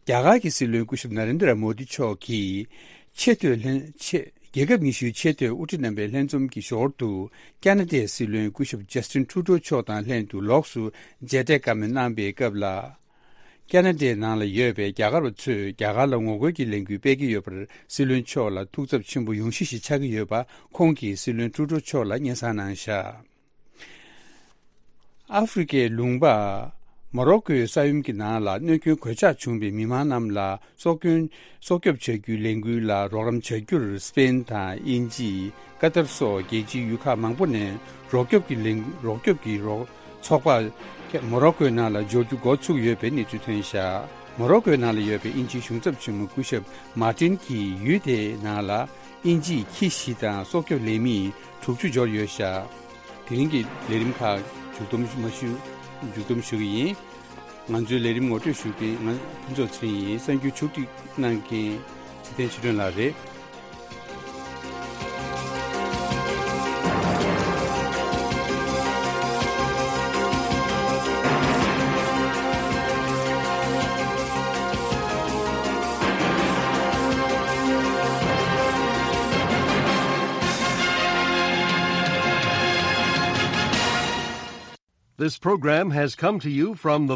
རྒྱ་གར་གྱི་སྲིད་བློན་སྐུ་ཞབས་ན་རེན་དྲ་མོ་དི་མཆོག་གིས་ཆེས་མཐོའི་ལྷན་ཆེ་རྒྱལ་ཁབ་ཉི་ཤུའི་ཆེས་མཐོའི་དབུ་ཁྲིད་རྣམ་པའི་ལྷན་འཛོམས་ཀྱི་ཞོར་དུ་ཀ་ན་ཌའི་སྲིད་བློན་སྐུ་ཞབས་ཇ་སི་ཏིན་ཁྲུ་ཏོ་མཆོག་དང་ལྷན་དུ་ལོགས་སུ་མཇལ་འཕྲད་བཀའ་མོལ་གནང་པའི་སྐབས་ལ། ཀ་ན་ཌའི་ནང་ལ་ཡོད་པའི་རྒྱ་གར་བ་ཚོས་རྒྱ་གར་ལ་ངོ་རྒོལ་གྱི་ལས་འགུལ་སྤེལ་གྱི་ཡོད་པར་སྲིད་བློན་མཆོག་ལ་ཐུགས་འཚབ་ཆེན་པོ་ཡོང་གཞི་ཞིག་ཆགས་ཀྱི་ཡོད་པ་ཁོང་གིས་སྲིད་བློན་ཁྲུ་ཏོ་མཆོག་ལ་སྙན་སེང་གནང་བཞག་ཨ་ཧྥེ་རི་ཀའི་ལུང་པ་མོ་རོ་ཀོའི་ས་ཡོམ་གྱི་ནང་ལ་གནོད་སྐྱོན་གོད་ཆག་བྱུང་བའི་མི་མང་རྣམས་ལ་སྲོག་སྐྱོན་སྲོག་སྐྱོབ་བྱ་རྒྱུའི་ལས་འགུལ་ལ་རོགས་རམ་བྱ་རྒྱུར་སི་པེན་དང་དབྱིན་ཇི། ཀ་ཏར་སོགས་རྒྱལ་སྤྱིའི་ཡུལ་ཁག་མང་པོ་ནས་རོགས་སྐྱོབ་ཀྱི་ལས་རོགས་སྐྱོབ་ཀྱི་རོགས་ཚོགས་པ་མོ་རོ་ཀོའི་ནང་ལ་འབྱོར་རྒྱུ་འགོ་ཚུགས་ཡོད་པའི་གནས་ཚུལ་ཐོན་བཞག་མོ་རོ་ཀོའི་ནང་ལ་ཡོད་པའི་དབྱིན་ཇིའི་གཞུང་ཚབ་ཆེན་མོ་སྐུ་ཞབས་མར་ཏིན་གྱིས་ཡུལ་དེའི་ནང་ལ་དབྱིན་ཇིའི་ཁྱི་བཞི་དང་སྲོག་སྐྱོབ་ལས་མི་དྲུག་ཅུ་འབྱོར་ཡོད་བཞག་དེ་རིང་གི་ལས་རིམ་ཁག་མཇུག་བསྡོམས་མ་ཞུ། མཇུག་བསྡོམས་ཞུ་གི་ཡིན། ང་ཚོའི་ལས་རིམ་ངོ་སྤྲོད་ཞུ་མཁན་ང་ཕུན་ཚོགས་ཚེ་རིང་ཡིན། གསར་འགྱུར་ཕྱོགས་སྒྲིག་གནང་མཁན་ཚེ་བརྟན་ཆོས་སྒྲོན་ལགས་རེད། This program has come to you from the